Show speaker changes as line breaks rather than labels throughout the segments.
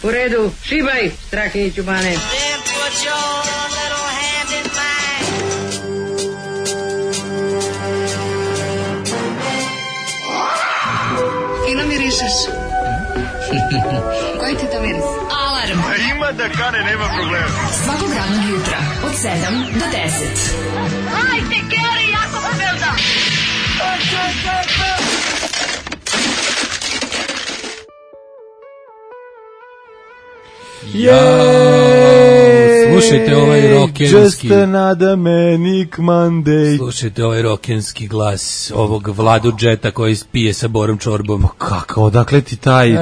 U redu, šibaj, Strahinjiću Bane.
Fino mirišeš. Koji ti to miris? Alarm.
Ima da kane, nema problema.
Svakog radnog jutra od 7 do 10.
Hajde, Geri, jako se velda.
Slušajte ovaj rokenski.
Just another manic Monday.
Slušajte ovaj rokenski glas ovog Vladu Džeta koji pije sa Borom Čorbom.
Kako, odakle ti taj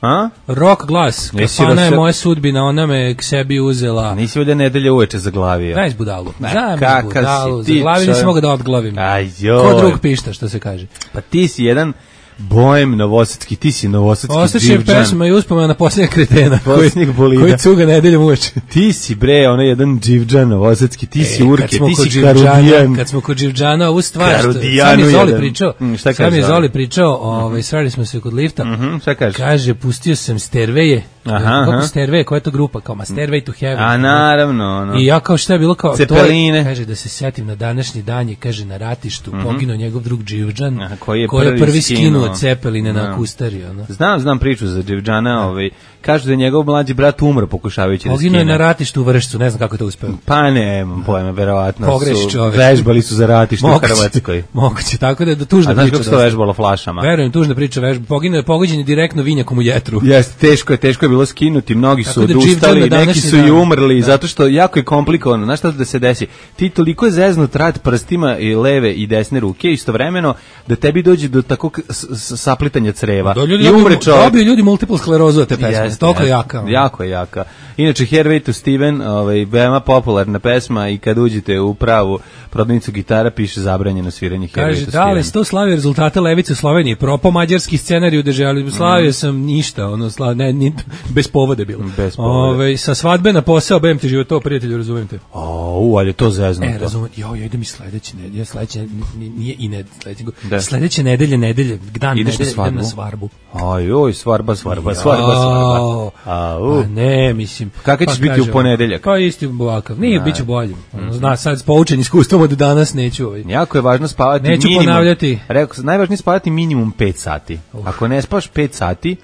a?
Rock glas. Kafana je moja sudbina, ona me k sebi uzela.
Nisi ovdje nedelje uveče zaglavio.
Daj zbudalu. Daj zbudalu. Zaglavio nisi mogao da odglavim. Ko drug pišta, što se kaže.
Pa ti si jedan bojem novosadski, ti si novosadski
Ostaće
dživdžan.
pesma i uspomena na posljednjeg kretena
bolida.
koji cuga nedeljom uveče.
Ti si bre, ono jedan dživdžan novosadski, ti si urke, ti si karudijan.
Kad smo kod dživdžana, ovu stvar, sam je Zoli pričao, srali smo se kod lifta,
šta kaže?
Kaže, pustio sam Stairwaye. Kako Stairway, koja je to grupa? Kao Stairway to Heaven.
A naravno.
I ja kao šta je bilo kao
Cepeline.
Kaže da se setim na današnji dan je, kaže, na ratištu poginuo njegov drug dživdžan
koji je
prvi skinuo Cepeline na Kustariju.
Znam priču za dživdžana, kažu da je njegov mlađi brat umro pokušavajući da skine.
Poginuo je na ratištu u Vršcu, ne znam kako je to uspeo.
Pa nemam pojma, verovatno
Pogreši čovek.
Vežbali su za ratište u Hrvatskoj.
Moguće, tako da je tužna priča.
A znaš kako se to vežbalo flašama?
Verujem, tužna priča, poginuo je pogođen direktno vinjakom u jetru.
Jeste, teško je bilo skinuti, mnogi su odustali, neki su i umrli, zato što jako je komplikovano. Znaš šta da se desi? Ti toliko je zeznut rad prstima i leve i desne ruke istovremeno da tebi dođe do takvog saplitanja creva.
I umre čovjek. Dobiju ljudi multiple sklerozu od te pesme, toliko jaka.
Jako je jaka. Inače, Hervey to Steven, veoma popularna pesma i kad uđete u pravu prodavnicu gitara piše zabranjeno sviranje Hervey to Steven.
Kaže, da li sto slavio rezultate Levice u Sloveniji, propo mađarski scenarij u državi, slavio sam ništa, bez povode bilo. Sa svadbe na posao, bem ti život, to prijatelju, razumijem te.
Ali je to zeznuto.
Razumijem, idem i sledeće nedelje, sledeće nedelje, dan
ideš
nedelje, idem na svarbu.
Svarba.
Ne, mislim.
Kako ćeš biti u ponedeljak?
Pa isti ovakav. Nije, bit ću bolji. Zna, sad s poučen iskustvom od danas neću.
Jako je važno spavati
neću
minimum.
Ponavljati.
Rekao, najvažnije spavati minimum 5 sati. Ako ne spavaš 5 sati,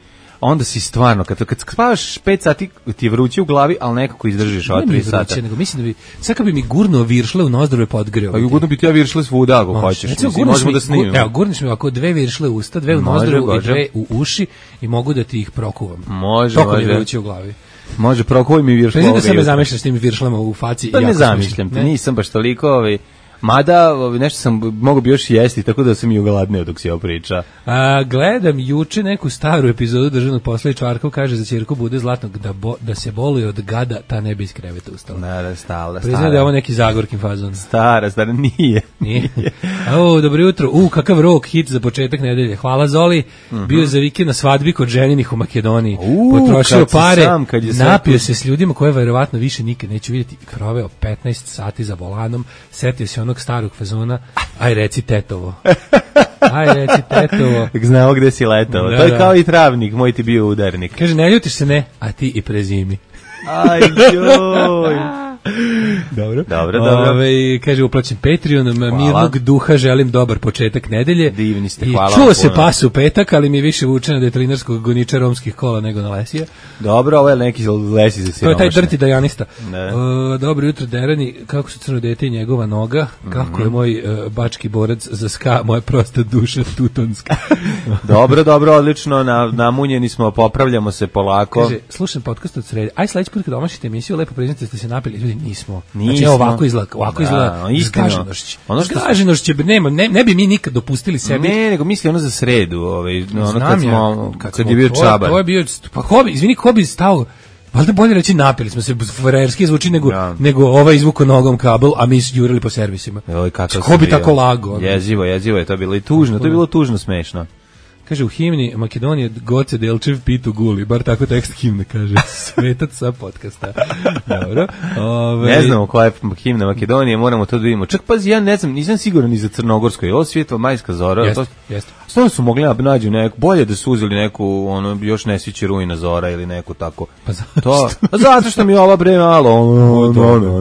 onda si stvarno, kad spavaš 5 sati ti je vruće u glavi, ali nekako izdržiš ova 3 sata.
Nego mislim da bi, sad kad bi mi gurnuo viršle u nozdrve podgreo.
Pa gurno bi ti ja viršle svuda ako hoćeš. Možemo da snimimo.
Evo, gurniš mi ovako 2 viršle u usta, 2 u nozdrve i 2 u uši i mogu da ti ih prokuvam.
Može.
Mi je vruće u glavi.
Može, prokuvaj mi viršle.
Prezim da sam me zamišljaš s tim viršlama u faci.
Pa ne zamišljam te, nisam baš toliko mada nešto sam mogu bi još jesti, tako da sam i ogladneo dok si ovo priča.
Gledam juče neku staru epizodu Državnog posla i Čvarkov kaže za ćerku Bude Zlatnog da se boluje od gada, ta ne bi iz kreveta ustala.
Ne, stara.
Priznam da je ovo neki Zagorkin fazon.
Stara, nije.
Dobro jutro. Kakav rock hit za početak nedelje. Hvala Zoli. Bio za vikend na svadbi kod ženinih u Makedoniji. Potrošio pare, napio se s ljudima koje verovatno više nikad neću vidjeti. Proveo 15 sati za volanom. Setio se onog starog fazona. Aj reci tetovo.
Znao gde si letao. To je kao i travnik, moj ti bio udarnik.
Kaže, ne ljutiš se, ne, a ti i prezimi.
Aj joj. Dobro.
Kaže, uplaćen Patreonom, mirnog duha, želim dobar početak nedelje.
Divni ste,
i
hvala.
Čuo se pas u petak, ali mi je više vuče na detrinarskog goniča romskih kola nego na lesija.
Dobro, ovo je neki lesi za siromašne.
To je taj drti dajanista. Dobro jutro, Derani, kako su crno dete i njegova noga, kako je moj bački borac za ska, moja prosta duša tutonska.
Dobro, odlično, namunjeni smo, popravljamo se polako.
Kaže, slušam podcast od sredi, aj sledeći put kad omašite emisiju, lepo priznate da ste se napili, ljudi, nismo. Znači, ovako izgleda zgaženošće, ne bi mi nikad dopustili sebi.
Ne, nego misli ono za sredu, kad je bio Čabar.
To je bio, pa ko bi stao, valjda bolje reći napili smo se, frerski zvuči nego izvuko nogom kabel, a mi jurili po servisima. Ko bi tako lago?
Jezivo je to bilo i tužno, to je bilo tužno smešno.
Kaže u himni Makedonije Goce Delčev pitu guli, bar tako tekst himne kaže. Svetac sa podcasta. Dobro.
Ne znamo koja je himna Makedonije, moramo to da vidimo. Čak pazi, ja ne znam, nisam siguran ni za Crnogorsko. Je ovo Svjetla majska zora?
Jeste.
Stvarno su mogli nađu neku, bolje da su uzeli neku, ono, još ne sviće rujna zora ili neku tako.
Pa
zato što mi ova bre malo,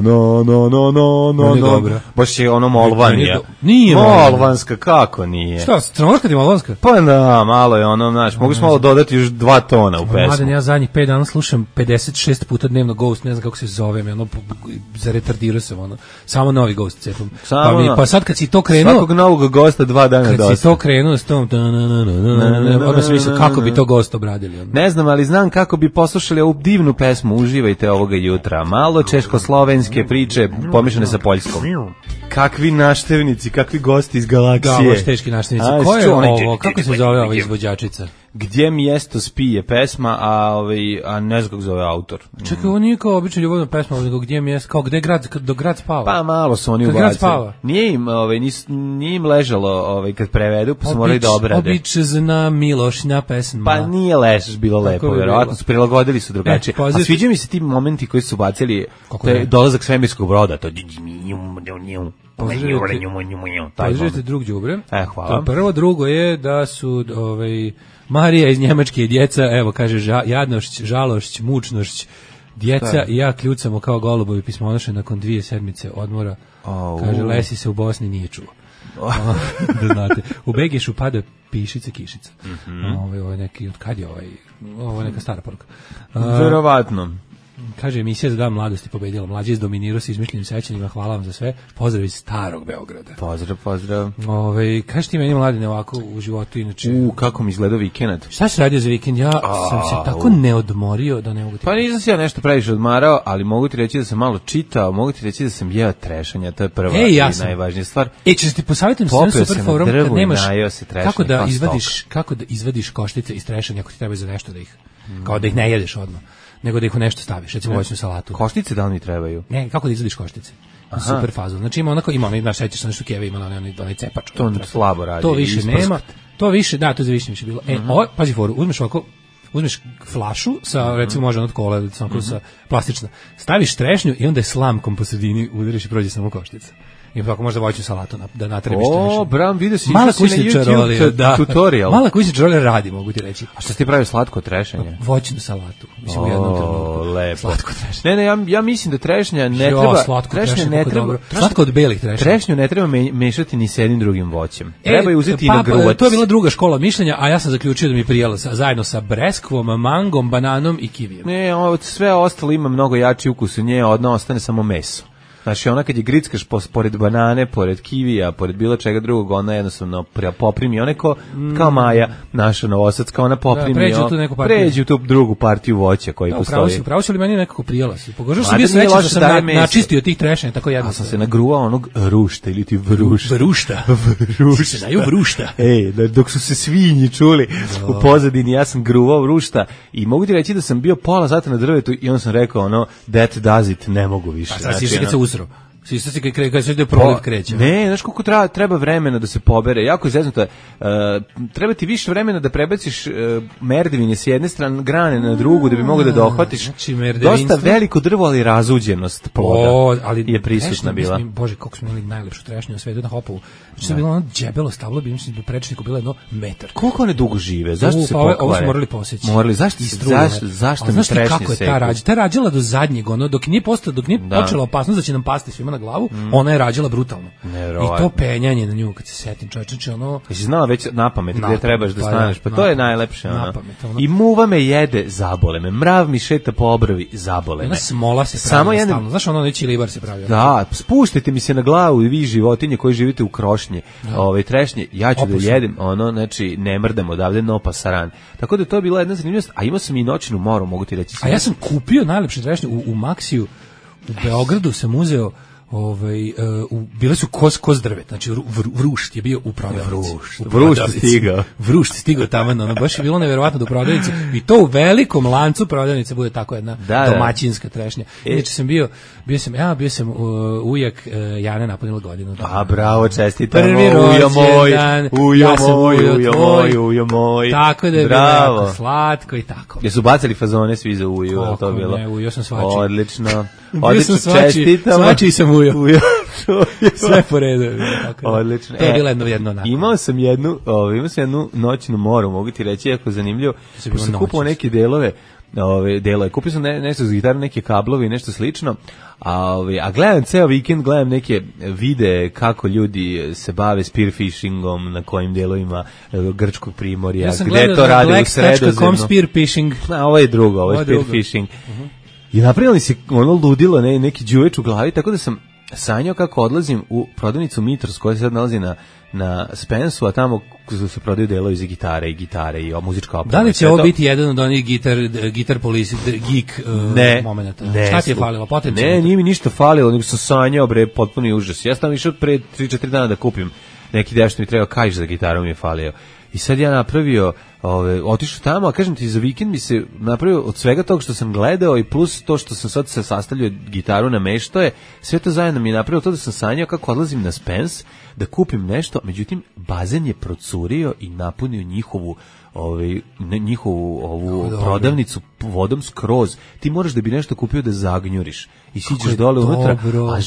no.
Baš je ono molvanija.
Nije
molvanska, kako nije?
Šta, Crnogorska ti molvanska?
Pa da, malo je ono, znaš, mogu smo malo dodati još 2 tona u pesmu.
Mladen, ja zadnjih 5 dana slušam 56 puta dnevno Ghost, ne znam kako se zove, ono, zaretardirao sam, ono, samo novi Ghost cepom. Pa sad kad si to krenuo...
Svakog novog gosta 2 dana dosta.
Kad si to krenuo s tom... Odmah sam mislio kako bi to Gost obradili.
Ne znam, ali znam kako bi poslušali ovu divnu pesmu. Uživajte ovoga jutra. Malo češko-slovenske priče pomešane sa poljskom. Kakvi naštevnici, kakvi gosti iz galaksije.
Da, baš teški naštevnici. Ko je ovo? Kako se zove ova izvođačica?
Gdje mjesto spije pesma, a ne znam kako zove autor.
Čekaj, ovo nije kao obična ljubavna pesma, nego gdje mjesto, kao gde grad spava.
Pa malo su oni ubacili. Nije im ležalo kad prevedu, pa su morali da obrade.
Obična Milošina pesma.
Pa nije bilo lepo, vjerovatno su prilagodili su drugačije. A sviđa mi se ti momenti koji su bacili, to je dolazak svemirskog broda, to
Pozdravite drug đubre.
Hvala.
Prvo, drugo je da su Marija iz Njemačke i djeca, evo kaže jadnošć, žalošć, mučnošć, djeca i ja kljucamo kao golubovi pismonoše nakon 2 sedmice odmora. Kaže, Lesi se u Bosni nije čuo. Da znate. U Begešu pada pišica, kišica. Ovo je neki, od kad je ovo je neka stara poruka.
Verovatno.
Kaže, emisija za dan mladosti pobedila. Mlađi izdominirao se izmišljenim sećanjima. Hvala vam za sve. Pozdrav iz starog Beograda.
Pozdrav.
Kaži ti meni, Mladine, ovako u životu inače.
Kako mi izgledao vikend?
Šta si radio za vikend? Ja sam se tako neodmorio da ne mogu ti...
Pa nisam se ja nešto previše odmarao, ali mogu ti reći da sam malo čitao, mogu ti reći da sam jeo trešanja, to je prva i najvažnija stvar.
Ćeš ti posavjetujem sve super forum kad nemaš kako da izvadiš koštice iz trešanja ako ti treba za nešto da ih, kao da ih ne jedeš odmah, nego da ih u nešto staviš, recimo voćnu salatu.
Koštice da li mi trebaju?
Ne, kako da izvadiš koštice? Super fazon. Znači ima naš sećaš sa nešto Keva imala onaj cepač.
To slabo radi.
To više nema. To više, da, to je više bilo. Pazi foru, uzmeš flašu sa, recimo može od kola, sa plastična, staviš trešnju i onda je slamkom po sredini udariš i prođe samo koštica. I tako možda voću salatu da natrebiš to više.
Bram, vidio si
mala kućničarolija,
tutorial.
Mala kućničarolija radi, mogu ti reći.
A što ti pravi slatko trešanje?
Voćnu salatu. Mislim, u jednom trenutku.
Lepo.
Slatko trešnje.
Ne, ja mislim da trešnja ne treba...
Slatko od belih trešnja.
Trešnju ne treba mešati ni s jednim drugim voćem. Treba je uzeti i na gruvac.
To je bila druga škola mišljenja, a ja sam zaključio da mi je prijelo zajedno sa breskvom, mangom, bananom i kivijem.
Ne, sve ostalo ima mnogo jači ukus u nje, odno ostane samo meso. Znači, ona kad je grickaš pored banane, pored kivija, pored bilo čega drugog, ona jednostavno poprimi, ona kao Maja, naša Novosadska, ona poprimi, pređe u tu drugu partiju voća koji postoji.
Upravo si li meni nekako prijela si? Pogožao sam bio srećan što sam načistio tih trešanja, tako jedno.
A sam se nagruvao onog rušta ili ti vrušta.
Vrušta. Se daju vrušta.
Dok su se svinji čuli u pozadini, ja sam gruvao vrušta i mogu ti reći da sam bio pola sata na drvetu i onda sam rekao, that does it, ne mogu više.
Sista si kad se proliv kreće.
Ne, znaš koliko treba vremena da se pobere. Jako je zeznuto. Treba ti više vremena da prebaciš merdevine s jedne strane, grane na drugu, da bi mogao da dohvatiš.
Znači,
dosta veliko drvo, ali razuđenost ploda je prisutna bila.
Bože, koliko smo imali najlepšu trešnju na svetu na Hopovu. Znači, to je bilo ono džebelo stablo, bi mislim, do prečniku bilo 1 metar.
Koliko one dugo žive? Zašto se pokvare?
Ovo smo morali poseći.
Zašto mi trešnje seku?
Ta rađala do zadnjeg, dok nije počela opasnost da će nam pasti svima na glavu, ona je rađala brutalno. I to penjanje na nju, kad se setim, čovječe, ono...
Jesi znala već napamet gdje trebaš da staneš, pa to je najlepše. I muva me jede, zabole me. Mrav mi šeta po obravi, zabole me.
Ona smola se pravi stalno. Znaš, ono neći libar se pravi.
Da, spuštajte mi se na glavu i vi životinje koji živite u krošnje, trešnje, ja ću da jedem, znači, ne mrdam odavde, no pasaran. Tako da to je bila jedna zanimljivost, a imao sam i noćnu moru, mogu ti reći.
A ja sam kupio najlepše trešnje u Maxiju, u Beogradu sam uzeo bile su kos drvet, znači Vrušt je bio u prodavnici. Vrušt stigao tamo, baš je bilo neverovatno do prodavnice i to u velikom lancu prodavnice bude tako jedna domaćinska trešnja. Inače sam bio sam ujak Jane napunila godinu.
A bravo, čestitam.
Prvi rođendan.
Ujo moj.
Tako da je bilo jako slatko i tako.
Jesu bacili fazone svi za uju, je to bilo?
Ne, ujo sam svači.
Odlično.
Čestitam. Svači sam ujo. Sve po redu.
Odlično.
To je bilo jedno onako.
Imao sam jednu noćnu moru, mogu ti reći, jako zanimljivo. Sam kupao neke delove, kupio sam nešto za gitaru, neke kablovi i nešto slično, a gledam ceo vikend, gledam neke videe kako ljudi se bave spearfishingom, na kojim delovima grčkog primorja,
ja
gde to rade u Sredozemlju.
Spearfishing.
Ovo je drugo, ovo je spearfishing. I napravili si ludilo, neki đuveč u glavi, tako da sam sanjao kako odlazim u prodavnicu Mitros koja se sad nalazi na Spensu, a tamo se prodaju delovi za gitare i muzička oprema.
Da li će ovo biti jedan od onih gitar police, geek momenta? Šta ti je falilo? Potencijalno?
Ne, nije mi ništa falilo, nego sam sanjao, potpuni užas. Ja sam išao pre 3-4 dana da kupim neki deo što mi treba kaiš za gitaru mi je falio. I sad ja napravio, otišao tamo, a kažem ti, za vikend mi se napravio od svega toga što sam gledao i plus to što sam sad se sastavljao gitaru na meštoje, sve to zajedno mi je napravio to da sam sanjao kako odlazim na Spence da kupim nešto, međutim bazen je procurio i napunio njihovu ovu prodavnicu vodom skroz. Ti moraš da bi nešto kupio da zagnjuriš i siđeš dole unutra, a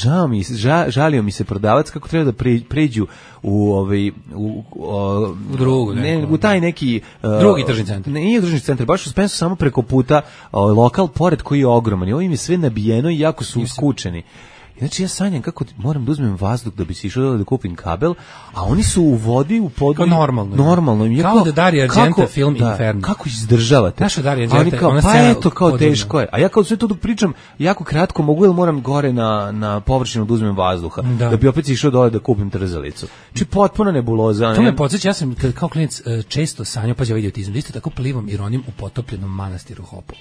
žalio mi se prodavac kako treba da pređu u
drugu,
u taj neki
drugi tržni centar.
Nije tržni centar, baš u Spensu samo preko puta lokal pored koji je ogroman i ovo im je sve nabijeno i jako su skučeni. Znači ja sanjam kako moram da uzmem vazduh da bi se išao da kupim kabel, a oni su u vodi u području. Normalno.
Kao da Dario Argento film Inferno.
Kako izdržavate?
Naša Dario Argento,
ona scena. Pa eto, kao teško je. A ja kao sve to dok pričam, jako kratko mogu, jer moram gore na površinu da uzmem vazduha, da bi opet išao dole da kupim trzalicu. Znači potpuno nebuloza.
To me podsjeća, ja sam kao klinac često sanjao, pa ja vidio autizam, isto tako plivom i ronim u potopljenom manastiru Hopovo.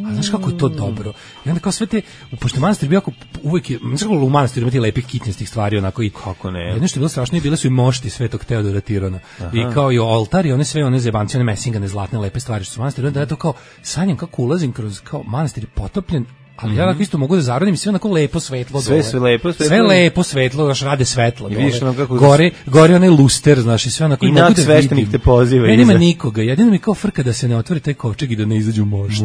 A znaš kako je to dobro? I onda kao sve te, pošto manastir bio jako uvijek je, u manastiru imati lepih kitnjastih stvari, onako i
kako ne.
Jedno što je bilo strašno, bile su i mošti Svetog Teodora Tirona. I kao i oltar i one sve one zebanci, one mesingane zlatne lepe stvari što su manastiri. Onda ja to kao sanjam kako ulazim kroz kao manastir je potopljen, ali ja isto mogu da zarodim i sve onako lepo svetlo dole. Sve lepo svetlo, znaš, rade svetlo dole. Gore onaj luster, znaš, i sve onako.
I nad sveštenik te poziva.
Nema nikoga, jedino mi kao frka da se ne otvori taj kovčeg i da ne izađu mošti.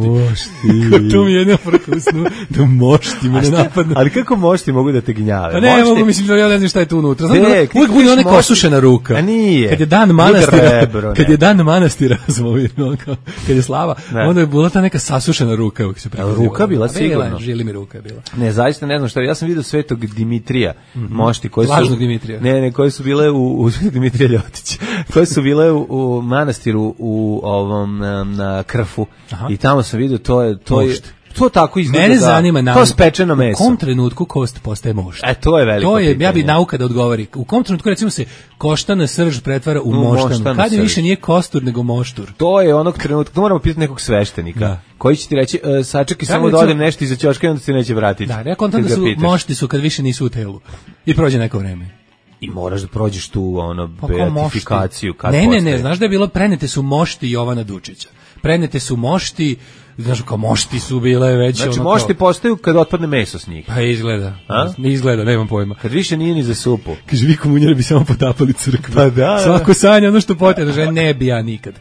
To mi je jedna frka u snu, da mošti me ne napadnu.
Ali kako mošti mogu da te gnjave?
Pa ne mogu, mislim, ja ne znam šta je tu unutra. Uvijek bude ona kosušena ruka.
A nije.
Kad je dan manastira, kad je slava, onda je bila ta neka sasušena ruka.
Ruka bila sigurno.
Žili mi ruka je bila.
Ne, zaista ne znam šta. Ja sam vidio Svetog Dimitrija, mošti koji su
lažnog Dimitrija.
Ne, koji su bile u Dimitrija Ljotić. Koji su bile u manastiru u ovom na Krfu. I tamo sam vidio to tako izgleda.
Mene zanima
to spečeno meso.
U kom trenutku kost postaje mošt?
To je veliko pitanje.
Ja bi nauka da odgovori. U kom trenutku recimo se koštana srž pretvara u moštanu? Kad je više nije kostur nego moštur?
To je onog trenutka. To moramo pitati nekog sveštenika. Koji će ti reći, sačekaj samo da odem nešto iza ćoška i onda se neće vratiti.
Da, ja kontam da su mošti su kad više nisu u telu. I prođe neko vreme.
I moraš da prođeš tu beatifikaciju.
Ne, znaš da je bilo prenete su mošti Jovana Dučića. Prenete su mošti, znaš kao mošti su bile već.
Znači mošti postaju kad otpadne meso s njih.
Pa izgleda, nemam pojma.
Kad više nije ni za supu.
Kaže, vi komunjari bi samo potapali crkvu.
Pa da.
Svako sanja ono što potjeda, že ne bi ja nikad.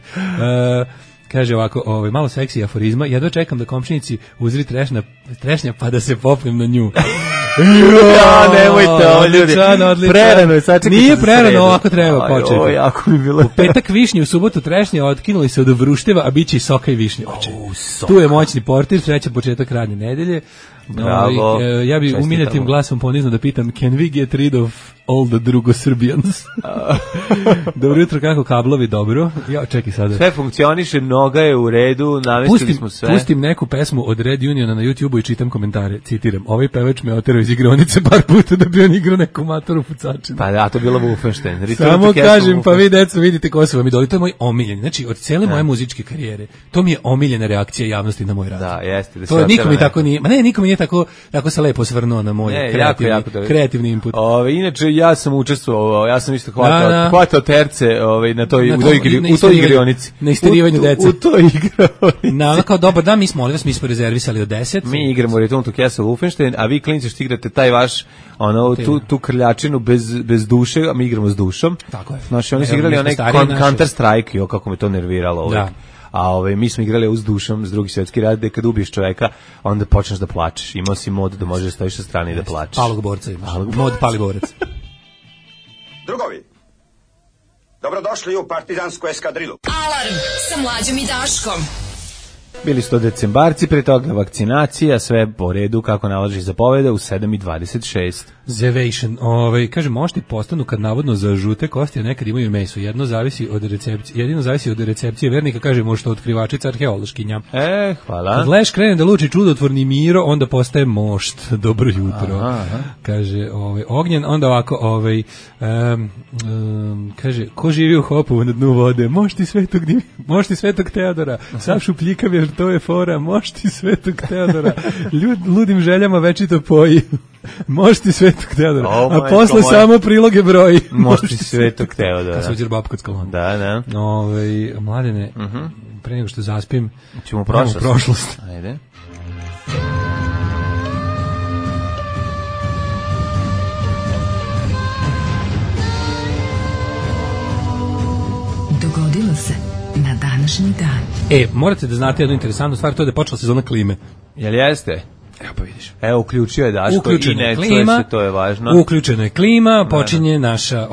Kaže ovako, malo seksi aforizma, jedva čekam da komšinici uzri trešnja pa da se popnem na nju.
Nemojte ovo ljudi. Prerano je, sad čekajte.
Nije prerano, ovako treba početi.
Jako mi bilo.
U petak višnje, u subotu trešnje, otkinuli se od Vrušteva, a bit će i soka i višnje. Tu je moćni portir, srećan početak radne nedelje.
Bravo.
Ja bi umiljatim glasom ponizno da pitam, can we get rid of all the drugo Srbijans? Dobro jutro, kako kablovi, dobro. Ja, čekaj sada.
Sve funkcioniše, noga je u redu, navestili smo sve.
Pustim neku pesmu od Red Uniona na YouTubeu i čitam komentare. Citiram, ovaj pevač me oterao iz igronice par puta da bi on igrao neku matoru pucačinu.
Pa da, to je bilo Wolfenstein.
Samo kažem, pa vi deco vidite ko su vam idoli. To je moj omiljen. Znači, od cijele moje muzičke karijere, to mi je omiljena reakcija javnosti na moj rad.
Da, jeste.
To nikom mi tako nije, ma ne, nikom mi nije tako se lepo svrnuo na moj kreativni input.
Inače, ja sam učestvovao, ja sam isto hvatao terce u toj igronici.
Na isterivanju dece.
U toj igronici.
Kao dobar dan, mi smo rezervisali od 10.
Mi igramo Return to Castle Wolfenstein, a vi klinci što igrate taj vaš tu krljačinu bez duše, a mi igramo s dušom.
Tako je.
Znači, oni su igrali onaj Counter Strike, kako me to nerviralo uvijek. A mi smo igrali uz dušom s Drugi svjetski rat, gde kad ubiješ čoveka, onda počneš da plačeš. Imao si mod da možeš stojiš sa strane i da plačeš.
Palog borca imaš. Mod pali borac.
Drugovi, dobrodošli u partizansku eskadrilu.
Alarm sa Mlađom i Daškom.
Bili su to decembarci, pre toga vakcinacija, sve po redu kako nalaži zapoveda u 7:26.
Zevation, kaže, mošti postanu kad navodno za žute kosti, a nekad imaju meso. Jedino zavisi od recepcije vernika, kaže mošto otkrivačica arheološkinja.
Hvala.
Kad Leš krene da luči čudotvorni Miro, onda postaje mošt. Dobro jutro. Aha. Kaže, Ognjen, onda ovako, kaže, ko živi u Hopovu na dnu vode? Mošti Svetog Teodora. Sav šupljikav jer to je fora. Mošti Svetog Teodora. Ludim željama večito poji. Mošti Svetog Teodora, a posle samo priloge broji.
Mošti Svetog Teodora.
Kad se uđer bab kod skalona.
Da.
Mladene, pre nego što zaspim,
ćemo
prošlost.
Ajde.
Dogodilo se na današnji dan.
Morate da znate jednu interesantnu stvar, to je da je počela sezona klime.
Jel jeste?
Evo pa vidiš.
Uključio je Daško i ne
klima,
to je važno.
Uključena je klima, počinje naša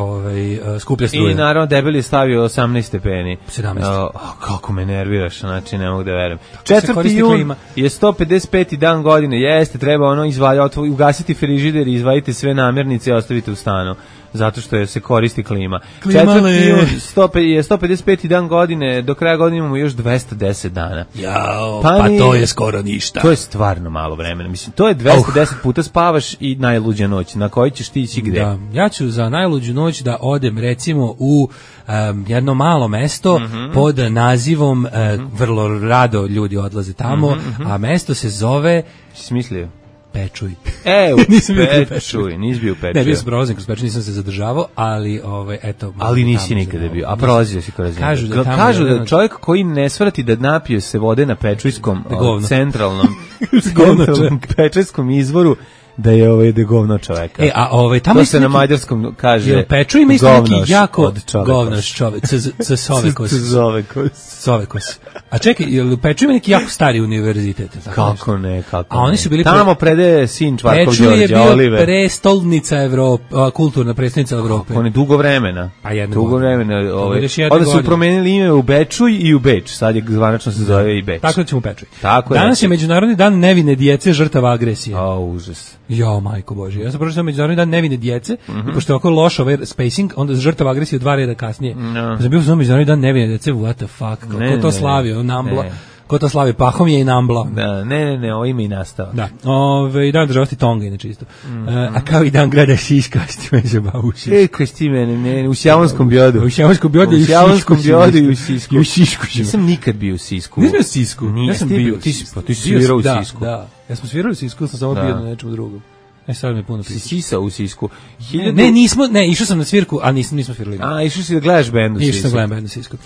skuplja struja.
I naravno debeli je stavio 18 stepeni.
17.
Kako me nerviraš, znači ne mogu da verujem. 4. jun je 155. dan godine, jeste, treba ugasiti frižider i izvaditi sve namirnice i ostavite u stanu. Zato što se koristi klima. 4. jun je 155. dan godine, do kraja godine imamo još 210 dana.
Jao, pa to je skoro ništa.
To je stvarno malo vremena. Mislim, to je 210 puta spavaš i najluđa noć. Na kojoj ćeš ti ići gde?
Da, ja ću za najluđu noć da odem recimo u jedno malo mesto pod nazivom, vrlo rado ljudi odlaze tamo, a mesto se zove...
Smislio?
Pečuj.
Nisam bio Pečuj, nisi bio u Pečuju.
Ne, bio sam prolaznik kroz Pečuj, nisam se zadržavao, ali eto.
Ali nisi nikada bio, a prolazio si kroz njega. Kažu da čovjek koji ne svrati da napije se vode na Pečujskom centralnom Pečujskom izvoru, da je da govno čoveka.
Tamo
to se na mađarskom kaže.
Pečuj ima isto neki jako govnoš čovek. Sovekos. A čekaj, u Pečuj ima neki jako stari univerzitet.
Kako ne, kako
a oni su bili
tamo predaje sin Čvarkov Đorđe Oliver.
Pečuj je bio prestolnica Evrope, kulturna prestolnica Evrope.
On je dugo vremena. Dugo vremena. Onda su promenili ime u Bečuj i u Beč. Sad je zvanično se zove i Beč.
Tako da ćemo u Pečuj. Danas je Međunarodni dan nevine djece žrtava agresije.
Užas.
Jo, majko Bože. Ja sam prošao Međunarodni dan nevine djece i pošto je oko loš spacing, onda žrtava agresije 2 reda kasnije. Sam bio sam Međunarodni dan nevine djece, what the fuck, ko to slavio, Nambla. Ko to slavi, Pahom je i Nambla.
Ne, ovo ima i nastava.
Da, dan državnosti Tonga, inače isto. A kao i dan grada Šiška, s time se bavušiš.
Kaj s time, ne, u Sjavonskom biodu.
U Sjavonskom biodu
i u Sisku.
I u Šišku.
Nisam nikad bio u Sisku.
Nisam bio u Sisku. Ja sam bio.
Ti si svirao u Sisku.
Da, ja sam svirao u Sisku, sam samo bio na nečemu drugom. Sad mi puno
pisa. Si sisao u Sisku.
Išao sam na svirku, a nismo svirali.
Išao si da gledaš bend u Sisku.
Išao sam gledam bend u Sisku.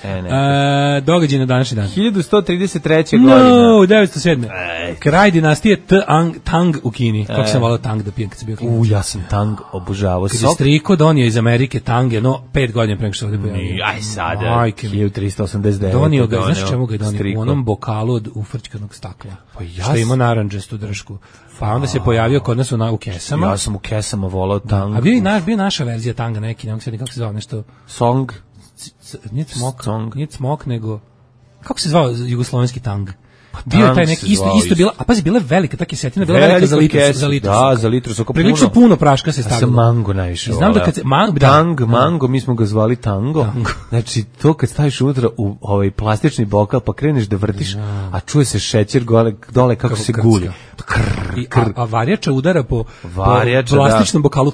Događaj na današnji dan.
1133. godina.
907. Kraj dinastije Tang u Kini. Kako sam volao Tang da pijem kad sam bio klinac.
Ja sam Tang obožavao.
Kad je striko donio iz Amerike Tang, 5 godina pre nego što se ovdje pojavio.
Aj sada, 1389.
Donio ga, znaš čemu ga je donio? U onom bokalu od ufrčkanog stakla. Što ima naranđastu držku. Pa onda se pojavio kod nas u kesama.
Ja sam u kesama volao Tang.
A bio naša verzija Tanga neki, ne mogu se kako se zvao nešto.
Song?
Nije Smok, nego... Kako se zvao jugoslovenski Tang? Bio je taj neki isto bila, a pazi, bila je velika ta kesetina, bila velika za litru.
Da, za litru soka puno.
Prilično puno praška se stavilo.
Ja sam mango najviše.
Znam da kad se
mango, mi smo ga zvali tango. Znači to kad staviš unutra u ovaj plastični bokal pa kreneš da vrtiš, a čuje se šećer dole kako se guli.
a varjača udara po plastičnom bokalu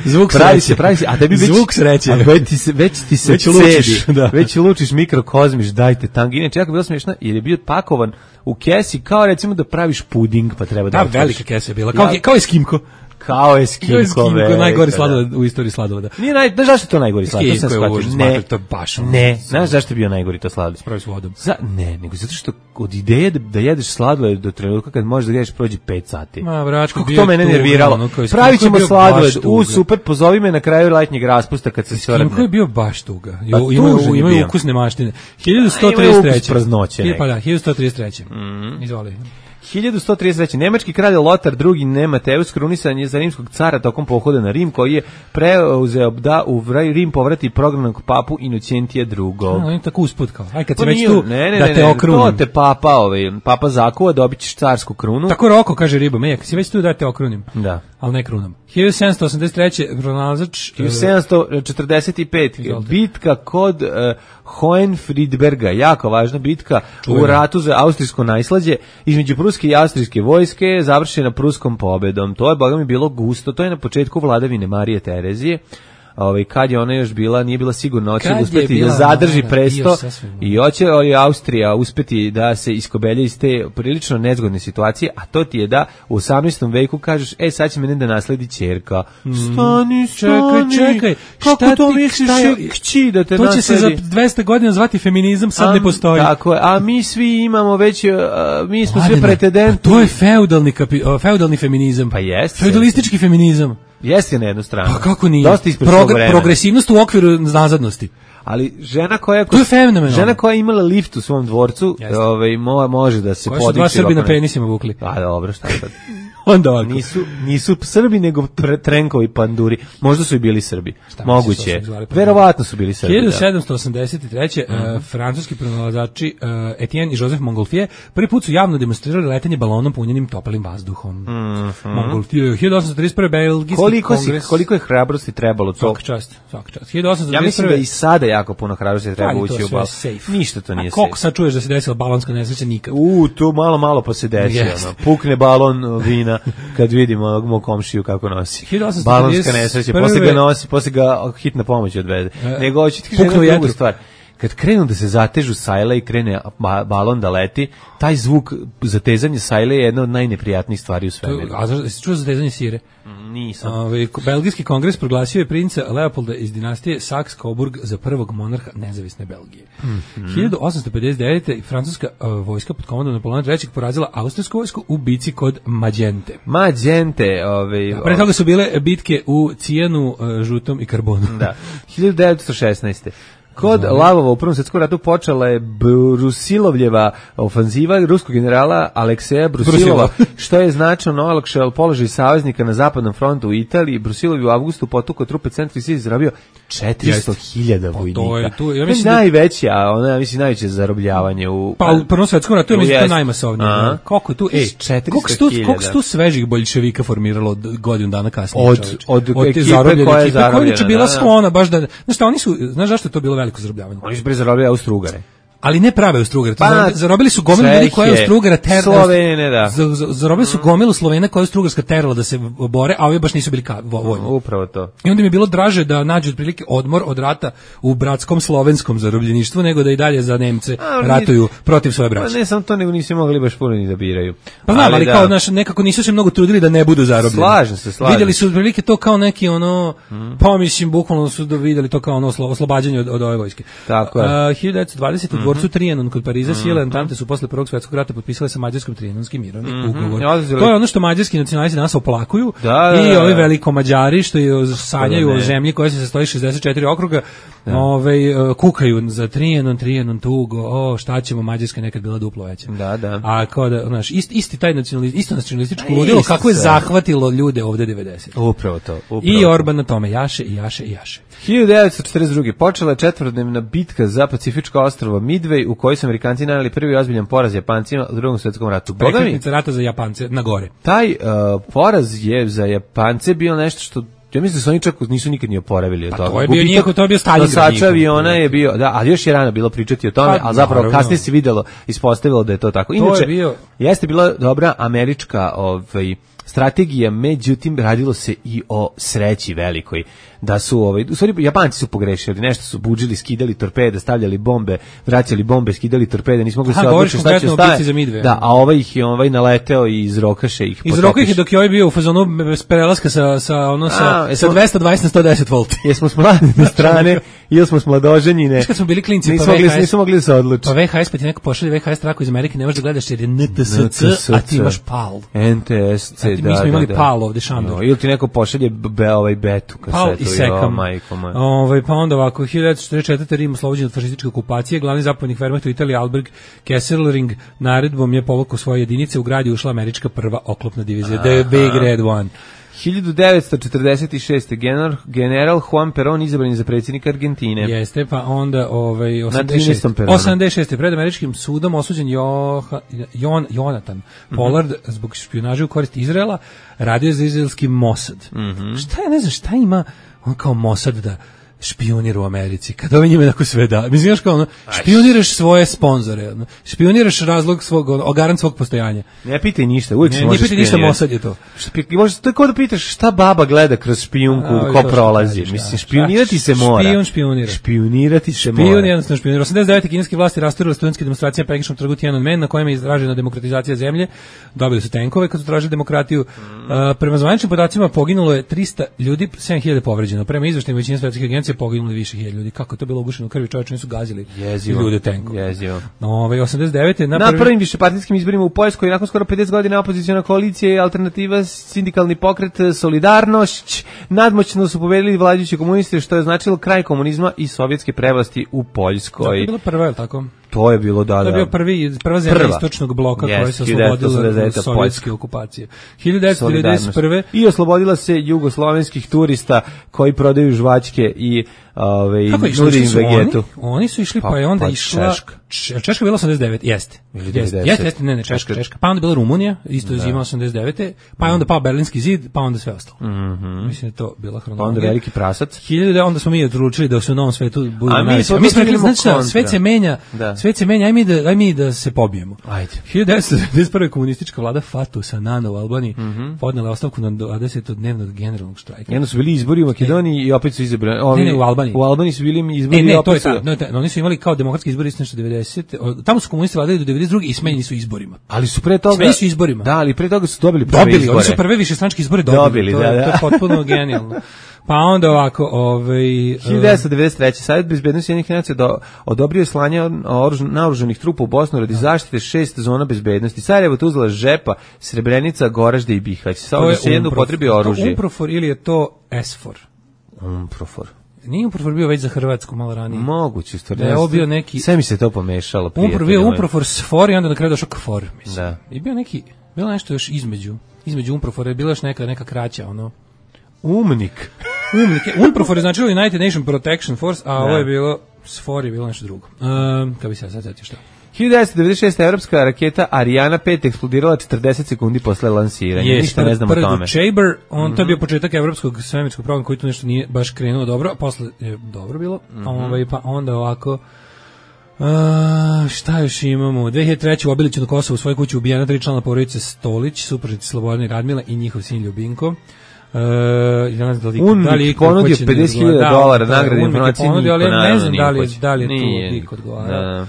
zvuk sreće.
Pravi se, a tebi
zvuk sreće.
Već ti se cedi, već lučiš mikrokozmiš, dajte tang. Inače, jako bilo smiješno, jer je bio pakovan u kesi, kao recimo da praviš puding, pa treba da
velika kesa je bila, kao Eskimko.
Kao Eskimko,
najgori sladoled u istoriji sladoleda.
Nije znaš zašto je to najgori sladoled?
To baš.
Ne, znaš zašto je bio najgori to sladoled?
Spravi s vodom.
Ne, nego zato što od ideje da jedeš sladoled do trenutka kad možeš da jedeš prođe 5 sati.
Ma bračko,
kako to mene nerviralo. Pravit ćemo sladoled, super, pozovi me na kraju letnjeg raspusta kad se sve
Eskimko je bio baš tuga. Imaju ukusne maštine. 1133. Pa da, 1133. Izvoli.
1133. Nemački kralj Lotar II. Nemateus krunisan je za rimskog cara tokom pohoda na Rim, koji je preuzeo da u Rim povrati prognanog papu Inocentija II.
On je tako usput kao, aj kad se već tu, da te okrunim.
To te papa zakuva, dobit ćeš carsku krunu.
Tako Roko kaže riba, kad si već tu da te okrunim.
Da.
Ali ne krunam. 1783. pronalazač
1745. bitka kod Hohenfriedberga, jako važna bitka u ratu za austrijsko najslađe između pruske i austrijske vojske, završena pruskom pobedom. To je, boga mi, bilo gusto. To je na početku vladavine Marije Terezije. Kad je ona još bila, nije bila sigurna, hoće uspeti da zadrži presto i hoće Austrija uspeti da se iskobelje iz te prilično nezgodne situacije, a to ti je da u 18. veku kažeš, sad će mene da nasledi ćerka. Stani,
čekaj,
kako to misliš kći da te nasledi?
To će se za 200 godina zvati feminizam, sad ne postoji.
Tako je, a mi svi imamo već, mi smo sve pretendenti.
To je feudalni feminizam.
Pa jeste.
Feudalistički feminizam.
Jeste na jednu stranu.
Pa kako nije? Progresivnost u okviru nazadnosti.
Ali žena koja
to je fenomenalno.
Žena koja je imala lift u svom dvorcu, može da se podići.
Koja su 2 Srbi na penisima vukli.
A dobro, šta sad?
Onda ovako.
Nisu Srbi, nego trenkovi panduri. Možda su i bili Srbi. Moguće. Verovatno su bili Srbi.
1783. Francuski pronalazači Etienne i Joseph Montgolfier prvi put su javno demonstrirali letenje balonom punjenim toplim vazduhom. Montgolfier. 1831. Belgijski kongres.
Koliko je hrabrosti trebalo to?
Svaka čast. 1831.
Ja mislim da i sada jako puno hrabrosti treba ući u balon. Ništa to nije safe.
Koliko sad čuješ da se desila balonska nesreća? Nikad.
Tu malo pa se desi. Pukne balon vina kad vidimo mog komšiju kako nosi. Balonska nesreća, posle ga hitna pomoć odvede. Nego hoću ti kažem drugu stvar. Kad krenu da se zatežu sajle i krene balon da leti, taj zvuk zatezanje sajle je jedna od najneprijatnijih stvari u svemiru.
A jesi čuo zatezanje sire?
Nisam.
Belgijski kongres proglasio je princa Leopolda iz dinastije Saxe-Coburg za prvog monarha nezavisne Belgije. 1859. francuska vojska pod komandom Napoleona III porazila austrijsku vojsku u bici kod Magente. Pre toga su bile bitke u Cijanu, Žutom i Karbonu.
Da. 1916. Kod Lavova u Prvom svjetskom ratu počela je Brusilovljeva ofanziva ruskog generala Alekseja Brusilova, što je značajno olakšalo položaj saveznika na zapadnom frontu u Italiji. Brusilov je u avgustu potukao trupe centra i izrabio 400.000 vojnika. To je najveća, najveće zarobljavanje u...
Pa u Prvom svjetskom ratu je to najmasovnije. Koliko je tu? Koliko su tu svežih boljševika formiralo od godinu dana kasnije?
Od ekipe koja je zarobljena.
Koja je bila sklona baš da... Znaš zašto je to bilo veliko zarobljavanje?
Oni su zarobili Austro-Ugare.
Ali ne prave Austro-Ugare. Zarobili su gomilu ljudi koja je Austro-Ugara terala.
Slovene, da.
Zarobili su gomilu Slovena koja je Austro-Ugarska terala da se bore, a ovi baš nisu bili vojni.
Upravo to.
I onda mi je bilo draže da nađu otprilike odmor od rata u bratskom slovenskom zarobljeništvu, nego da i dalje za Nemce ratuju protiv svoje braće.
Ne samo to, nego nisu mogli baš puno ni da biraju.
Pa znam, ali kao nekako nisu se mnogo trudili da ne budu zarobljeni.
Slažem se.
Vidjeli su otprilike to kao neki mislim, bukvalno su vidjeli to kao oslobađanje od ove vojske.
Tako je.
1920 u dvorcu Trianon kod Pariza sile Entente su posle Prvog svjetskog rata potpisale sa mađarskom Trianonski mirovni ugovor. To je ono što mađarski nacionalisti danas oplakuju i ovi veliko Mađari što sanjaju o zemlji koja se sastoji 64 okruga, kukaju za Trianon tugo, šta ćemo, Mađarska nekad bila duplo veća.
Da.
A kao da, isti taj nacionalističko ludilo kako je zahvatilo ljude ovde 90.
Upravo to.
I Orban na tome jaše.
1942. počela je 4-dnevna bitka za Pacifičko ostrvo Midway, u kojoj su Amerikanci naneli prvi ozbiljan poraz Japancima u Drugom svjetskom ratu.
Prekretnica rata za Japance na gore.
Taj poraz je za Japance bio nešto što Ja mislim da su oni čak nisu nikad ni oporavili od toga.
To je bio njihov, to je bio Stalingrad.
Nosač aviona je bio, da, ali još je rano bilo pričati o tome, ali zapravo kasnije se videlo, ispostavilo da je to tako. Inače, jeste bila dobra američka strategija, međutim radilo se i o sreći velikoj, da su u stvari Japanci su pogrešili, nešto su budžili, skidali torpede, stavljali bombe, vraćali bombe, skidali torpede, nismo mogli se odlučiti šta će staviti. Da, a ih je naleteo i iz rokaše ih potopiš.
Iz roka ih je dok je bio u fazonu bez prelaska sa 220 na 110 volti.
Jesmo s mladine strane ili smo s mladoženjine.
Kad smo bili klinci,
nismo mogli da se odlučiti.
Pa VHS, pa ti neko pošalje VHS traku iz Amerike, ne možeš da gledaš jer je NTSC, a ti imaš PAL.
NTSC, da.
Mi smo imali PAL ovde, Šandor.
Ili ti neko pošalje betu kasetu.
Sekam. Pa onda ovako, 1944. Rim oslobođen od fašističke okupacije, glavni zapovjednik Wehrmachta u Italiji Albert Kesselring naredbom je povukao svoje jedinice, u grad je ušla američka prva oklopna divizija, The Big Red One.
1946. general Juan Perón izabran za predsjednika Argentine.
Jeste, pa onda 86. Pred američkim sudom osuđen Jonathan Pollard zbog špijunaže u korist Izraela, radio za izraelski Mossad. Šta je, ne znam, šta ima on kao Mossad da špionira u Americi, kad ovaj njima tako sve da. Mislim, kao špioniraš svoje sponzore, špioniraš razlog svog, garant svog postojanja.
Ne pitaj ništa, uvijek se može špionirati. Ne pitaj ništa,
Mossad je to.
To je kao da pitaš šta baba gleda kroz špijunku, ko prolazi. Mislim, špionirati se mora.
Špion špionira.
Špionirati se mora.
Špion jednostavno špionira. 89. kineske vlasti rasturile studentske demonstracije na Pekinškom trgu Tiananmen, na kojem je izražena demokratizacija zemlje. Dobili su tenkove kad su tražili demokratiju. Prema zvaničnim podacima poginulo je 300 ljudi, 7.000 povređeno. Prema izveštajima većine svetskih agencija poginuli više hiljada ljudi. Kako je to bilo ugušeno u krvi, čovječe, nisu gazili ljude tenkom.
Jezivo.
89.
Na prvim višepartijskim izborima u Poljskoj nakon skoro 50 godina opoziciona koalicija i alternativa sindikalni pokret Solidarnošć nadmoćno su pobedili vladajući komunisti, što je značilo kraj komunizma i sovjetske prevlasti u Poljskoj.
To je bilo prvo, je li tako?
To je bilo, da.
To je bio prva zemlja istočnog bloka koja se oslobodila od sovjetske okupacije. 1991.
I oslobodila se jugoslovenskih turista koji prodaju žvačke i nudi im vegetu.
Oni su išli, pa je onda išla Češka bila 89, jeste. Jeste, ne, Češka. Pa onda bila Rumunija, isto zima 89. Pa je onda pao Berlinski zid, pa onda sve ostalo. Mislim da to bila hronologija.
Pa onda veliki prasac.
1000, onda smo mi odlučili da se u novom svetu budemo najveći. Mi smo rekli, znači, svet se menja, aj mi da se pobijemo.
Ajde.
1991. komunistička vlada Fatu Sanana u Albaniji podnela ostavku na 20-dnevnog generalnog štrajka.
Jedno su bili izbori u Makedoniji i opet su izabrani.
Ne, u Albaniji.
U Albaniji su bili izbori
i opet su... Oni su imali kao demokratski izbori isto nešto 90. Tamo su komunisti vladali do 92. i smenjeni su izborima.
Ali su pre toga...
Smenjeni su izborima.
Da, ali pre toga su dobili prve izbore.
Oni su prve višestranačke izbore dobili. To je potpuno genijalno. Pa onda ovako,
1993. Savjet bezbednosti Ujedinjenih nacija odobrio slanje naoružanih trupa u Bosnu radi zaštite 6 zona bezbednosti. Sarajevo, Tuzla, Žepa, Srebrenica, Goražde i Bihać. Samo da se jedno upotrebi oružje.
To je UNPROFOR ili je to SFOR?
UNPROFOR.
Nije UNPROFOR bio već za Hrvatsku malo ranije.
Moguće,
da je ovo bio neki...
Sve mi se to pomešalo.
UNPROFOR bio UNPROFOR SFOR i onda na kraju došao KFOR, mislim.
Da.
I bio neki, bilo nešto još između UNPROFOR je bila još neka kraća, ono...
Umnik.
UNPROFOR je značilo United Nation Protection Force, a ovo je bilo, SFOR je bilo nešto drugo. Kako bi se sad zetio šta?
1996. evropska raketa Ariana 5 eksplodirala 40 sekundi posle lansiranja. Ništa ne znam o tome.
Chamber, to je bio početak evropskog svemirskog programa koji tu nešto nije baš krenuo dobro, a posle je dobro bilo. Pa onda ovako... šta još imamo? 2003. u Obiliću na Kosovu u svojoj kući ubijena 3 člana porodice Stolić, supružnici Slobodana i Radmila i njihov sin Ljubinko.
UNMIK ponudio $50.000 nagrade informacije
ponudio, ali ne znam da li je tu lik odgovarao.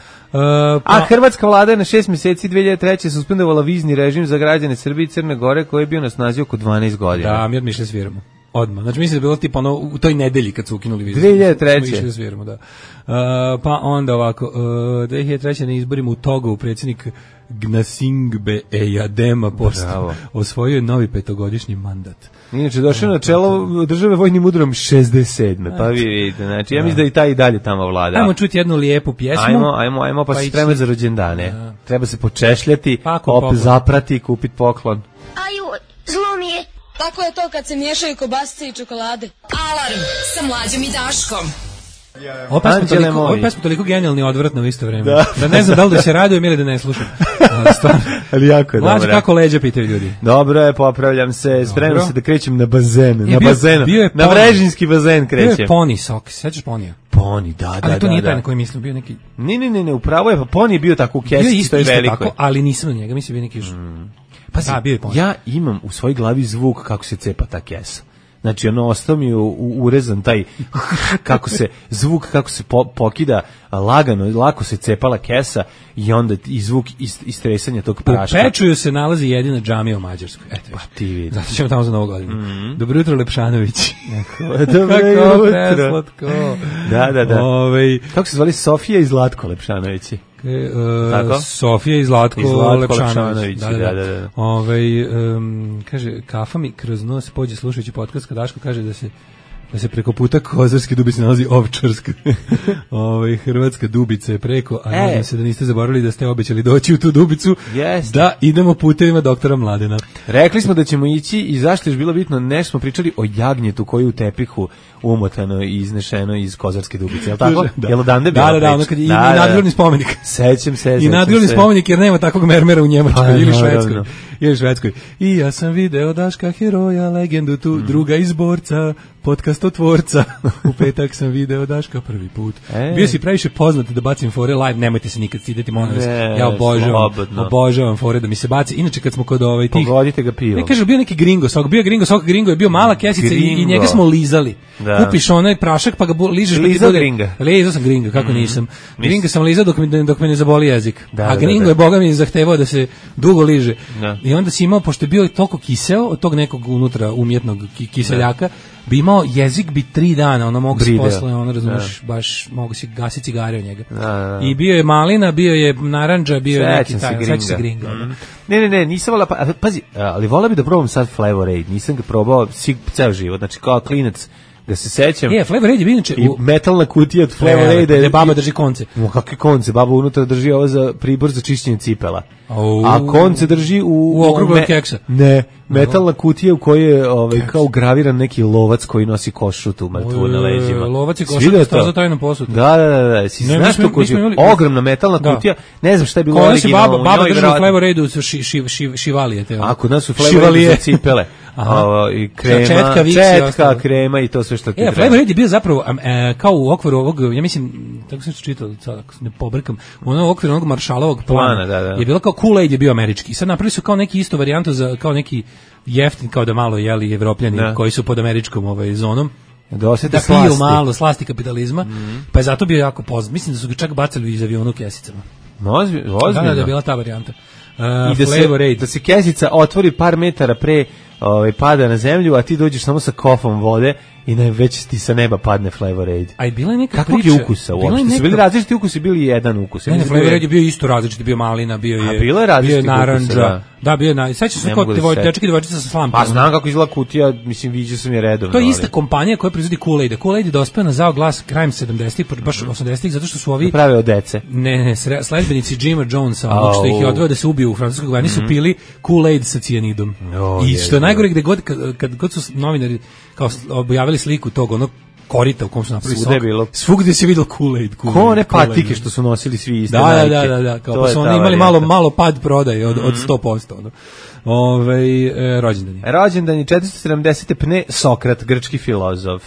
A hrvatska vlada je na 6 mjeseci 2003. suspendovala vizni režim za građane Srbije i Crne Gore koji je bio na snazi oko 12 godina.
Da, mi odmišljali sviramo. Odmah. Znači mislim da je bilo tipa ono u toj nedelji kad su ukinuli vizu.
2003.
Sviramo, da. Pa onda ovako, 2003. na izborima u Togo predsjednik Gnasingbe Eyadema osvojio novi 5-godišnji mandat.
Inače, došao na čelo države vojnim udarom 67. Pa vi vidite, znači, ja mislim da i taj i dalje tamo vlada.
Ajmo čuti jednu lijepu pjesmu.
Ajmo, pa se spremati za rođendane. Treba se počešljati, zaprati i kupiti poklon.
Aju, zlo mi je.
Tako je to kad se miješaju kobasice i čokolade.
Alarm sa Mlađom i Daškom.
Ova pesma toliko genijalni i odvratna u isto vreme. Da ne znam da se radujem ili da ne slušam.
Ali jako je dobro.
Mlađe, kako leđa, pitaju ljudi.
Dobro je, popravljam se, spremam se da krećem na bazen. Na Vrežinski bazen krećem.
Bio je Pony sok, sećaš Ponija?
Pony, da.
Ali to nije taj na koji mislim, bio neki...
Ne, upravo je, pa Pony je bio tako u kesici, to je veliko. Tako,
ali nisam na njega, mislim bio neki...
Pazi, ja imam u svojoj glavi zvuk kako se cepa ta kesa. Znači, ostao mi je urezan taj zvuk kako se pokida lagano, lako se cepala kesa i onda i zvuk istresanja tog praška.
U Pečuju se nalazi jedina džamija u Mađarskoj. Eto,
pa ti vidi.
Zato ćemo tamo za Novu godinu. Dobro jutro, Lepšanović.
Dobro jutro. Da.
Kako
se zvali Sofija i Zlatko Lepšanovići?
Sofija i Zlatko Lepšanović.
Da.
Kaže, kafa mi kroz nos pođe slušajući podcast kad Daško kaže da se preko puta Kozarske Dubice nalazi Ovčarska. Hrvatska Dubica je preko, a nadam se da niste zaboravili da ste obećali doći u tu Dubicu, da idemo putevima doktora Mladena.
Rekli smo da ćemo ići i zašto je bilo bitno, nešto smo pričali o jagnjetu koji u tepihu umotano i iznešeno iz Kozarske Dubice, je li tako? Jel odande bila priča?
Da, ono kad i nadgrobni spomenik.
Sećam se.
I nadgrobni spomenik jer nema takvog mermera u Njemačkoj ili Švedskoj. I ja sam video Daška heroja, legendu tu, druga izborca, podcastotvorca. U petak sam video Daška prvi put. Bio si previše poznat da bacim fore live, nemojte se nikad stideti, molim vas. Ja obožavam fore da mi se baci. Inače kad smo kod tih...
Pogodite ga pivom.
Ne kaže, bio neki gringo sok, gringo je bio mala kesica i njega smo lizali. Kupiš onaj prašak pa ga ližeš.
Lizao gringa.
Lizao sam gringa, kako nisam. Gringa sam lizao dok me ne zaboli jezik. A gringo je, boga mi, zahtevao da se dugo liže. I onda si imao, pošto je bio toliko kiseo od tog nekog unutra umjetnog kiseljaka, bi imao jezik bi 3 dana, mogu se posle, razumiješ, baš mogu si gasiti cigare od njega. I bio je malina, bio je narandža, bio je neki taj, sad će se gringa.
Ne, nisam volao, pazi, ali volao bi da probam sad Flavor Aid, nisam ga probao ceo život, znači kao klinac, da se sećam.
Flavor Aid je bio inače...
I metalna kutija od Flavor Aida.
Gde baba drži konce.
Kakve konce? Baba unutra drži ovo za pribor za čišćenje cipela. A konce drži u
okrugu od keksa.
Ne, metalna kutija u kojoj je kao graviran neki lovac koji nosi košutu mrtvu na leđima.
Lovac i košutu sto za tajnom posudu.
Da. Si znaš to kutija? Ogromna metalna kutija. Ne znam šta je bilo originalno.
Baba drži u Flavor Aidu šivalije.
A kod nas su Flavor Aidu za cipele. I četka, krema i to sve što ti treba.
Flavor Aid je bio zapravo kao u okviru ovog, ja mislim, tako sam čitao, ako ne pobrkam, u okviru onog Marshallovog plana je bilo kao Kool-Aid je bio američki. I sad napravili su kao neki isto varijantu za kao neki jeftin, kao da malo jeli Evropljani koji su pod američkom zonom. Da piju malo slasti kapitalizma, pa je zato bio jako poznat. Mislim da su ga čak bacali iz aviona u kesicama.
Ozbiljno?
Da je bila ta varijanta.
I da se kesica otvori par metara pre pada na zemlju, a ti dođeš samo sa kofom vode i već ti sa neba padne Flavor Aid.
A i bila je neka
kakvog priča. Kakvog je ukusa uopšte? Su bili različiti ukusi, bili jedan ukus.
Ne, Flavor Aid je bio isto različiti, bio malina, bio je narandža. Da, bio je sećaš se kao dečki i devojčica sa slampom.
Pa znam kako izgleda kutija, mislim, viđao sam je redovno.
To je ista kompanija koja proizvodi Kool-Aid. Kool-Aid je dospeo na zao glas krajem 70-ih, baš 80-ih, zato što su ovi...
Prave od dece.
Ne, sledbenici Jima Jonesa, onog što ih je odveo da se ubiju u francuskoj vojni, su pili Kool-Aid sa cijanidom. I što je najgore, gde kad god su novinari kao objavili sliku tog onog korita u kom su napravili sok. Svugdje se vidio Kool-Aid.
Ko one patike što su nosili svi iste
Nike. Da. Kao pa su oni imali malo pad prodaje od 100%. Rođendani.
Rođendani 470. Pne Sokrat, grčki filozof.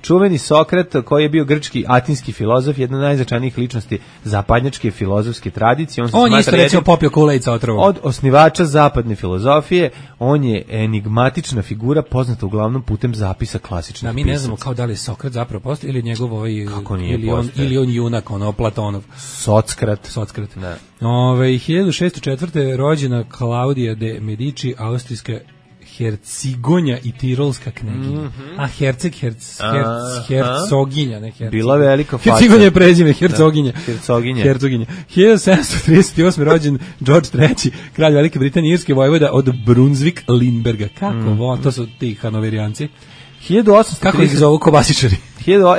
Čuveni Sokrat koji je bio grčki atinski filozof, jedna od najznačajnijih ličnosti zapadnjačke filozofske tradicije.
On je isto recimo popio Kool-Aid sa otrovom.
Od osnivača zapadne filozofije, on je enigmatična figura poznata uglavnom putem zapisa klasičnih pisaca.
Mi ne znamo kao da li je Sokrat zapravo postoji ili njegov ili on junak, Platonov.
Sockrat.
Da. 1604. rođena Klaudija de Medici, austrijska hercigonja i tirolska kneginja. A hercoginja, ne herceg.
Bila velika faca.
Hercigonja je prezime, hercoginja.
Hercoginja.
1738. rođen George III, kralj Velike Britanije, irske vojvoda od Brunswick-Lindberga. Kako to su ti hanoverijanci. Kako ih zovu kobasičari?
To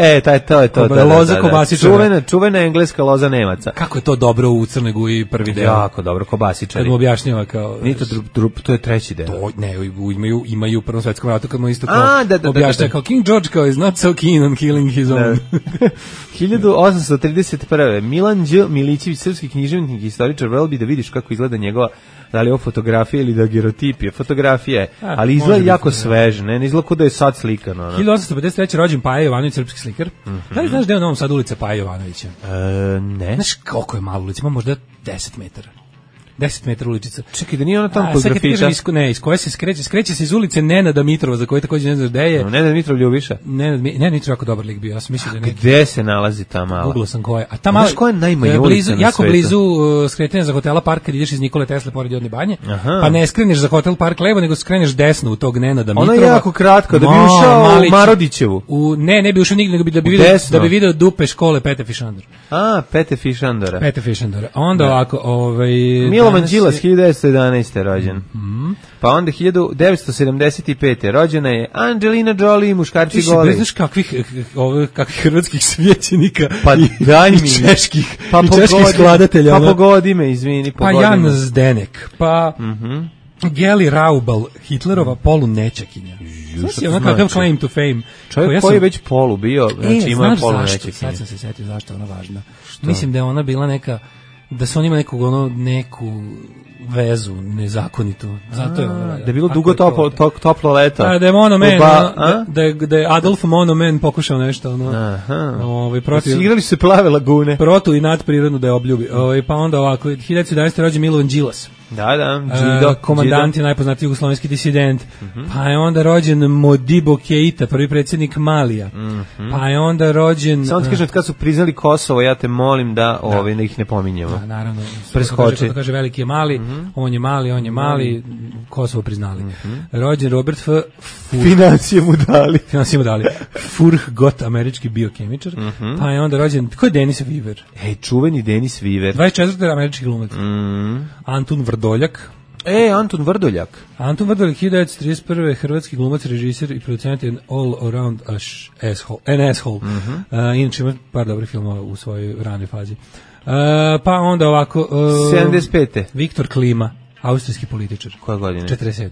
je to.
Loza kobasičara.
Čuvena engleska loza Nemaca.
Kako je to dobro u Crnoj Guji prvi deo?
Jako dobro, kobasičari.
Kad mu objašnjava kao...
Nije to je treći deo.
Imaju u Prvom svetskom ratu kad mu isto kao objašnjava kao King George kao is not so keen on killing his own.
1831. Milan Đ. Milićević, srpski književnik i istoričar, vrelo bi da vidiš kako izgleda njegova, da li je ovo fotografija ili dagerotipija. Fotografija je, ali izgleda jako sveže, ne izgleda kao da je sad slikano.
1853. rođen Paja Jovanović, srpski slikar. Da li znaš da je u Novom Sadu ulica Paja Jovanovića?
Ne.
Znaš koliko je malo ulica? Ima možda 10 metara. 10 metara uličica.
Čekaj, da nije ona tamo kod grafita?
Iz koje se skreće se iz ulice Nenada Mitrova, za koji takođe ne znaš gde je.
Nenad Mitrov Ljubiša?
Nenad Mitrov jako dobar lik bio, ja sam mislio da je neki.
Gde se nalazi ta mala?
Googlao sam koja. A ta mala,
znaš koja je najmanja ulica na svetu?
Jako blizu skretanja za hotela Park, kad ideš iz Nikole Tesle pored Jodne banje, pa ne skreneš za hotel Park levo, nego skreneš desno u tog Nenada Mitrova.
Ona je jako kratka, da bi ušao u Marodićevu.
Ne bi ušao nigde, nego da bi video dupe škole Pete Fišandor.
Pete Fišandora.
Pete Fišandora. Onda ovako,
Milovan Đilas 1911. rođen. Pa onda 1975. rođena je Angelina Jolie, muškarci goli.
Ti znaš kakvih hrvatskih svećenika
i
čeških skladatelja.
Pa pogodi me, izvini.
Pa Jan Zdenek, pa Geli Raubal, Hitlerova polunečakinja. Znaš je ona kakav claim to fame.
Čovjek koji je već polu bio, znači ima je polunečakinja.
Sad sam se setio zašto je ona važna. Mislim da je ona bila neka, da su on ima neku vezu nezakonitu. Zato je
da je bilo dugo toplo leto.
Da je Monoman, da je Adolf Monoman pokušao nešto protiv.
Igrali su se Plave lagune.
Protu i nadprirodno da je obljubi. Pa onda ovako 1911. rođen Milovan Đilas.
Da,
komandant je najpoznatiji jugoslovenski disident. Pa je onda rođen Modibo Keita, prvi predsjednik Malija. Pa je onda rođen...
Samo ti kažem, kad su priznali Kosovo, ja te molim da ih ne pominjemo.
Da, naravno.
Preskoči.
Kad kaže veliki je Mali, on je mali, Kosovo priznali. Rođen Robert F.
Financije mu dali.
Furhgott, američki biokemičar. Pa je onda rođen... Ko je Denis Weaver?
Čuveni Denis Weaver.
24. američki glumac. Antun Vrdoljak.
Anton Vrdoljak.
Anton Vrdoljak, 1931. hrvatski glumac, režiser i producent je All Around an Asshole. Inače ima par dobrih filmova u svojoj ranoj fazi. Pa onda ovako...
75.
Viktor Klima, austrijski političar.
Koje godine?
47.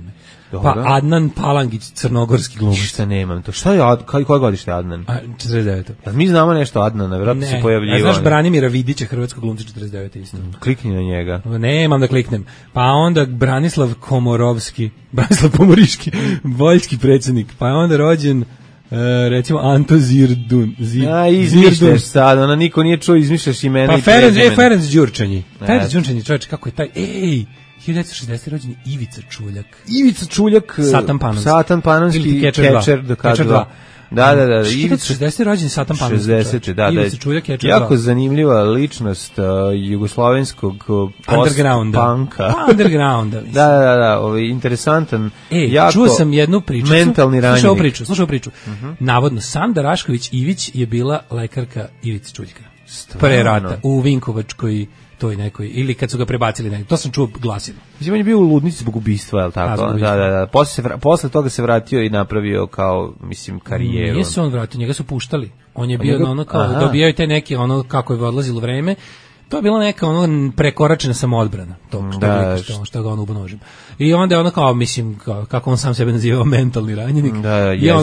Dobro. Pa Adnan Palangić, crnogorski glumac.
Šta nemam to. Šta je koje godište Adnan?
49.
Mi znamo nešto Adnana, vjerojatno se pojavljivao.
Znaš Branimira Vidića, hrvatskog glumca, 49. isto.
Klikni na njega.
Nemam da kliknem. Pa onda Branislav Pomoriški, voljski predsjednik. Pa je onda rođen recimo Anto Zirdun.
Izmišljaš sad, ona niko nije čuo, izmišljaš imena i
prezimena. Ferenc Đurčanji. Ferenc Đurčanji, čovječ, kako je taj... 1960. rođen Ivica Čuljak.
Satan Panonski, Catcher do K2. Da.
1960. rođen Satan Panonski.
60. Da.
Ivica Čuljak, Catcher 2.
Jako zanimljiva ličnost jugoslovenskog post-punka.
Undergrounda.
Da, interesantan.
Čuo sam jednu priču.
Mentalni ranjenik.
Slušao priču. Navodno, Sanda Rašković Ivić je bila lekarka Ivice Čuljka. Pre rata. U Vinkovačkoj toj nekoj, ili kad su ga prebacili nekoj, to sam čuo glasinu.
Mislim, on je bio u ludnici zbog ubistva, je li tako? Da. Posle toga se vratio i napravio kao, karijeru.
Nije se on vratio, njega su puštali. On je bio dobijao te neke, kako je odlazilo vreme, to je bila neka prekoračena samoodbrana, što ga on ubonožim. I onda je kako on sam sebe nazivao mentalni ranjenik.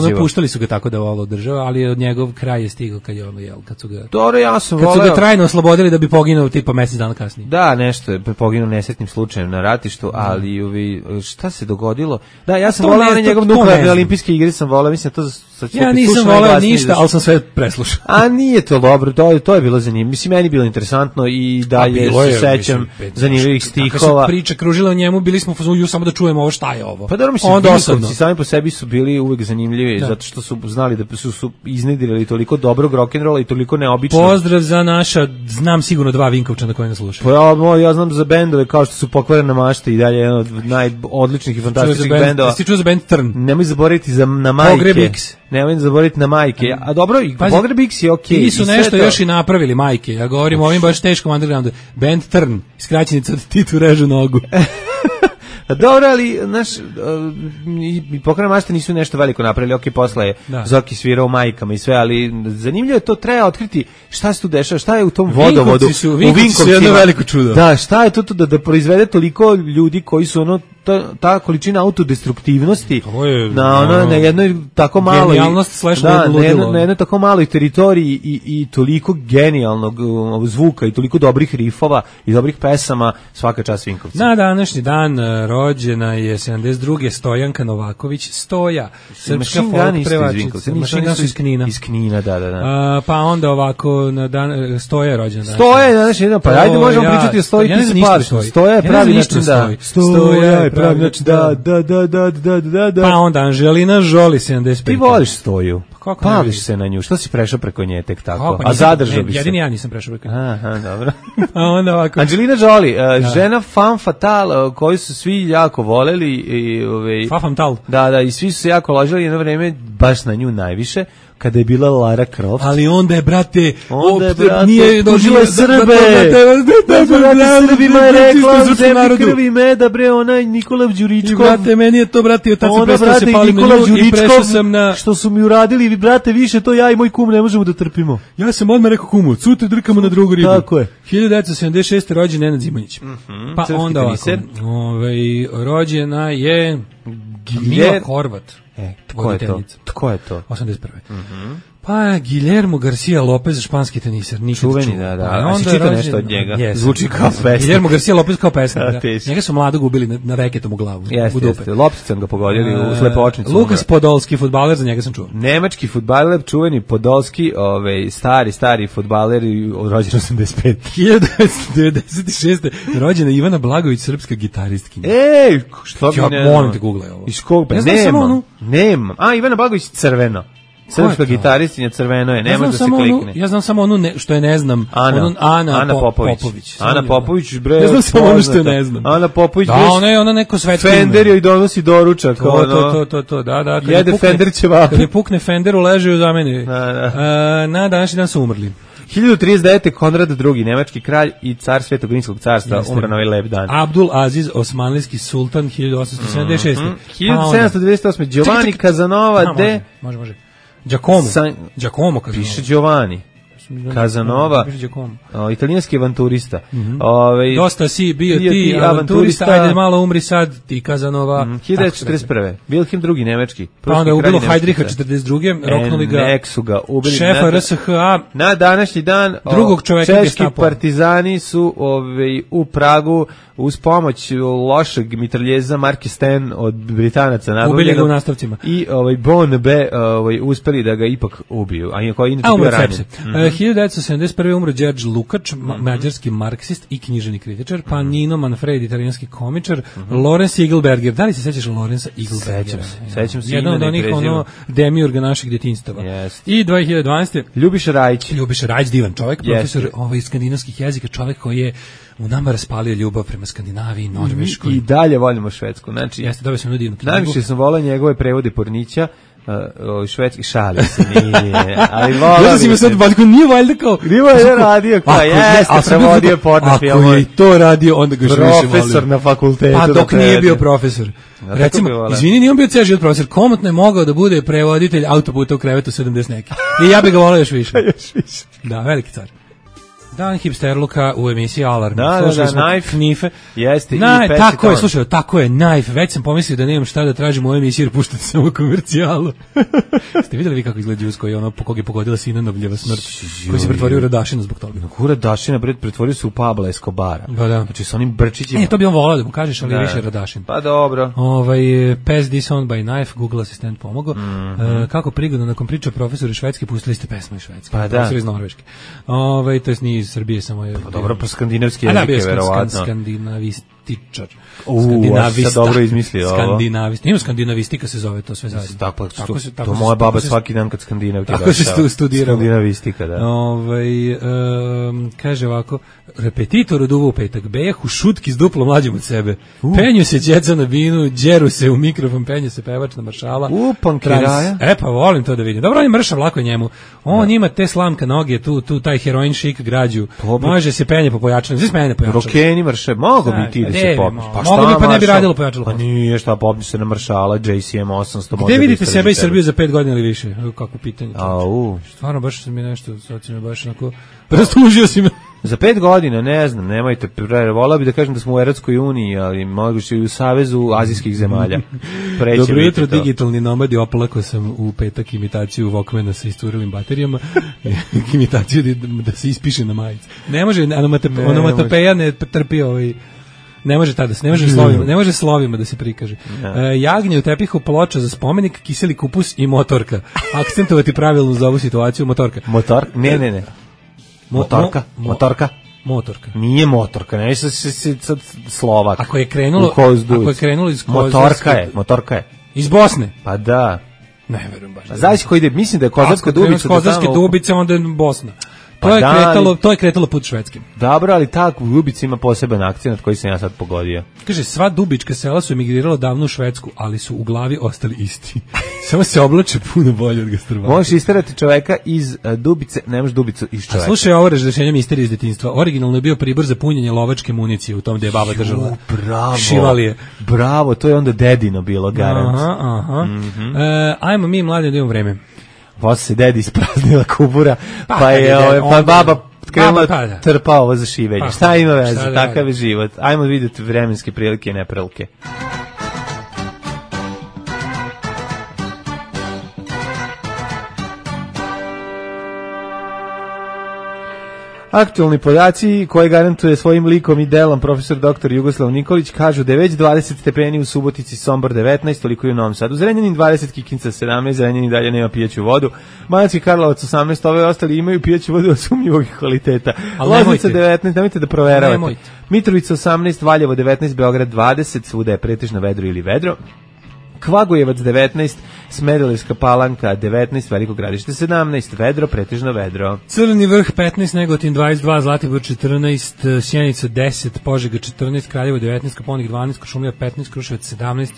I puštali su ga tako da ovo država, ali od njegov kraj je stigao kad je kad su ga...
Dobro, ja sam
kad su ga trajno oslobodili da bi poginuo tipa mjesec dana kasnije.
Da, nešto je poginuo nesretnim slučajem na ratištu, ali šta se dogodilo? Da, ja sam volao na njegov nuklearne olimpijske igre, sam volao, mislim to...
Ja nisam volao ništa, ali sam sve preslušao.
A nije to dobro, to je bilo zanimljivo. Mislim, meni bilo interesantno i dalje se sećam zanimljivih stihova.
Kako se priča kružila o njemu, bili smo samo da čujemo ovo šta je ovo.
Pa dobro, mislim, Vinkovci sami po sebi su bili uvijek zanimljivi, zato što su znali da su iznedrili toliko dobrog rock'n'rolla i toliko neobično.
Pozdrav za naša, znam sigurno 2 Vinkovčana koji nas slušaju.
Pa ja znam za bendove kao što su Pokvarena mašta i dalje jedan od najodličnih i fantastičnih bendova.
Jesi čuo za band Trn?
Nemoj zaboraviti na majke. Nemoj zaboraviti na majke. A dobro, i Pogreb X je okej.
Ti su nešto još i napravili majke. Ja govorim o ovim baš teškom undergroundu. Band Trn, skraćenica od Titu režu nogu.
Dobro, ali, znaš, i Pokorna mašta nisu nešto veliko napravili, ok, posle je Zoki svirao majkama i sve, ali zanimljivo je to, treba otkriti šta se tu dešava, šta je u tom vodovodu.
U Vinkovci su jedno veliko čudo.
Da, šta je to da proizvede toliko ljudi koji su ono, ta količina autodestruktivnosti na jednoj tako maloj
genijalnost
na jednoj tako maloj teritoriji i toliko genijalnog zvuka i toliko dobrih rifova i dobrih pesama, svaka čast Vinkovci.
Na današnji dan rođena je 72. Stojanka Novaković, Stoja, srpska folk prevačica. Mašina su iz Knina.
Iz Knina, da.
Pa onda ovako na dan Stoja je rođena.
Stoja je današnji dan, pa ajde možemo pričati o Stoji. Stoja je pravi način da. Stoja je pravi način da.
Pa onda Anželina Jolie, 75.
Ti voliš Stoju. Pališ se na nju. Što si prešao preko nje tek tako?
A
zadržao bi se.
Jedini ja nisam prešao preko nje.
Aha, dobro.
A onda ovako.
Angelina Jolie, žena femme fatale, koju su svi jako voleli.
Femme fatale.
Da, i svi su se jako ložili jedno vreme, baš na nju najviše, kada je bila Lara Croft.
Ali onda je, brate,
nije dožila Srbe. Srbima je rekla, zemlji krvi meda, bre, onaj Nikola Đuričkov.
I, brate, meni je to, brate, tad sam prestao se palim na nju i prešao sam na...
Što su mi uradili, vi, brate, više to ja i moj kum ne možemo da trpimo.
Ja sam odmah rekao kumu, cutre drkamo na drugu ribu.
Tako je.
1976. rođen Nenad Zimonjić. Pa onda ovako, rođena je Mila Horvat.
Tko je to?
81. Pa Guillermo Garcia Lopez, španski teniser, nikad
čuveni, da. A si čitao nešto od njega? Zvuči kao pesnik.
Guillermo Garcia Lopez kao pesnik, da. Njega su mladog ubili na reketom u glavu.
Jeste, lopticom ga pogodili u slepočnicu.
Lukas Podolski, fudbaler, za njega sam čuo.
Nemački fudbaler, čuveni Podolski, stari fudbaler, rođen 85.
1996. rođena Ivana Blagović, srpska gitaristkinja.
Ej, što mi ne...
Molim te, googlaj ovo.
Iz kog? Nema. A, Ivana Blagović, crveno. Srpska gitaristinja, crveno je, ne može da se klikne.
Ja znam samo onu što je ne znam. Ana Popović.
Ana Popović, bre.
Ja znam samo ono što je ne znam.
Ana Popović.
Da, ona neko svetsko.
Fender joj donosi doručak.
To, da.
Jede Fender ćevape.
Kad je pukne Fender, uleže za mene. Na današnji dan su umrli.
1039. Konrad II, nemački kralj i car Svetog Rimskog carstva, umro na ovaj lep dan.
Abdul Aziz, osmanlijski sultan, 1876.
1798. Giovanni Casanova de...
Može. Giacomo Casanova.
Piše Giovanni Casanova, italijanski avanturista.
Dosta si bio ti avanturista, ajde malo umri sad ti Casanova.
1941. Wilhelm II, nemački.
Pa onda je ubilo Heidricha 42. Roknuli ga, šefa RSHA.
Na današnji dan
drugog čoveka
češki partizani su u Pragu uz pomoć lošeg mitraljeza Marke Sten od Britanaca
ubili ga u nastavcima.
I Bon B uspeli da ga ipak ubiju. A inače bio ranjen.
1971. umro Đerđ Lukač, mađarski marksist i književni kritičar, pa Nino Manfredi, italijanski komičar, Lorenz Igelberger. Da li se sećaš Lorenza Igelbergera?
Sećam se.
Jedan od onih demiurga naših djetinjstava. I 2012.
Ljubiša
Rajić, divan čovjek, profesor skandinavskih jezika, čovjek koji je u nama raspalio ljubav prema Skandinaviji, Norveškoj.
I dalje volimo Švedsku. Znači,
jeste, dobio sam divnu knjigu.
Najviše sam volao njegove prevode Pornića, švedski, šalio se, nije, ali vola...
Ja sam sad batko, nije valjda kao...
Nije valjda radio, kao jeste, prevodio porno film.
Ako je to radio, onda ga još više volio.
Profesor na fakultetu.
Pa dok nije bio profesor. Recimo, izvini, nije on bio ceo život profesor, komotno je mogao da bude prevoditelj autoputa u krevetu 70 neki. I ja bih ga volio još više. Da, veliki car. Dan hipsterluka u emisiji Alarm.
Da, Knife. Jeste, i
tako je, slušaj, tako je, Knife. Već sam pomislio da nemam šta da tražim u ovoj emisiji jer puštate samo komercijalu. Ste vidjeli vi kako izgleda Đus koji je ono po kog je pogodila Sinanovljeva smrt, koji se pretvorio u Radašina zbog toga.
Radašina, pretvorio se u Pabla Escobara.
Da.
Znači sa onim brčićima.
To bi on volao da mu kažeš, ali više Radašin.
Pa dobro.
Pass This On by Knife, Google asistent pomogao. Kako prigodno, nakon priča profesori švedski, pustili ste pesmu iz Švedske. Profesori iz Norveške. To je iz Srbije samo je.
Pa dobro, skandinavski jezik je verovatno.
Skandinavističar.
Skandinavista. Dobro izmislio ovo.
Skandinavista. Ima skandinavistika se zove to sve zajedno.
Tako to moja baba svaki dan kad Skandinavke.
Tako se studira.
Skandinavistika, da.
Kaže ovako, repetitor od uvo petak, bejah u šutki s duplo mlađim od sebe. Penju se djeca na binu, džeru se u mikrofon, penju se pevač na maršala.
Pankiraja.
Pa volim to da vidim. Dobro, on je mršav, lako njemu. On ima te slamka noge, tu taj heroin šik građu. Može se penje po pojačanju. Zis mene pojačanju.
Rokeni mrše, mogo bi ti da se popneš.
Pa šta mogu bi, pa ne bi radilo pojačalo.
Pa nije, šta popneš se na Maršala, JCM 800.
Gde vidite sebe i Srbiju za 5 godina ili više? Kako pitanje.
Stvarno,
baš mi nešto, sad si me baš onako, rastužio si me.
Za 5 godina, ne znam, nemojte, volao bi da kažem da smo u Evropskoj uniji, ali moguće i u Savezu azijskih zemalja.
Dobro jutro, digitalni nomadi, opalako sam u petak imitaciju Walkmana sa isturelim baterijama, imitaciju da se ispiše na majici. Ne može, onomatopeja ne trpi ne može slovima da se prikaže. Jagnje u tepihu, ploča za spomenik, kiseli kupus i motorka. Akcentovati pravilno za ovu situaciju, motorka.
Ne. Motorka. Nije motorka, ne sad Slovak.
Ako je krenulo iz
Motorka je.
Iz Bosne?
Pa da.
Ne verujem baš.
Znaš ko ide, mislim da je Kozarska Dubica.
Kozarske Dubice, onda je Bosna. To je kretalo put švedskim.
Dobro, ali ta Dubica ima poseban akcent koji sam ja sad pogodio.
Kaže, sva dubička sela su emigrirala davno u Švedsku, ali su u glavi ostali isti. Samo se oblače puno bolje od Gastrobata.
Možeš isterati čoveka iz Dubice, ne možeš Dubicu iz čoveka.
A slušaj, ovo razrešenje misterije iz detinjstva. Originalno je bio pribor za punjenje lovačke municije u tom gde je baba držala šivalije.
Bravo, to je onda dedino bilo, garant.
Ajmo mi mladi da imamo vreme.
Posle se dedi ispraznila kubura, pa je baba krenula trpa ovo za šivenje. Šta ima veze, takav je život. Ajmo vidjeti vremenske prilike i neprilike. Aktualni podaci koje garantuje svojim likom i delom profesor dr. Jugoslav Nikolić kažu da je već 20 stepeni u Subotici, Sombor 19, toliko i u Novom Sadu. Zrenjanin 20, Kikinca 17, Zrenjanin dalje nema pijaću vodu. Banatski Karlovac 18, ove ostali imaju pijaću vodu od sumnjivog kvaliteta. Loznica 19, nemojte da proveravate. Mitrovica 18, Valjevo 19, Beograd 20, svuda je pretežno vedro ili vedro. Kvagojevac 19, Smederevska Palanka 19, Veliko Gradište 17, vedro, pretežno vedro.
Crni vrh 15, Negotin 22, Zlatibor 14, Sjenica 10, Požega 14, Kraljevo 19, Koponik 12, Kuršumlija 15, Kruševac 17,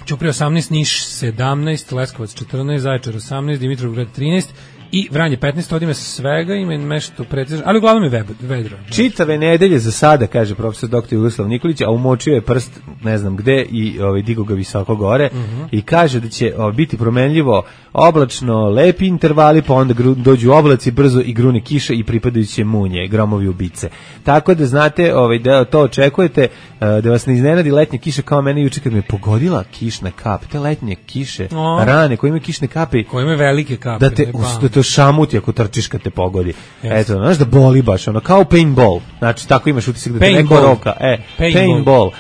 Ćuprija 18, Niš 17, Leskovac 14, Zaječar 18, Dimitrovgrad 13 i Vranje 15, od ime svega, ima nešto pretežno, ali uglavnom je vedro.
Čitave nedelje za sada, kaže profesor dr. Jugoslav Nikolić, a umočio je prst ne znam gde i digo ga visoko gore i kaže da će biti promenljivo, oblačno, lepi intervali, pa onda dođu oblaci brzo i grune kiše i pripadajuće munje, gromovi ubice. Tako da znate da to očekujete, da vas ne iznenadi letnja kiša kao mene juče kad me pogodila kišna kap. Te letnje kiše, rane koje imaju kišne kape,
koje imaju velike kape,
da te šamuti ako trčiš kad te pogodi. Eto, znaš da boli baš, kao paintball. Znači, tako imaš utisak da te neko roka. Paintball.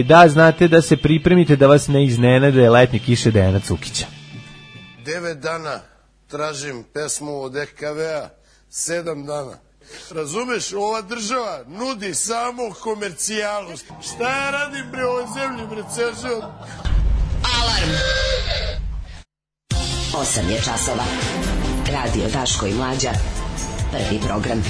Da, znate da se pripremite da vas ne iznenade letnje kiše Dejana Cukića.
9 dana tražim pesmu od EKV-a, 7 dana. Razumeš, ova država nudi samo komercijalu. Šta ja radim bre ovoj zemlji, bre, ceo život?
Alarm! 8 je časova. Radio Daško i Mlađa. Prvi program.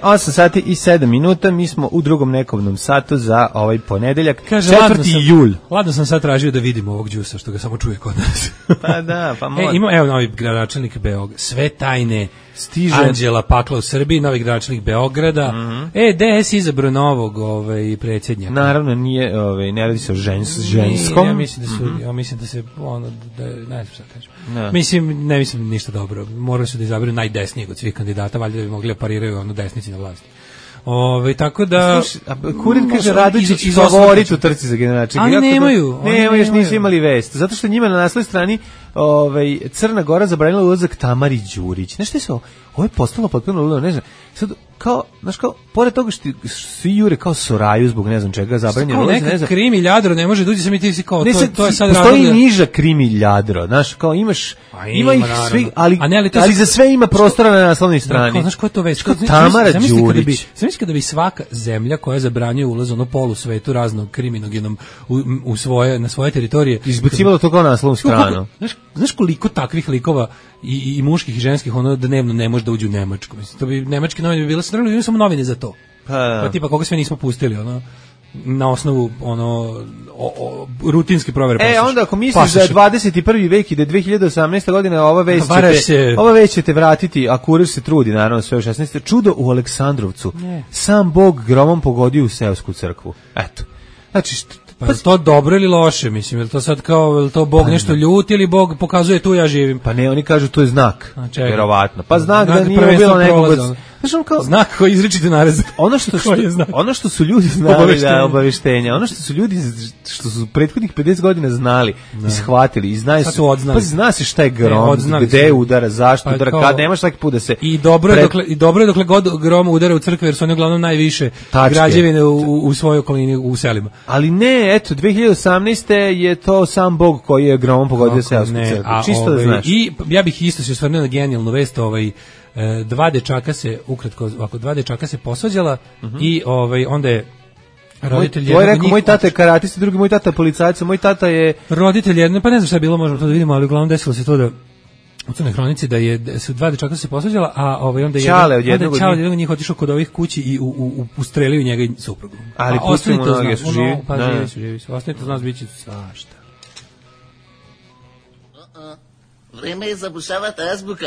8 sati i 7 minuta, mi smo u drugom nekovnom satu za ovaj ponedeljak, 4. jul.
Ladno sam sad tražio da vidimo ovog džusa, što ga samo čuje kod nas.
Pa da, pa može.
Ima, evo novi gradonačelnik Beograda, sve tajne, stiže Anđela Pakla u Srbiji, novi gradonačelnik Beograda. DS izabrao novog predsjednjaka.
Naravno, nije, ne radi se o ženskom.
Ja mislim da se ne znam šta kažem. Ne mislim ništa dobro. Morali su da izaberu najdesnijeg od svih kandidata, valjda da bi mogli pariraju desnici na vlasti. Tako da
Kurir kaže Radojičić favorit u trci za gradonačelnika.
Ali nemaju.
Još nisu imali vest. Zato što njima na naslovnoj strani Crna Gora zabranila ulazak Tamari Đurić. Znaš što je ovo? Ovo je postalo potpuno ludo, ne znam. Sad, pored toga što svi jure kao Soraju zbog ne znam čega zabranjeno ulaz, ne znam.
Krimi ljadro ne može da uđe, sam i ti si kao, to je sad
postoji niža krimi ljadro, znaš, kao imaš, ima ih svi, ali za sve ima prostora na naslovnoj strani.
Znaš ko je to već?
Tamara Đurić.
Zamisli kada bi svaka zemlja koja zabranjuje ulaz polu svetu raznog kriminogenom na svoje teritorije
izbacivala to kao naslovnu stranu.
Znaš koliko takvih likova i muških i ženskih dnevno ne može da uđe u Nemačku. Mislim, to bi nemačke novine bi bile srljali, imaju samo novine za to. Pa tipa koga sve nismo pustili, na osnovu rutinske provere posluša.
Onda ako misliš da je 21. vek i da je 2018. godina, ova već ćete vratiti, a kurir se trudi, naravno, sve u 16. Čudo u Aleksandrovcu. Sam Bog gromom pogodio u seosku crkvu. Eto. Znači,
pa to dobro ili loše, mislim, je li to sad kao, je li to Bog nešto ljuti ili Bog pokazuje tu ja živim?
Pa ne, oni kažu to je znak, vjerovatno. Pa znak da nije bilo nekog...
Znak koji izričite narez.
Ono što su ljudi znali da je obaveštenja, ono što su ljudi, što su prethodnih 50 godina znali i shvatili i znaju se, pa zna se šta je grom, gde udara, zašto udara, kad nemaš svaki put da se...
I dobro je dokle god grom udara u crkve, jer su oni uglavnom najviše građevine u svojoj okolini, u selima.
Ali ne, eto, 2018. je to sam Bog koji je gromom pogodio seosku crkvu. Čisto da znaš.
I ja bih isto se osvrnuo na genijalnu vest, dva dečaka se posvađala i onda je roditelj jednog
rekao, moj tata je karatista, drugi moj tata je policajac, moj tata je
roditelj jedne, pa ne znam šta je bilo, možemo to da vidimo, ali uglavnom desilo se to da u Crnoj hronici da su dva dečaka se posvađala, a onda je jednog od njih otišao kod ovih kući i ustrelio njega i suprugu.
Ali pustimo mnoge su živi.
Pa živi su. Ostanite uz nas, bit će svašta.
Vreme je zabušavati azbuka.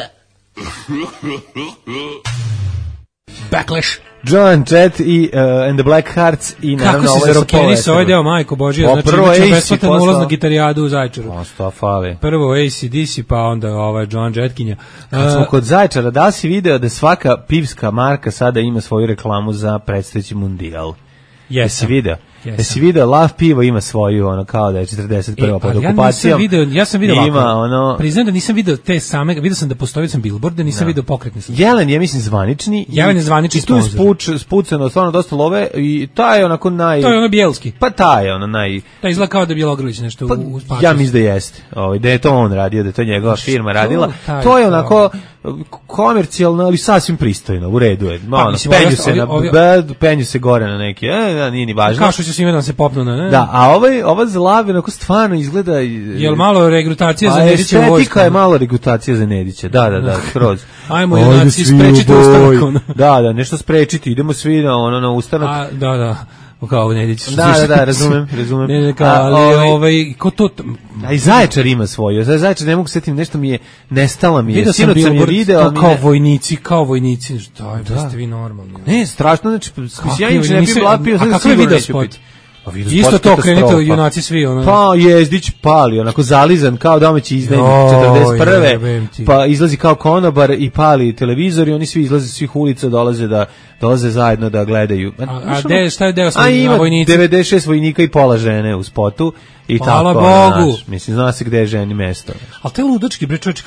Backlash.
John Jett i and the Black Hearts i naravno
ovo je Rokenis, ovaj deo, majko Božija, znači imaće besplatan ulaz na gitarijadu u Zaječaru. Prvo AC/DC, pa onda John Jettkinja.
Kad smo kod Zaječara, da si video da svaka pivska marka sada ima svoju reklamu za predstojeći mundijal? Jesi video? Jesi video, Lav pivo ima svoju, kao da je 41. pod okupacijom.
Ja sam video ovako. Priznam da nisam video te same, video sam da postoji billboard, da nisam video pokretni.
Jelen je, mislim, zvanični.
Jelen je zvanični
sponsor. I tu je spuceno, stvarno dosta love i taj je onako
To je ono bijelski.
Pa taj je ono naj...
Da izgleda kao da je Bjelogrlić nešto u spaču.
Ja mislim da jeste. Da je to on radio, da je to njegova firma radila. To je onako komercijalno, ali sasvim pristojno, u redu je. Penju se gore na neki, nije ni važno.
Kao što će svima da se popnu na, ne?
Da, a ova Zlav onako stvarno izgleda...
Jel malo regrutacija za Nedića vojskom?
Estetika je malo regrutacija za Nedića, da, skroz.
Ajmo junaci, sprečite ustanak.
Da, nešto sprečiti, idemo svi na ustanak.
Da. Kao Nedić.
Da, razumem.
Ali ko to...
A i Zaječar ima svoju. Zaječar ne mogu setim, nešto mi je, nestala mi je.
Vidio sam video, kao vojnici. Da ste vi normalni.
Ne, strašno, znači, ja im ne bi blapio,
a kako je video spot? Isto to, krenite junaci svi.
Pa Jezdić pali, onako zalizan kao domaći izdajnik 41. Pa izlazi kao konobar i pali televizor i oni svi izlaze s svih ulica, dolaze zajedno da gledaju.
Šta je deo
sa vojnici? 96 vojnika i pola žene u spotu. I
hvala
tako,
Bogu.
Mislim, zna se gde je ženi mesto.
Ali te ludački, bre čovječ,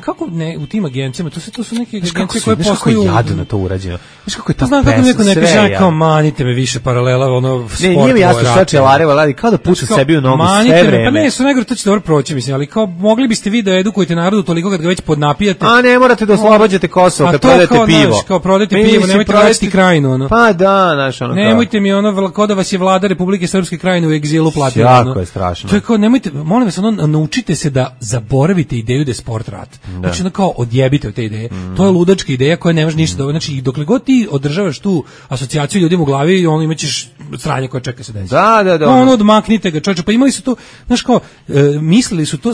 kako ne, u tim agencijama, to su neke agencije koje posluju...
Znaš kako je jadno to urađeno? Znaš kako je ta
pesma, sve je jadno. Kao manite me više paralela, sport.
Ne, nije mi jasno šta će Lareva radi, kao da puca sebi u nogu sve vreme.
Pa ne, su negro, to će dobro proći, mislim, ali kao mogli biste vi da edukujete narodu toliko kad ga već podnapijate.
A ne morate da oslobađate Kosovo kad prodajete pivo.
Kao prodajete pivo, nemojte vraćati Krajinu.
Pa da, znaš, ono kao.
Nemojte mi kao da vas je vlada Republike Srpske Krajine u egzilu platila.
Jako je strašno.
Nemojte, molim vas, naučite se da zaboravite ideju da je sport rat. Znači, kao odjebite od te ideje. To je ludačka ideja koja ne može ništa da... Znači, dokle god ti održavaš tu asocijaciju ljudima u glavi, imaćeš sranje koje čeka se desi.
Da.
Odmaknite ga, čovječe. Pa imali su to, znaš kao, mislili su to,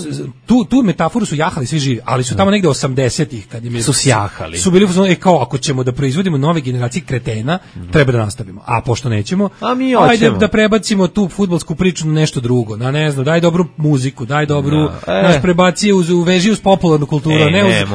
tu metaforu su jahali svi živi, ali su tamo negde 80-ih, kad im je...
Su sjahali.
Su bili, kao, ako ćemo da proizvodimo nove generacije kretena, treba da nastavimo. A pošto nećemo, ajde da prebacimo tu fudbalsku priču na nešto drugo. Ne znam, daj dobru muziku, daj dobru, prebacije u veži uz popularnu kulturu,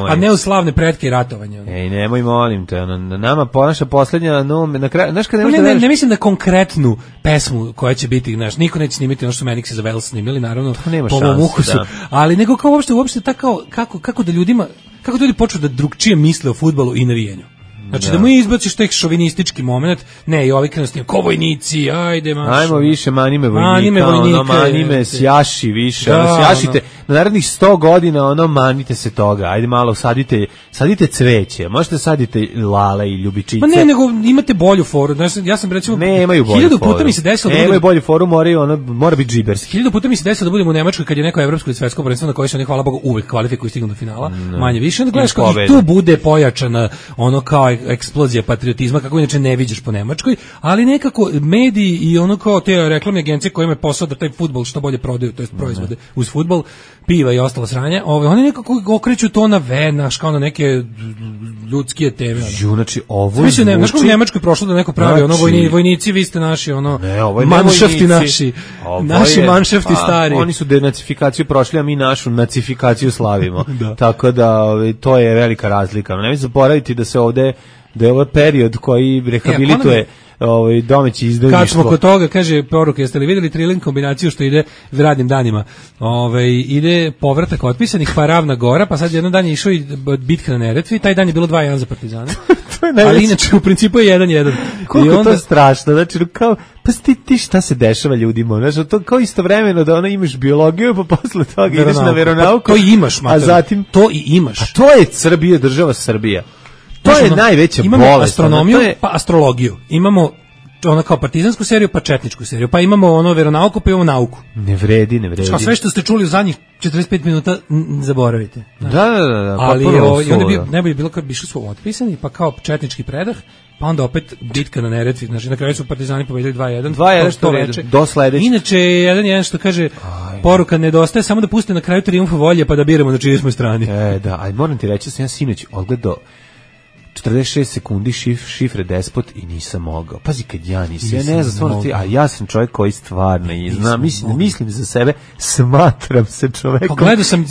a ne uz slavne pretke i ratovanja.
Nemoj, molim te, nama naša poslednja, na kraju, znaš kad
ne mislim da konkretnu pesmu koja će biti, znaš, niko neće snimiti ono što Meniksi za Vels snimili, naravno, po mom ukusu, ali nego kao uopšte tako, kako da ljudima, kako ljudi počnu da drugčije misle o fudbalu i navijenju. Znači da mu izbaciš tek šovinistički moment, ne, i ovi krenu s njim, ko vojnici, ajde mašo.
Ajmo više, manime vojnika, manime sjaši više, sjašite, na narednih 100 godina, manite se toga, ajde malo, sadite cveće, možete sadite lale i ljubičice.
Ma ne, nego imate bolju foru, znači, ja sam recimo,
nemaju bolju foru.
1000 puta mi se desilo
da bolju foru, mora biti džiberski.
1000 puta mi se desilo da budemo u Nemačkoj kad je neko evropsko ili svetsko prvenstvo na koje se oni, hvala Bogu, uvek kvalifikuju i stignu do finala, manje više, onda gledaš kao i tu bude pojačana, kao eksplozija patriotizma kako inače ne viđaš po Nemačkoj, ali nekako mediji i ono kao te reklamne agencije koje imaju posao da taj fudbal što bolje prodaju, to jest proizvode uz fudbal, piva i ostalo sranje, oni nekako okreću to na venaš kao na neke ljudske teme.
Znači ovo
je znaš kako u Nemačkoj prošlo da neko pravi ono vojnici, vi ste naši ono manšafti naši manšafti stari.
Oni su denacifikaciju prošli, a mi našu nacifikaciju slavimo. Tako da to je velika razlika. Ne zaboraviti da se ovde da je ovo period koji rehabilituje domaći izdajništvo.
Kad smo kod toga, kaže poruka, jeste li vidjeli Trilling kombinaciju što ide radnim danima? Ide povratak otpisanih, pa Ravna Gora, pa sad jedan dan je išao i bitka na Neretvi, taj dan je bilo 2-1 za Partizane. Ali inače u principu je 1-1.
Koliko onda... to strašno, znači kao, pa ti šta se dešava ljudima, znači to kao istovremeno da imaš biologiju, pa posle toga ideš na veronauku.
To i imaš,
a zatim
to i imaš.
A to je Srbija, država Srbija. To je najveća bolest.
Imamo astronomiju, pa astrologiju. Imamo ono kao partizansku seriju, pa četničku seriju. Pa imamo veronauku, pa imamo nauku.
Ne vredi.
Kao sve što ste čuli u zadnjih 45 minuta, zaboravite.
Da.
Ali onda bi najbolje bilo kad bi išli su otpisani, pa kao četnički predah, pa onda opet bitka na Neretvi. Znači, na kraju su Partizani pobedili 2-1.
2-1 što veče. Do sledeće.
Inače, 1-1 što kaže, poruka nedostaje, samo da puste na kraju trijumfa volje, pa da biramo na čijoj smo strani.
Da, ali moram ti reći, sam ja sinoć odgledao 46 sekundi šifre Despot i nisam mogao. Pazi kad ja nisam. Ja ne znam stvarno ti, a ja sam čovjek koji stvarno i znam, mislim za sebe, smatram se čovekom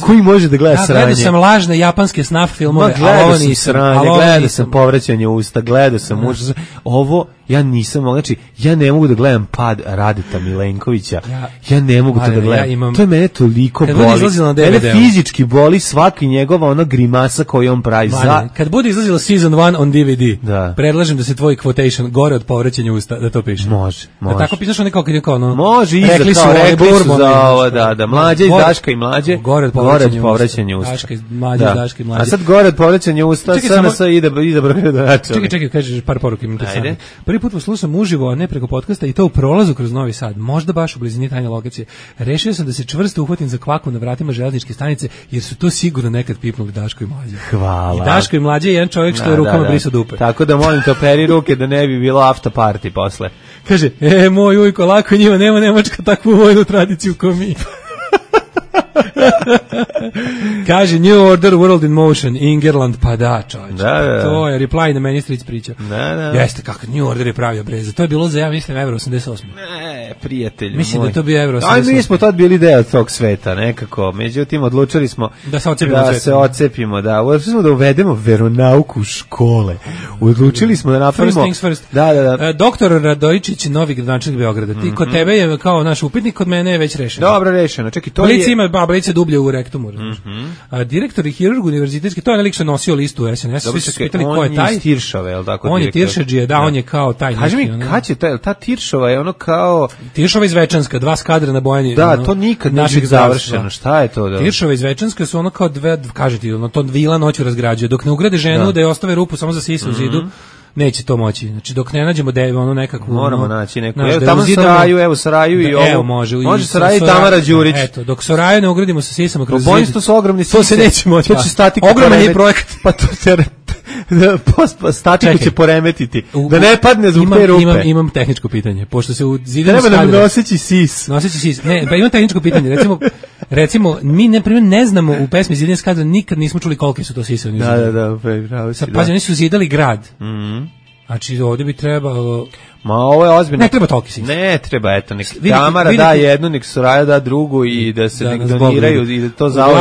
koji može da gleda sranje.
Gledao sam lažne japanske snaf filmove,
gledao sam sranje, gledao sam povraćanje usta, gledao sam užas. Ovo ja nisam mogao, znači ja ne mogu da gledam pad Radeta Milenkovića. Ja ne mogu to da gledam. To je mene toliko boli. Mene fizički boli svaki njegova grimasa koju on pravi.
Kad bude izlazila Season 1 on DVD, predlažem da se tvoj quotation gore od povraćanja usta, da to piše.
Može.
Da tako pisaš nekako kad je kao
može iza rekli su za ovo, da, mlađe iz Daška i mlađe, gore od povraćanja usta.
Daška i mlađe.
A sad gore od povraćanja usta, SNS ide gradonačelnik.
Čekaj, kažeš par poruka imam interesantno. Prvi put poslušam uživo, a ne preko podcasta i to u prolazu kroz Novi Sad, možda baš u blizini tajne lokacije. Rešio sam da se čvrsto uhvatim za kvaku na vratima železničke stanice, jer su to sigurno nekad pipnuli Daško i Mlađe.
Hvala.
I Daško i Mlađe je jedan čovjek što je rukama brisao dupe.
Tako da molim te operi ruke da ne bi bilo after party posle.
Kaže, moj ujko, lako njima, nema Nemačka takvu vojnu tradiciju kao mi. Kaže New Order World in Motion, Ingerland, pa da, čovječ. To je reply na meni stric priča. Jeste, kako New Order je pravio breza. To je bilo za, ja mislim, Euro 88.
Ne, prijatelju
mislim da to bi Euro 88.
Aj, mi smo tad bili deo tog sveta, nekako. Međutim, odlučili smo
da se
odcepimo. Odlučili smo da uvedemo veronauku u škole. Odlučili smo da napravimo...
First things first.
Da.
Doktor Radojičić, novi gradonačelnik Beograda. Ti kod tebe je kao naš upitnik, kod mene je već rešeno.
Dobro rešeno. Čekaj, to je...
Blice dublje u rektumu. Direktor i hirurg univerzitetski, to je lik što nosio listu u SNS. Svi su pitali ko je taj.
On je Tiršove, je li tako?
On je Tiršadžije, on je kao taj.
Kaži mi, kad će ta Tiršova je ono kao...
Tiršova iz Večanska, 2 skadra na Bojani.
Da, to nikad neće završeno. Šta je to?
Tiršova iz Večanska su ono kao kažete, to vila noću razgrađuje. Dok ne ugrade ženu da je ostave rupu samo za sisa u zidu, neće to moći. Znači dok ne nađemo nekakvu
moramo naći neku. Evo tamo Saraju i ovo.
Evo može
Saraju i Tamara Đurić.
Eto, dok Saraju ne ugradimo sa sisama kroz zid.
Bojstvo su ogromni sise.
To se neće moći.
To će stati.
Ogroman je projekat.
Pa to statiku će poremetiti. Da ne padne zbog te rupe.
Imam tehničko pitanje. Pošto se u zidanu
treba da mi noseći sis.
Ne, pa imam tehničko pitanje. Recimo, mi ne znamo u pesmi Zidanje skadra, nikad nismo čuli koliki su to sise.
Da, pravo si.
Pazi, oni su zidali grad. Znači, ovdje bi trebalo...
Ma ovo je ozbiljno.
Ne treba toliki sis.
Ne treba, eto, nek Tamara da jednu, nek Soraja da drugu i da se nek doniraju i da to zauvek,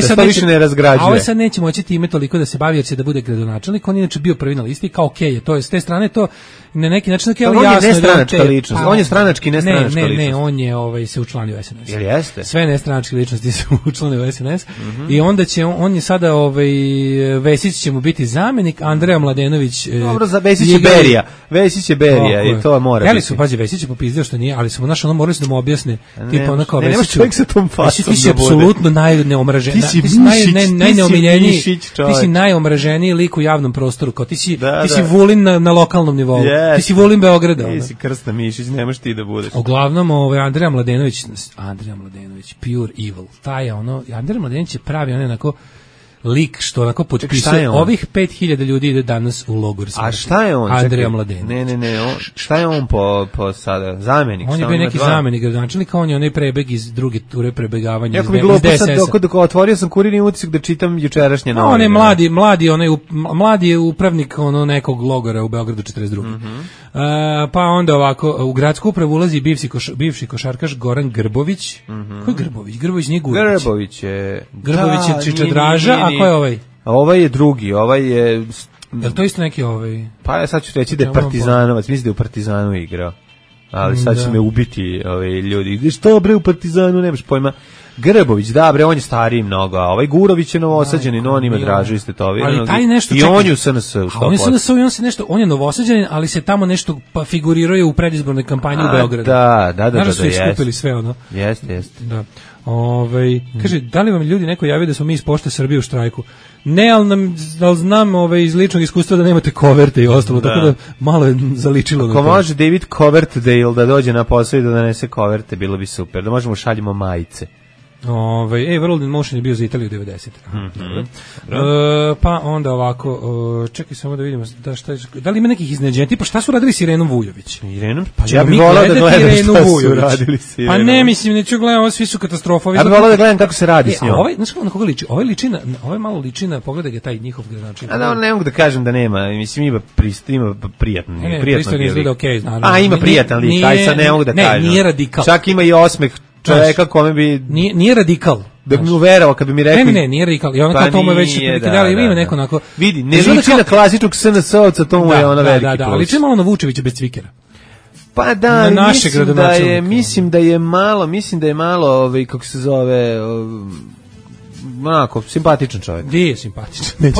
da to više ne razgrađuje.
A ovaj sad neće moći time toliko da se bavi jer će da bude gradonačelnik, on je inače bio prvi na listi, kao okej je, to je s te strane to na neki način tako je jasno.
On je nestranačka ličnost, on je stranački nestranačka ličnost.
Ne, on je se učlanio u SNS.
Jel jeste?
Sve nestranačke ličnosti se učlanio u SNS i onda će, on je sada, Vesić će mu biti zamenik, Andreja Mladenović...
Dobro, za Vesić je Berija. I to mora biti.
Jeli su, pazi, Vesić je popizdio što nije, ali smo morali su da mu objasne, tipa ono kao
Vesić. Čovjek sa tom fasom
ti si apsolutno najneomraženiji. Ti si najneomiljeniji. Ti si najomraženiji lik u javnom prostoru. Kao ti si Vulin na lokalnom nivou. Ti si Vulin Beograda.
Ti si Krsta Mišić, nemaš ti da budeš.
Uglavnom, Andreja Mladenović, pure evil. Taj je Andreja Mladenović je pravi onako lik što onako potpisuje ovih 5000 ljudi ide danas u logor.
A šta je on?
Andrija Mladenović.
Ne, šta je on po sada? Zamenik?
On je bio neki zamenik gradonačelnika, on je onaj prebeg iz druge ture prebegavanja iz
DSS-a. Dok otvorio sam Kurirni utisak da čitam jučerašnje novine.
On je mladi upravnik nekog logora u Beogradu 42. Pa onda ovako, u gradsku upravu ulazi bivši košarkaš Goran Grbović. Ko je Grbović? Grbović nije Gurbić. Grbović je Čičadraža, a ko je ovaj?
Ovaj je drugi, ovaj je...
Je li to isto neki ovaj?
Pa ja sad ću reći da je Partizanovac, mislim da je u Partizanu igrao. Ali sad će me ubiti ljudi. Što bre u Partizanu, nemaš pojma. Grbović, da bre, on je stariji mnogo, a ovaj Gurović je novosađanin, on ima Dražu i
ali taj nešto
i on je u SNS-u.
On je novosađanin, ali se tamo nešto figurirao u predizbornoj kampanji u Beogradu.
Da,
su iskupili sve ono.
Jeste.
Da. Kaže, da li vam ljudi neko javio da smo mi iz Pošte Srbije u štrajku? Ne, ali znam iz ličnog iskustva da nemate koverte i ostalo, tako da malo je zaličilo.
Ako može David Coverdale da dođe na posao i da donese koverte, bilo bi super, da možemo šaljimo majice.
World in Motion je bio za Italiju 90. Pa onda ovako, čekaj samo da vidimo da li ima nekih iznenađenja, tipa šta su radili s Irenom Vujović?
Pa ja bih volao da gledam šta su radili s
Irenom. Pa ne, mislim, neću gledam, svi su katastrofa.
Ja bih volao da gledam kako se radi s njom.
Znaš kako na koga liči? Ovaj malo liči na, pogledaj ga taj njihov gradonačelnik.
Ne mogu da kažem da nema, mislim ima prijatno.
Pristojno izgleda okej, naravno.
A ima prijatan lik, aj sad ne mogu da kažem.
Ne, nije radikal.
Čak ima i osmeh čoveka kome bi...
Nije radikal.
Da bi mu verovao kad bi mi rekli...
Ne, nije radikal. I ono kao to mu je već... Ima neko onako...
Vidi, ne liči na klasičnog SNS-ovca, to mu je ono veliki plus.
Da, ali liči malo na Vučevića bez cvikera.
Pa da, mislim da je malo, kako se zove... onako, simpatičan čovjek.
Gdje je simpatičan?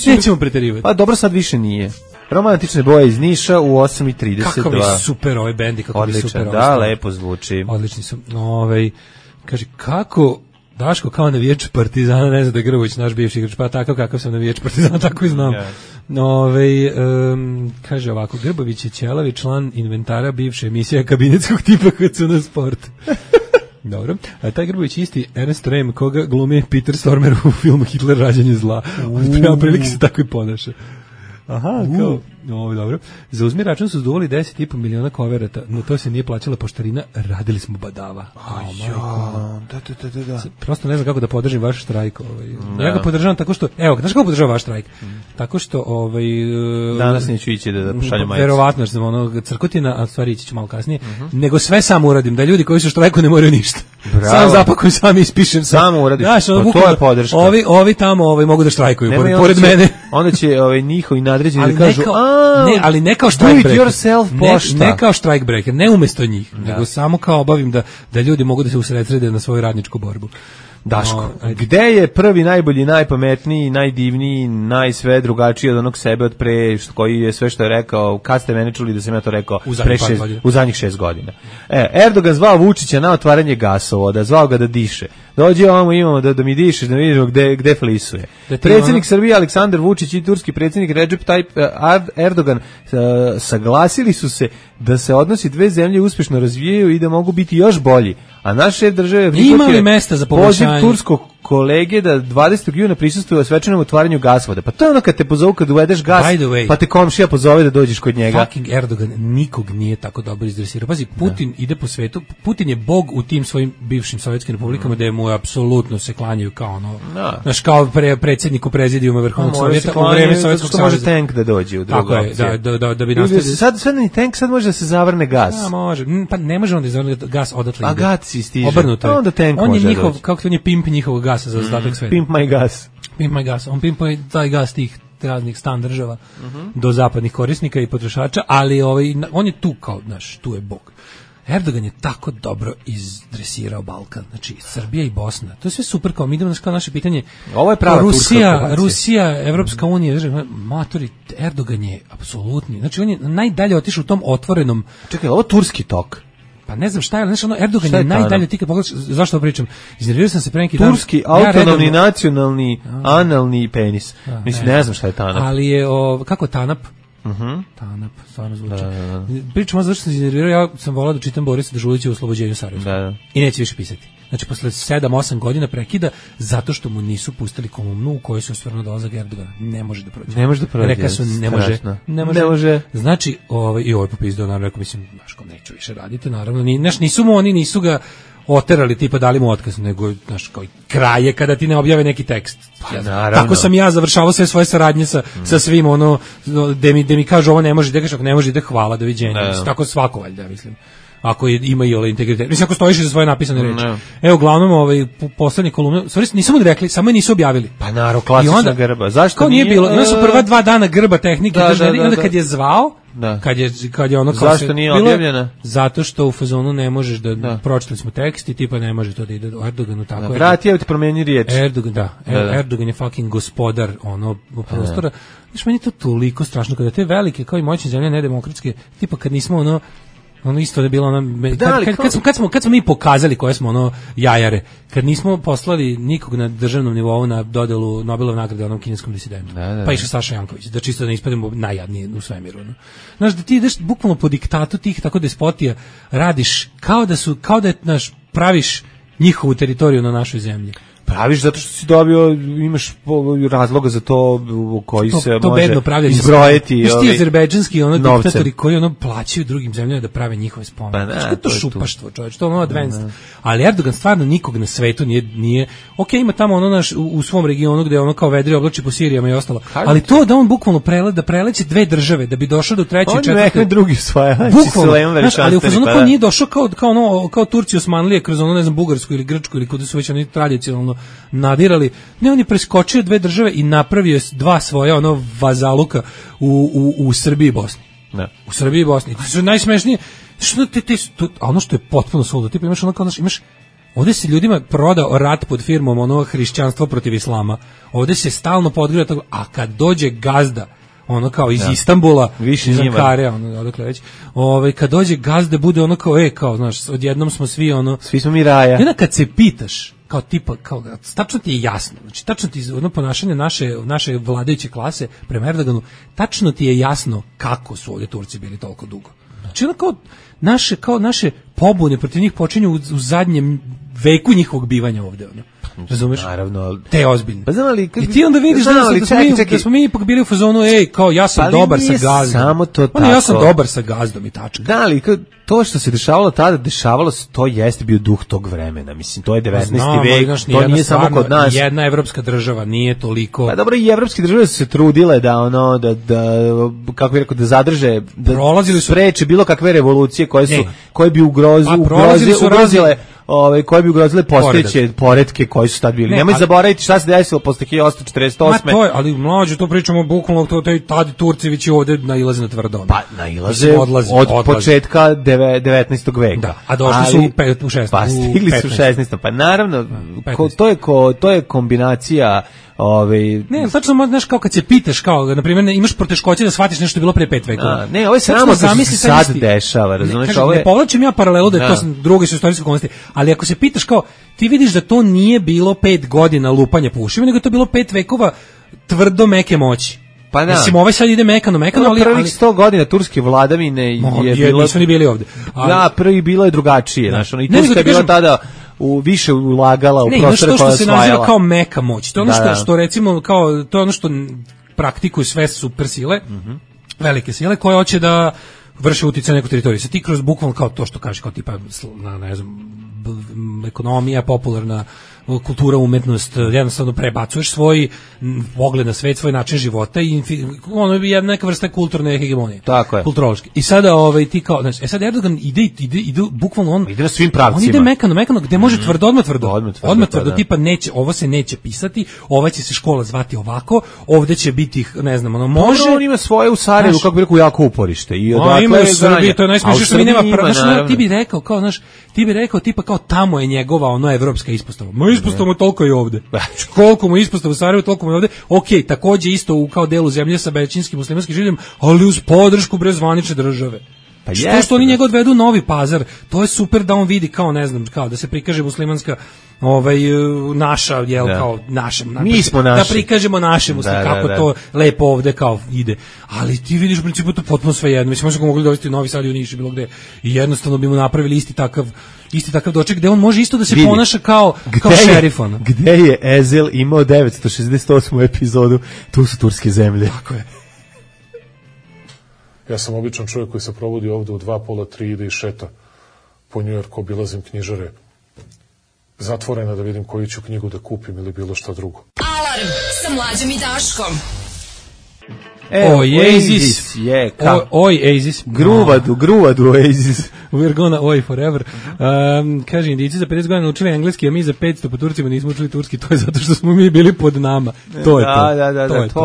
Nećemo preterivati.
Pa dobro, sad više nije. Romantične boje iz Niša u 8:32.
Kako mi super ovaj bendi, kako mi super.
Da, lepo zvuči.
Odlični su. Kaže, kako Daško kao navijač Partizana, ne znam da je Grbović naš bivši igrač, pa takav kakav sam navijač Partizana, tako i znam. Kaže ovako, Grbović je ćelavi član inventara bivše emisije kabinetskog tipa HCN Sport. Dobro. A taj Grbović isti Ernest Rehm, koga glumi Peter Stormer u filmu Hitler rađanje zla. Prema prilike se tako i ponaša. Aha, kao, dobro. Za uzmi račun su zduvali 10,5 miliona koverata, no to se nije plaćala poštarina, radili smo badava.
Da.
Prosto ne znam kako da podržim vaš štrajk. Ja ga podržavam tako što, evo, znaš kako podržavam vaš štrajk? Tako što,
danas neću ići da pošaljem majicu.
Verovatno, što sam crkotina, a stvari ići ću malo kasnije, nego sve sam uradim, da ljudi koji su štrajku ne moraju ništa.
Bravo.
Sam zapakujem, sam ispišem.
Samo uradim, to je podrška.
Ovi tamo mogu da štrajkuju, pored mene.
Onda će njihovi nadređeni da kažu,
ali ne kao strike breaker.
Ne
kao strike breaker, ne umesto njih, nego samo kao obavim da ljudi mogu da se usredsrede na svoju radničku borbu.
Daško, gde je prvi, najbolji, najpametniji, najdivniji, najsve drugačiji od onog sebe od pre, koji je sve što je rekao, kad ste mene čuli da sam ja to rekao u zadnjih 6 godina. Erdogan zvao Vučića na otvaranje gasovoda, zvao ga da diše. Dođe imamo da mi dišeš, da vidimo gde flisuje. Predsjednik Srbije Aleksandar Vučić i turski predsjednik Recep Tayyip Erdogan saglasili su se da se odnosi dve zemlje uspješno razvijaju i da mogu biti još bolji. A naš šef države poziv turskog kolege da 20. juna prisustvuje svečanom otvaranju gasvoda. Pa to je ono kad te pozovu kad uvedeš gas, pa te komšija pozove da dođeš kod njega.
Fucking Erdogan nikog nije tako dobro izdresirao. Pazi, Putin ide po svetu, Putin je bog u tim svojim bivšim sovjetskim republikama da mu apsolutno se klanjaju kao ono, znaš, kao predsjedniku prezidijuma Vrhovnog Sovjeta u vreme Sovjetskog saveza.
Može tank da dođe u drugu opciju.
Da bi nastavili.
Sad ni tank, sad može da se zavrne gas.
Može, pa ne može on da zavrne gas odatle.
A gas stiže.
Obrnuto.
Onda tank
on je njihov, kako on je pimp njihovog gasa za ostatak sveta.
Pimp my gas.
Pimp my gas. On pimpuje taj gas tih raznih stan država do zapadnih korisnika i potrošača, ali on je tu kao, znaš, tu je bog. Erdogan je tako dobro izdresirao Balkan, znači Srbija i Bosna. To je sve super, kao mi idemo na naše pitanje.
Ovo je prava
Rusija, Evropska unija, matori, Erdogan je apsolutni. Znači on je najdalje otišao u tom otvorenom.
Čekaj, ovo turski tok.
Pa ne znam šta je, znači Erdogan je najdalje, ti kad pogledaš, zašto ovo pričam? Iznervirao sam se pre neki dan.
Turski, autonomni, nacionalni, analni penis. Mislim, ne znam šta je TANAP.
Ali je, kako TANAP? TANAP, stvarno zvuči. Pričamo zašto sam se iznervirao, ja sam volao da čitam Borisa Dežulića u Oslobođenju Sarajevskog. I neće više pisati. Znači, posle 7-8 godina prekida, zato što mu nisu pustili kolumnu u kojoj se ostvarno dolazak Erdogana. Ne može da prođe.
Ne može da prođe.
Rekao su, ne može. Znači, i ovaj popizdao, naravno, rekao, mislim, znaš, kao neću više raditi, naravno, nisu ga oterali, tipa dali mu otkaz, nego, znaš, kao kraje kada ti ne objave neki tekst. Tako sam ja završavao sve svoje saradnje sa svim, ono, da mi kažu ovo ne može, da kažu, ako ne može, da hvala, doviđenja. Tako svako, valjda, mislim. Ako ima i integritet. Mislim, ako stojiš za svoje napisane reči. Evo, uglavnom, poslednje kolumne, stvari nisu mu rekli, samo je nisu objavili.
Pa naravno, klasična grba. Zašto
kao nije bilo? Ima su prva 2 dana grba tehnike, i onda kad je zvao, kad je ono kao
zašto nije objavljena?
Zato što u fazonu ne možeš da pročitali smo tekst i tipa ne može to da ide Erdoganu tako.
Vrati, evo ti promeni riječ.
Erdogan je fucking gospodar prostora. Znaš, meni je to toliko strašno kada te velike kao i moćne zemlje nedemokratske, tipa kad nismo ono isto da je bilo kad smo mi pokazali koje smo jajare, kad nismo poslali nikog na državnom nivou na dodelu Nobelove nagrade onom kineskom disidentu. Pa išao Saša Janković, da čisto da ispademo najjadniji u svemiru. Znaš, da ti ideš bukvalno po diktatu tih tako despotija, radiš kao da praviš njihovu teritoriju na našoj zemlji.
Praviš zato što si dobio, imaš razloga za to koji se može izbrojiti.
Znaš ti azerbejdžanski diktatori koji plaćaju drugim zemljama da prave njihove spomenike. Znaš to šupaštvo, čovječ, to je advanced. Ali Erdogan stvarno nikog na svetu nije ok, ima tamo u svom regionu gde kao vedri oblači po Sirijama i ostalo. Ali to da on bukvalno preleće 2 države da bi došao do 3. i 4.
On nekaj drugi svoje.
Ali u fazonu kao nije došao kao Turci Osmanlije kroz Bugarsku ili Grčku ili kuda su već oni tradicionalno nadirali. Ne, on je preskočio 2 države i napravio 2 svoja vazaluka u Srbiji i Bosni. U Srbiji i Bosni. To su najsmešnije. Ono što je potpuno suludo, tipa imaš ovdje se ljudima prodao rat pod firmom hrišćanstvo protiv islama. Ovdje se stalno podgreva toga, a kad dođe gazda kao iz Istanbula, iz Ankare, odakle već. Kad dođe gazda bude kao znaš, odjednom smo svi
svi smo mi raja.
I onda kad se pitaš kao tipa, tačno ti je jasno, znači tačno ti ponašanje naše vladajuće klase prema Erdoganu, tačno ti je jasno kako su ovdje Turci bili toliko dugo. Znači kao naše pobune protiv njih počinju u zadnjem veku njihovog bivanja ovdje. Razumeš?
Naravno.
Te ozbiljno.
Pa znam ali
i ti onda vidiš da smo mi ipak bili u fazonu, kao ja sam dobar sa gazdom.
Samo to tako.
Ja sam dobar sa gazdom i tačka.
Da, ali to što se dešavalo tada, dešavalo se, to jeste bio duh tog vremena. Mislim, to je 19. vek, to nije samo kod nas.
Jedna evropska država nije toliko.
Pa dobro, i evropske države su se trudile da kako bih rekao, da zadrže, da spreče bilo kakve revolucije koje bi ugrozile koje bi ugrozile postojeće poretke koji su tad bili. Nemoj zaboraviti šta se desilo posle 1848.
Ali mlađe, to pričamo bukvalno, tad Turcevići ovde nailaze na tvrdo.
Pa nailaze od početka 19. veka.
Da, a došli su u 16.
Pa stigli su u 16. Pa naravno, to je kombinacija.
Ne, tačno, znaš, kao kad se pitaš, kao, na primjer, imaš poteškoće da shvatiš nešto je bilo pre 5 vekova.
Ne, ovo je samo što se sad dešava, razumiješ?
Ne povlačim ja paralelu da je to druge su istorijske okolnosti, ali ako se pitaš, kao, ti vidiš da to nije bilo 5 godina lupanja po ušima, nego je to bilo 5 vekova tvrdo meke moći.
Pa da.
Mislim, sad ide mekano, ali
prvih 100 godina turske vladavine je bilo...
Nisu ni bili ovde.
Da, prvi bilo je drugačije, znaš, i Turska je bila tada više ulagala u prostore koja je osvajala. To što se naziva kao meka moć, to je ono što recimo, kao, to je ono što praktikuju sve super sile, velike sile, koje hoće da vrše utjecaj na neku teritoriju. Sad ti kroz bukvalno kao to što kažeš, kao tipa, ne znam, ekonomija, popularna kultura, umetnost, jednostavno prebacuješ svoj pogled na svet, svoj način života i ono je neka vrsta kulturne hegemonije. Tako je.
Kulturološki. I sada ti kao, znači, sad Erdogan ide bukvalno on
ide na svim pravcima.
On ide mekano, gde može tvrdo, odmah tvrdo, tipa neće, ovo se neće pisati, ova će se škola zvati ovako, ovde će biti, ne znam, ono može.
On ima svoje u Sarajevu, kako bi rekao, jako uporište. I
odakle ima u Srbiji, to je najsmešnije što mi nema pravo. Ti bi rekao, tipa kao tamo je njegova evropska ispostava. Ispostava toliko i ovde. Koliko mu ispostava u Sarajevu, toliko mu je ovde. Okej, takođe isto u kao delu zemlje sa većinskim muslimanskim življem, ali uz podršku zvanične države. što oni njega odvedu u Novi Pazar, to je super da on vidi kao, ne znam, kao da se prikaže muslimanska naša, jel, kao našem,
mi smo naši.
Da prikažemo naše kako to lepo ovde kao ide. Ali ti vidiš u principu to potpuno svejedno. Mislim, možemo mogli dovesti u Novi Sad i u Niš, bilo gde, i jednostavno bi mu napravili isti takav doček gde on može isto da se ponaša kao šerif.
Gde je Ezel imao 968. epizodu, tu su turske zemlje.
Tako je.
Ja sam običan čovjek koji se provodi ovde u 2, pola, 3, ide i šeta po Njujorku, obilazim knjižare zatvorena da vidim koju ću knjigu da kupim ili bilo šta drugo.
Alarm sa Mlađom i Daškom.
Oasis. Oasis.
Gruvadu Oasis.
We're gonna oi forever. Kaže, Indijci za 50 godina učili engleski, a mi za 500 po Turcima nismo učili turski. To je zato što smo mi bili pod nama. To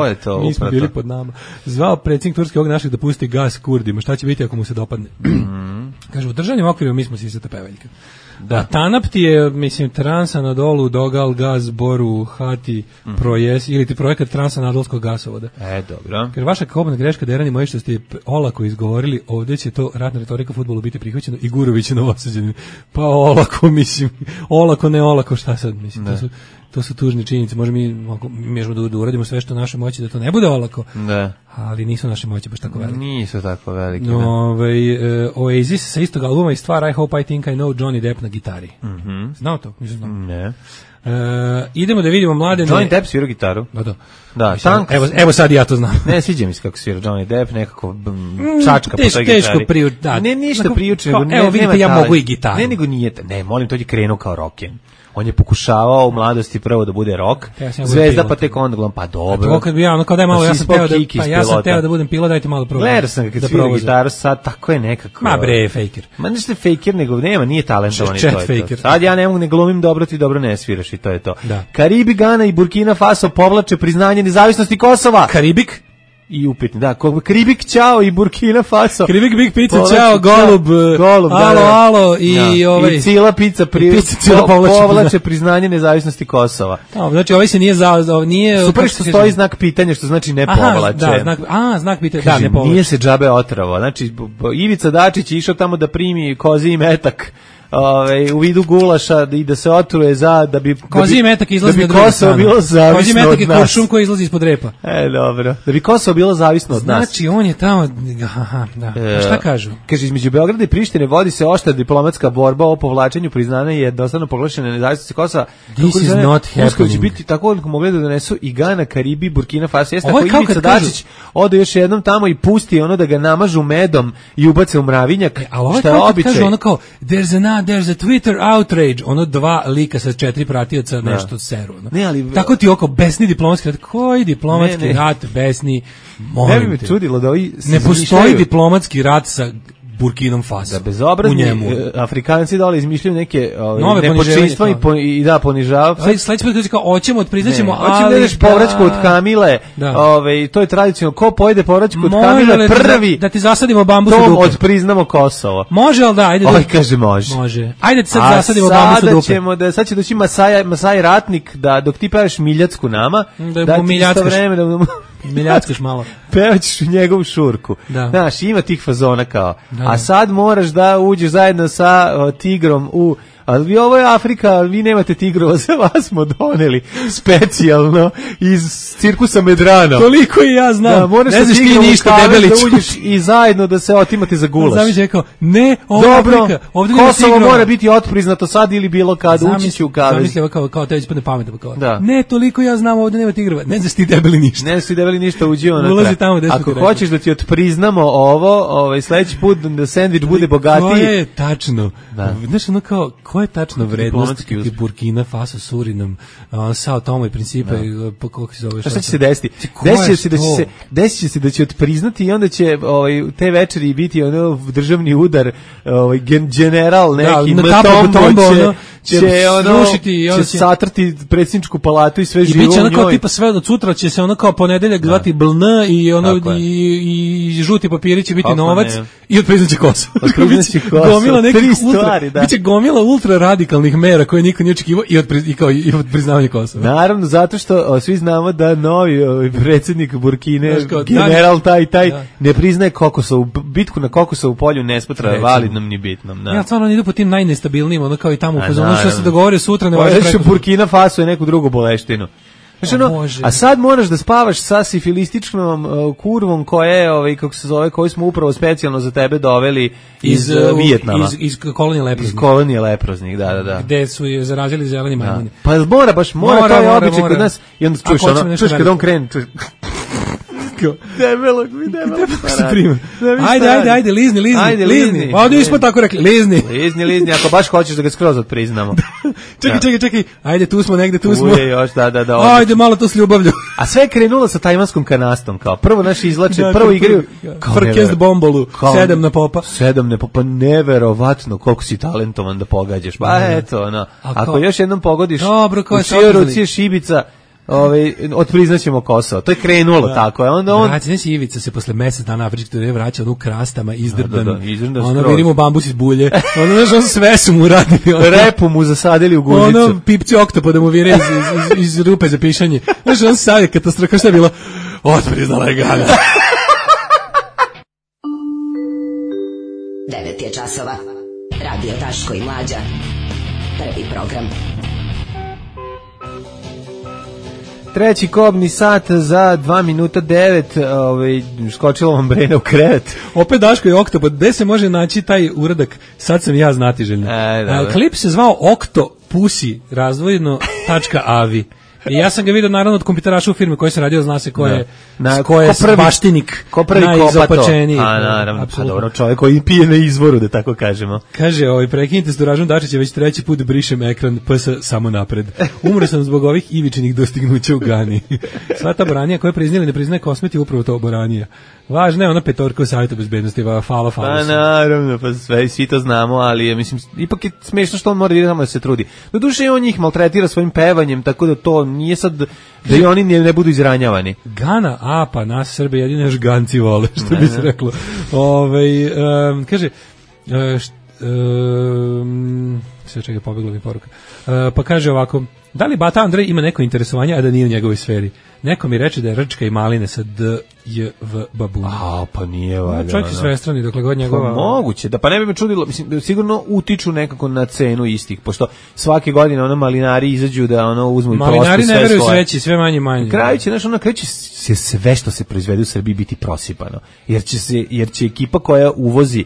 je to.
Mi
smo bili pod nama. Zvao predsjednik Turske ovog našeg da pusti gas Kurdima. Šta će biti ako mu se dopadne? Kaže, u državnim okvirima mi smo sisata pevaljka. Da. A Tanap ti je, mislim, Transanadolu, Dogal, Gaz, Boru, Hati, Projes, ili ti projekat Transanadolskog gasovoda.
Dobro.
Jer vaša kobna greška, Derani moji, što ste olako izgovorili, ovdje će to ratna retorika fudbalu biti prihvaćeno i Gurović je novosađen. Pa olako, mislim, olako, ne olako, šta sad, mislim, to su tužne činjenice. Možemo da uradimo sve što u našoj moći da to ne bude olako, ali nisu naše moći baš tako velike.
Nisu tako velike.
Oasis sa istog albuma i stvar I Hope I Think I Know, Johnny Depp na gitari. Znao to? Nisam znao.
Ne.
Idemo da vidimo mladene.
Johnny Depp svira gitaru.
Da, evo sad ja to znam.
Ne, sviđa mi se kako svira Johnny Depp, nekako čačka po toj gitari.
Teško priuči.
Ne, ništa priuči.
Evo vidite, ja mogu i gitaru.
Ne, nego nije. Ne, molim, to je krenuo kao rocken. On je pokušavao u mladosti prvo da bude rock, zvezda, pa tek onda gledam, pa dobro.
To kad bi kao daj malo, ja sam teo da budem pilot, dajte malo probati.
Gledao sam kad svira gitaru, sad tako je nekako.
Ma bre, fejker.
Ma nešto je fejker, nego nije talentovan i to je to. Sad ja ne mogu, ne glumim dobro, ti dobro ne sviraš i to je to. Karibi, Gana i Burkina Faso povlače priznanje nezavisnosti Kosova.
Karibik?
I upitni, Karibik, ćao i Burkina Faso.
Karibik, Big Pizza, ćao, Golub, alo,
i Cila Pizza povlače priznanje nezavisnosti Kosova.
Znači, ovaj se nije...
Super što stoji znak pitanja, što znači ne povlače.
Znak pitanja, ne povlače.
Nije se džabe otravo. Znači, Ivica Dačić je išao tamo da primi kozi i metak u vidu gulaša i da se otruje da bi
kozi metak izlazi na drugu stranu.
Bilo zavisno
kozi metak je kuršum koji izlazi ispod repa.
Dobro. Da bi Kosovo bilo zavisno od nas.
Znači, on je tamo... šta kažu?
Kaže, između Beograda i Prištine vodi se oštra diplomatska borba o povlačenju priznanja i jednostavno proglašene nezavisnosti Kosova.
This is not happening.
Će biti tako da mogli da donesu i Gana, Karibi, Burkina Faso. Jeste tako Ivica Dačić ode još jednom tamo i pusti da ga namažu medom i ubace u mravinjak.
Šta je običaj? There's a Twitter outrage, 2 lika sa 4 pratioca nešto seru. Tako ti besni diplomatski rat. Koji diplomatski rat besni?
Ne bi me čudilo da
ne postoji diplomatski rat sa Burkinom Faso.
Da bezobrazni Afrikanci dole izmišljaju neke nepočinstva i ponižavaju.
Sledeći put kao hoćemo, priznaćemo,
hoćemo da ideš povraćku od Kamile. To je tradicionalno. Ko pojede povraćku od Kamile prvi?
Da ti zasadimo bambus u dupe.
Odpriznamo Kosovo.
Može, ali da, ajde.
Kaže može.
Ajde ti sad zasadimo bambus u dupe.
Sad će doći Masaj Ratnik da dok ti pevaš Miljacku nama,
da ti isto vreme da Miljackaš malo.
Pevaćeš u njegovu šurku. Znaš, ima tih fazona kao. A sad moraš da uđeš zajedno sa tigrom ali ovo je Afrika, ali vi nemate tigrova, za vas smo doneli specijalno iz cirkusa Medrano.
Toliko i ja znam.
Moraš ne znaš ti ništa, Debelić. Da uđeš i zajedno da se otimate za gulaš.
Zamiš rekao, ne, ovo Afrika.
Kosovo mora biti otpriznato sad ili bilo kad ući će u kavez.
Zamislio kao te već padne pamet. Ne, toliko ja znam, ovdje nema tigrova. Ne znaš ti debeli ništa.
Ne znaš ti debeli ništa, uđi ono.
Ulazi tamo gde
ako hoćeš da ti otpriznamo ovo, sledeći put da sendvič bude bogatiji.
To je tačno. Znaš, ono kao, ko je tačno vrednost Burkina Faso, Surinam, Sao Tome i Principe, kako se zove?
Šta će se desiti? Desit će se da će otpriznati i onda će te večeri biti državni udar, general neki, će satrti predsjedničku palatu i sve živo u njoj.
I biće ono kao tipa sve od sutra će se ono kao ponedeljak zvati BLN i ono i žuti papiri će biti novac i otpriznaće Kosovo.
Otpriznaće Kosovo.
Gomila nekih stvari, da. Biće gomila ultra radikalnih mera koje niko nije očekivao i priznavanje Kosova.
Naravno, zato što svi znamo da novi predsjednik Burkine, general taj ne priznaje Kokosovu. Bitku na Kokosovu polju ne smatra validnom ni bitnom.
Ja stvarno idu po tim najnestabilnijim, ono kao i tamo u fazonu što se dogovore sutra ne važi
preko. Burkina Faso je neku drugu boleštinu. A sad moraš da spavaš sa sifilističnom kurvom koja je, kako se zove, koju smo upravo specijalno za tebe doveli iz Vijetnama.
Iz kolonije leproznih.
Iz kolonije leproznih, da.
Gde su je zarazili zeleni majmuni.
Pa mora, to je običaj kod nas. I onda čuješ kad on krene, debelog.
Ajde, lizni. Pa ovdje smo tako rekli, lizni,
ako baš hoćeš da ga skroz odpriznamo.
Čekaj, ajde, tu smo negde, tu smo.
Uje, još, da.
Ajde, malo to s ljubavlju.
A sve je krenulo sa tajvanskom kanastom, kao prvo naši izlače, prvo igraju
Frkest bombolu, 7 na popa.
7 na popa, neverovatno koliko si talentovan da pogađaš. Pa eto, ako još jednom pogodiš, u čijoj ruci je šibica, otpriznaćemo Kosovo. To je krenulo tako.
Znači, Ivica se posle mesec dana afričke turneje vraća u krastama izdrdan. Vidimo bambus iz bulje. Sve su mu radili.
Repu mu zasadili u guzicu.
Pipci oktopoda mu vire iz rupe za pišanje. Znači, on savje katastrofa. Šta je bilo? Otpriznala je Gana.
9 je časova. Radio Daško i Mlađa. Prvi program.
Treći kobni sat za 2 minuta 9, skočilo vam Brena u krevet.
Opet Daško i Oktopod, gde se može naći taj uradak? Sad sam ja znatiželjno. Klip se zvao Oktopusi, razdvojeno.avi. I ja sam ga vidio naravno od kompjuteraša u firme koji se radio, zna se ko je baštinik najizopačeniji.
A naravno, pa dobro, čovjek koji pije na izvoru, da tako kažemo.
Kaže, prekinite s Duražom Dačića, već treći put brišem ekran, PS samo napred. Umro sam zbog ovih ivičinih dostignuća u Gani. Sva ta boranija koja priznili ne priznaje Kosmet je upravo to boranija. Važno je ona petorka u Savjetu bezbednosti, falo.
Pa naravno, pa sve, svi to znamo, ali mislim, ipak je smešno što on mora da se trudi. Doduše on njih maltretira svojim pevanjem, tako da to nije sad da i oni ne budu izranjavani.
Gana, pa nas Srbe jedino još ganci vole, što bi se reklo. Kaže, sve čega pobegla mi poruka. Pa kaže ovako, da li Bata Andrej ima neko interesovanje, a da nije u njegovoj sferi? Neko mi reče da je Rčka i Maline sa D.J.V. Babuna.
Pa nije valjda.
Čovjek je svestrani, dokle god njegova...
Moguće, pa ne bi me čudilo, mislim, sigurno utiču nekako na cenu istih, pošto svake godine malinari izađu da uzmu i prospe sve svoje.
Malinari ne veruju sveći, sve manje.
Na kraju će sve što se proizvede u Srbiji biti prosipano, jer će ekipa koja uvozi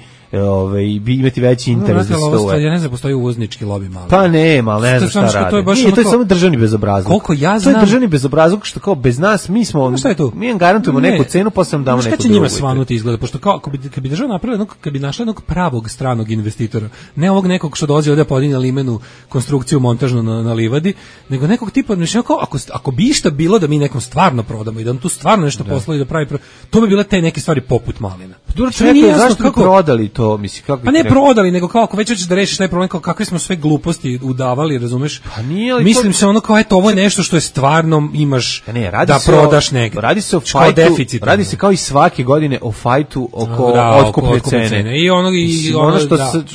imati veći interes da se to...
Ja ne znam, postoji uvoznički lobi malo.
Pa nema, ali ne znam šta radi. To je samo državni bezobrazluk.
Koliko ja znam...
To je državni bezobrazluk što kao bez nas, mi smo...
Šta je to?
Mi garantujemo neku cenu, pa sam damo neku drugu.
Šta će njima svanuti izgleda? Pošto kao, kad bi država napravila, kad bi našla jednog pravog stranog investitora, ne ovog nekog što dolazi ovdje podinja limenu konstrukciju montažnu na livadi, nego nekog tipa, ako bi išta bilo da mi nekom stvarno prodamo i da on tu stvarno nešto poslovi da pravi, to bi bile te neke stvari poput Malina.
Zašto bi prodali to, misli, kako bi...
Pa ne prodali, nego kao ako već hoćeš da rešiš taj problem, kao kakve smo sve gluposti udavali, razumeš?
Pa nije, ali
mislim se ono kao, eto, ovo je nešto što je stvarno imaš da prodaš negdje.
Radi se o fajtu, radi se kao i svake godine o fajtu oko otkupne cene.
I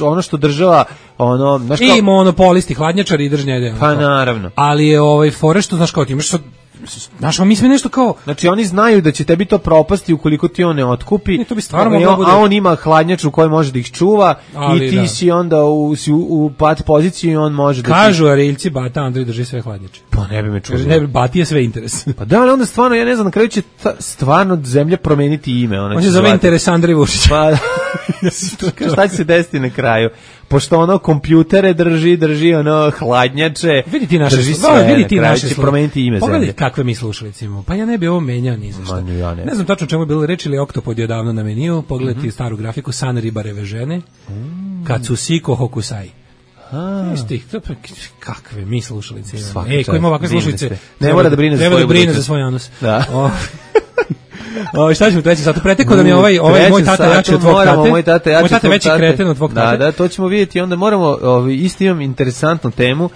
ono što država,
i monopolisti, hladnjačari i držnjede.
Pa naravno.
Ali je fore što, znaš, kao ti imaš sad, znaš, mi smo nešto kao...
Znači, oni znaju da će tebi to propasti ukoliko ti on ne otkupi,
to bi stvarno
a on ima hladnjaču u kojoj može da ih čuva, ali i ti si onda u pat poziciji i on može da...
Kažu Ariljci, Bata Andrej drži sve hladnjače.
Pa ne bi me čuo.
Ne, Bati je sve interes.
Pa da, ali onda stvarno, ja ne znam, na kraju će stvarno zemlja promeniti ime.
On će zove interes Andrej Vučić.
Pa, šta će se desiti na kraju? Pošto kompjutere drži hladnjače,
vidi ti naše
će promeniti ime zemlje.
Pogledaj kakve mi slušalice imamo. Pa ja ne bi ovo menjao ni za šta. Ne znam tačno čemu je bilo reći, ili Oktopod je davno na meniju. Pogledajte staru grafiku, san ribareve žene, Katsusiko Hokusai. Kakve mi slušalice imamo. Ko ima ovakve slušalice,
ne mora da brine
za svoj anus. Šta ćemo treći sat? Preteko da mi ovaj moj tata jači od tvog tate.
Moj tata je
veći kreten od tvog tate.
Da, to ćemo vidjeti. Onda moramo, isto imam interesantnu temu.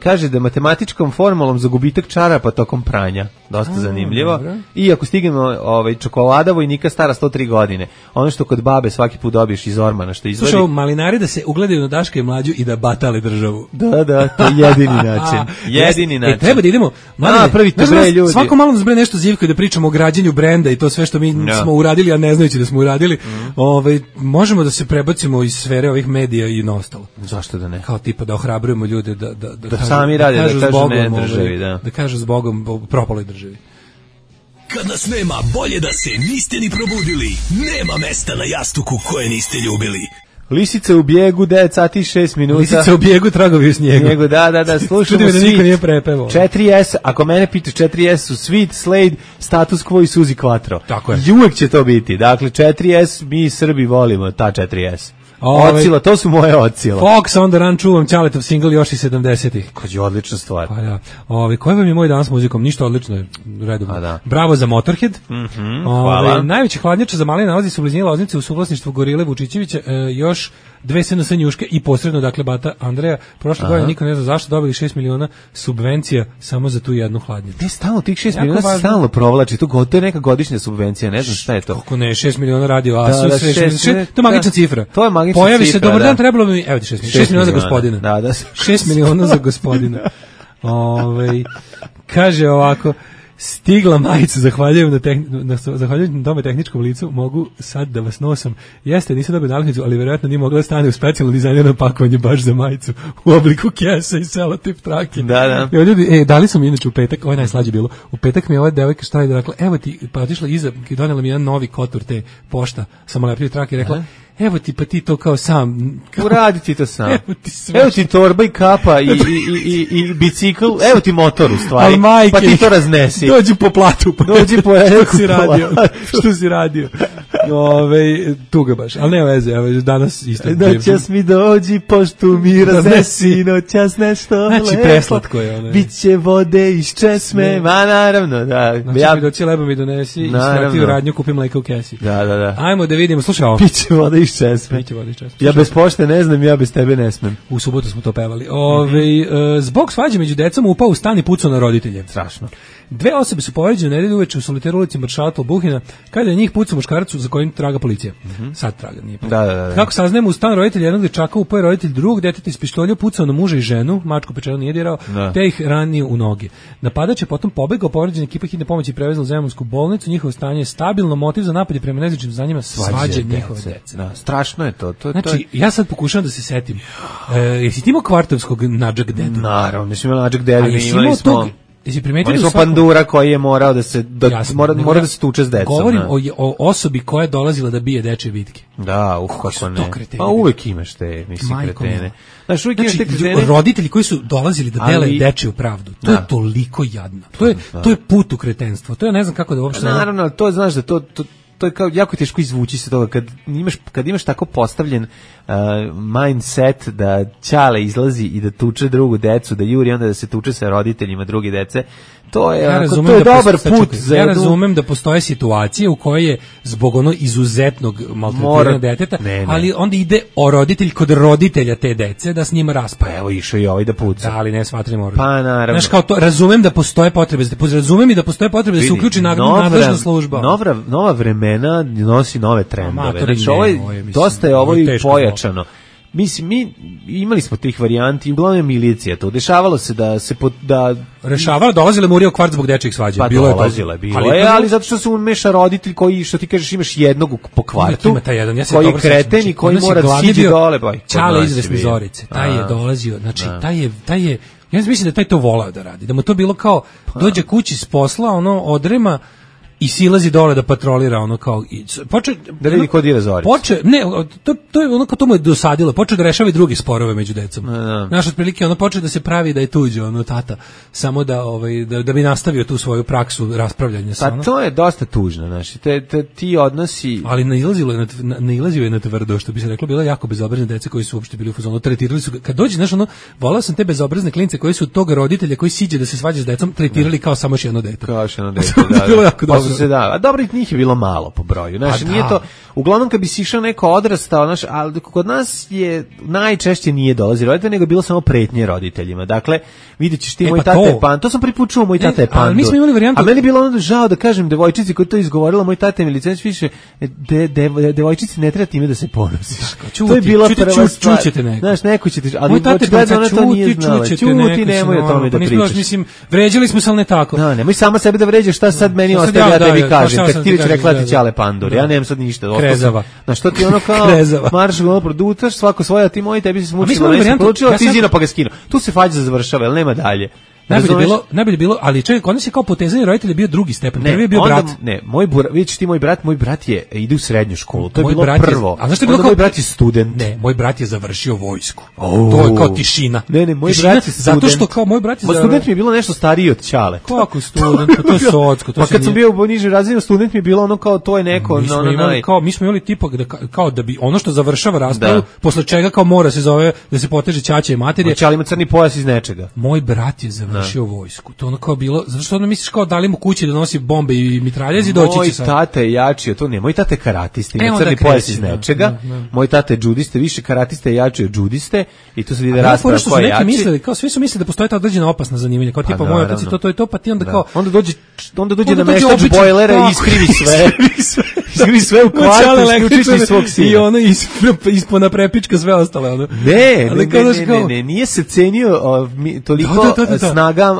Kaže da matematičkom formulom za gubitak čarapa tokom pranja. Dosta zanimljivo. I ako stignemo čokolada vojnika stara 103 godine. Ono što kod babe svaki put dobiješ iz ormana što izvadi.
Slušaj, malinari da se ugledaju na Daška i Mlađu i da batale državu.
Da, to je jedini način. Jedini način.
Treba da idemo.
Pravite bre ljudi.
Svako malo nas bre nešto zivko i da pričamo o građenju brenda i to sve što mi smo uradili, a ne znajući da smo uradili. Možemo da se prebacimo iz sfere ovih medija i na ostalo.
Zašto da ne?
Kao tipa da ohrabrujemo ljude
da sami rade, da kažu ne državi,
da kažu zbogom propaloj državi.
Kad nas nema, bolje da se niste ni probudili. Nema mesta na jastuku koje niste ljubili.
Lisice u bijegu, 9 sati i 6 minuta.
Lisice u bijegu, tragovi u snijegu.
Da, slušamo
da niko nije prepevao.
4S, ako mene pitaš 4S su Sweet, Slade, Status Quo i Suzi Quattro.
Tako je.
I uvek će to biti. Dakle, 4S, mi Srbi volimo ta 4S. Ocila, to su moje ocila.
Fox on the Run čuvam Ćaletov single još i 70-ih.
Kad je odlična stvar.
Pa da. Koji vam je moj dan s muzikom? Ništa, odlično je. Redovno.
Da.
Bravo za Motorhead.
Hvala.
Najveći hladnjača za male nalazi se u blizini Loznice u suvlasništvu Gorile Vučićevića, još 2 SNS njuške i posredno, dakle, bata Andreja. Prošle godine niko ne zna zašto dobili 6 miliona subvencija samo za tu jednu hladnjaču.
Ne, stalno tih 6 miliona se stalno provlači. To je neka godišnja subvencija, ne znam šta je to.
Kako ne, 6 miliona radio Asus, to je magična cifra.
To je magična
Pojavi
cifra,
se, dobar dan, trebalo bi mi, evo ti 6 miliona za gospodina.
Da.
6 miliona za gospodina. Kaže ovako, stigla majica, zahvaljujem na tome tehničkom licu, mogu sad da vas nosam. Jeste, nisam dobio nalepnicu, ali vjerojatno nije mogla stane u specijalno dizajnirano pakovanje baš za majicu u obliku kese i selotip trake.
Da.
Evo ljudi, dali su mi inače u petak, ovo je najslađe bilo, u petak mi je ova devojka šta je rekla, evo ti, pa otišla iza, donela mi jedan novi kotur te pošta, samolepljiv trake i rekla, evo ti, pa ti to kao sam.
Uradi ti to sam.
Evo
ti torba i kapa i bicikl, evo ti motor u stvari. Pa ti to raznesi.
Dođi po platu.
Dođi po
Što si radio? Tuga baš, ali nema veze, danas isto.
Noćas mi dođi, poštu mi raznesi, noćas nešto lepo.
Znači, preslatko je.
Biće vode iz česme, ma naravno, da.
Znači, mi doći lebo mi donesi i skrati u radnju, kupim mleka u kesi.
Da.
Ajmo da vidimo, slušaj ovo.
Biće vode iz česme. Ja bez pošte ne znam, ja bez tebe ne smem.
U subotu smo to pevali. Zbog svađe među decom upao u stan i pucao na roditelje.
Strašno.
2 osobe su povređene nedelju uveče u Soliteru ulici Maršala Tolbuhina, kada je njih pucao muškarac za kojim traga policija. Sad traga, nije pa.
Da.
Kako saznajemo, u stan roditelja jednog dečaka upao je roditelj drugog deteta iz pištolja, pucao na muža i ženu, mačku pečeno nije dirao, te ih ranio u noge. Napadač je potom pobegao, povređena ekipa hitne pomoći prevezla u Zemunsku bolnicu, njihovo stanje je stabilno, motiv za napad je prema nezličnim znanjima svađe njihove dece.
Da, strašno je to.
Znači, ja sad pokušavam da se setim. Jesi ti imao kvartovskog Nadžak dedu?
Naravno, nismo imali Nadžak dedu, imali smo...
Oni
smo Pandura koji je morao da se mora da se tuče s decom.
Govorim o osobi koja je dolazila da bije dečje bitke.
Da, kako ne. Pa uvek imaš te, kretene. Znači,
roditelji koji su dolazili da dele dečju pravdu. To je toliko jadno. To je put u kretenstvo. To ja ne znam kako da uopšte...
Naravno, ali to znaš da to je kao jako teško izvući se toga kad imaš tako postavljen mindset da ćale izlazi i da tuče drugu decu, da juri onda da se tuče sa roditeljima druge dece. To je dobar put za
ja razumem da postoje situacije u kojoj je zbog izuzetnog maltretiranja deteta, ali onda ide roditelj kod roditelja te dece da s njima raspaja.
Evo išao i ovaj da puca.
Da, ali ne smatramo.
Pa naravno.
Znaš, kao to, razumem da postoje potrebe, razumem i da postoje potrebe da se uključi nadležna služba.
Nova vremena nosi nove trendove. Znači, dosta je ovo i pojačano. Mislim, mi imali smo tih varijanti, uglavnom je milicija to. Dešavalo se da se
rešavalo, dolazile Murija u kvart zbog dečjih svađa.
Pa bilo je, ali zato što se umeša roditelj koji, što ti kažeš, imaš jednog po kvartu, koji je kreten i koji mora da siđe dole.
Ćale izvesne Zorice, taj je dolazio, znači, taj je, ja mislim da taj to volao da radi, da mu to bilo kao, dođe kući s posla, odrema, i silazi dole da patrolira kao
da vidi ko dira Zoricu.
To je to mu je dosadilo. Počeo da rešava i druge sporove među decom. Znaš, otprilike počeo da se pravi da je tuđe tata, samo da bi nastavio tu svoju praksu raspravljanja sa.
Pa to je dosta tužno, znači ti odnosi,
ali nailazio je na tvrdo, što bi se reklo, bilo jako bezobrazne dece koji su uopšte bili u fazonu, tretirali su kad dođe, znaš, volao sam te bezobrazne klince koji su tog roditelja koji siđe da se svađa s decom tretirali kao samo još jedno dete.
Kao još jedno dete, da. su se a dobro njih je bilo malo po broju. Znači nije to uglavnom kad bi si išao neko odrastao, znači ali kod nas je najčešće nije dolazi roditelj, nego je bilo samo pretnje roditeljima. Dakle, videćeš ti moj tata je pan, to sam pripučuo moj tata je pan.
Mi smo imali varijantu.
A meni je bilo onda žao da kažem devojčici koja to izgovorila, moj tata mi licenc više devojčici ne treba time da se ponosiš. To je bila prva stvar. Znaš, neko će ti, ali
moj tata
ona to nije znala. Čuti, nemoj o tome da pričaš.
Mislim, vređali smo se, ali ne tako.
Da, nemoj sama sebe da vređaš, šta sad meni ostaje, ja tebi kažem. Kad ti već rekla ti ćale pandur, ja nemam sad ništa.
Krezava.
Znaš, što ti ono kao marš ono produtaš, svako svoje, ti moji, tebi se smučilo, ne se poručilo, ti zino pa ga skinu. Tu se fađa završava, jel nema dalje.
Najbolje bilo, ali čovjek, onda se kao potezanje roditelja bio drugi stepen. Prvi je bio brat.
Ne, vidiš ti moj brat ide u srednju školu. To je bilo prvo.
A zašto je bilo
moj brat je student?
Ne, moj brat je završio vojsku. To je kao tišina.
Ne, moj brat je student.
Zato što kao moj brat je
student mi je bilo nešto stariji od ćale.
Kako student? To je socko.
Pa kad sam bio u nižoj razini, student mi je bilo ono kao to je neko.
Mi smo imali tipa kao da bi ono što završava raspravu, posle čega kao mora se zove da se poteže ćaća i materije.
Ćale ima crni pojas iz nečega.
Moj brat je završio vojsku. To ono kao bilo, zato što ono misliš kao dali mu kući da nosi bombe i mitraljezi, doći će sad.
Moj tata je jači, to ne, moj tata je karatista, ima crni pojas iz nečega, moj tata je džudiste, više karatista je jači od džudiste i tu se vidi rasprava ko je jači.
Mislili, kao svi su mislili da postoje ta određena opasna zanimanja, kao tipa moj otac i to, pa ti onda kao...
Onda dođe nameštač bojlera i iskrivi sve. Iskrivi sve u kvartu, isključiš svog sina.
I ono ispona prepička sve ostale.
Ne, nije se cenio toliko snagam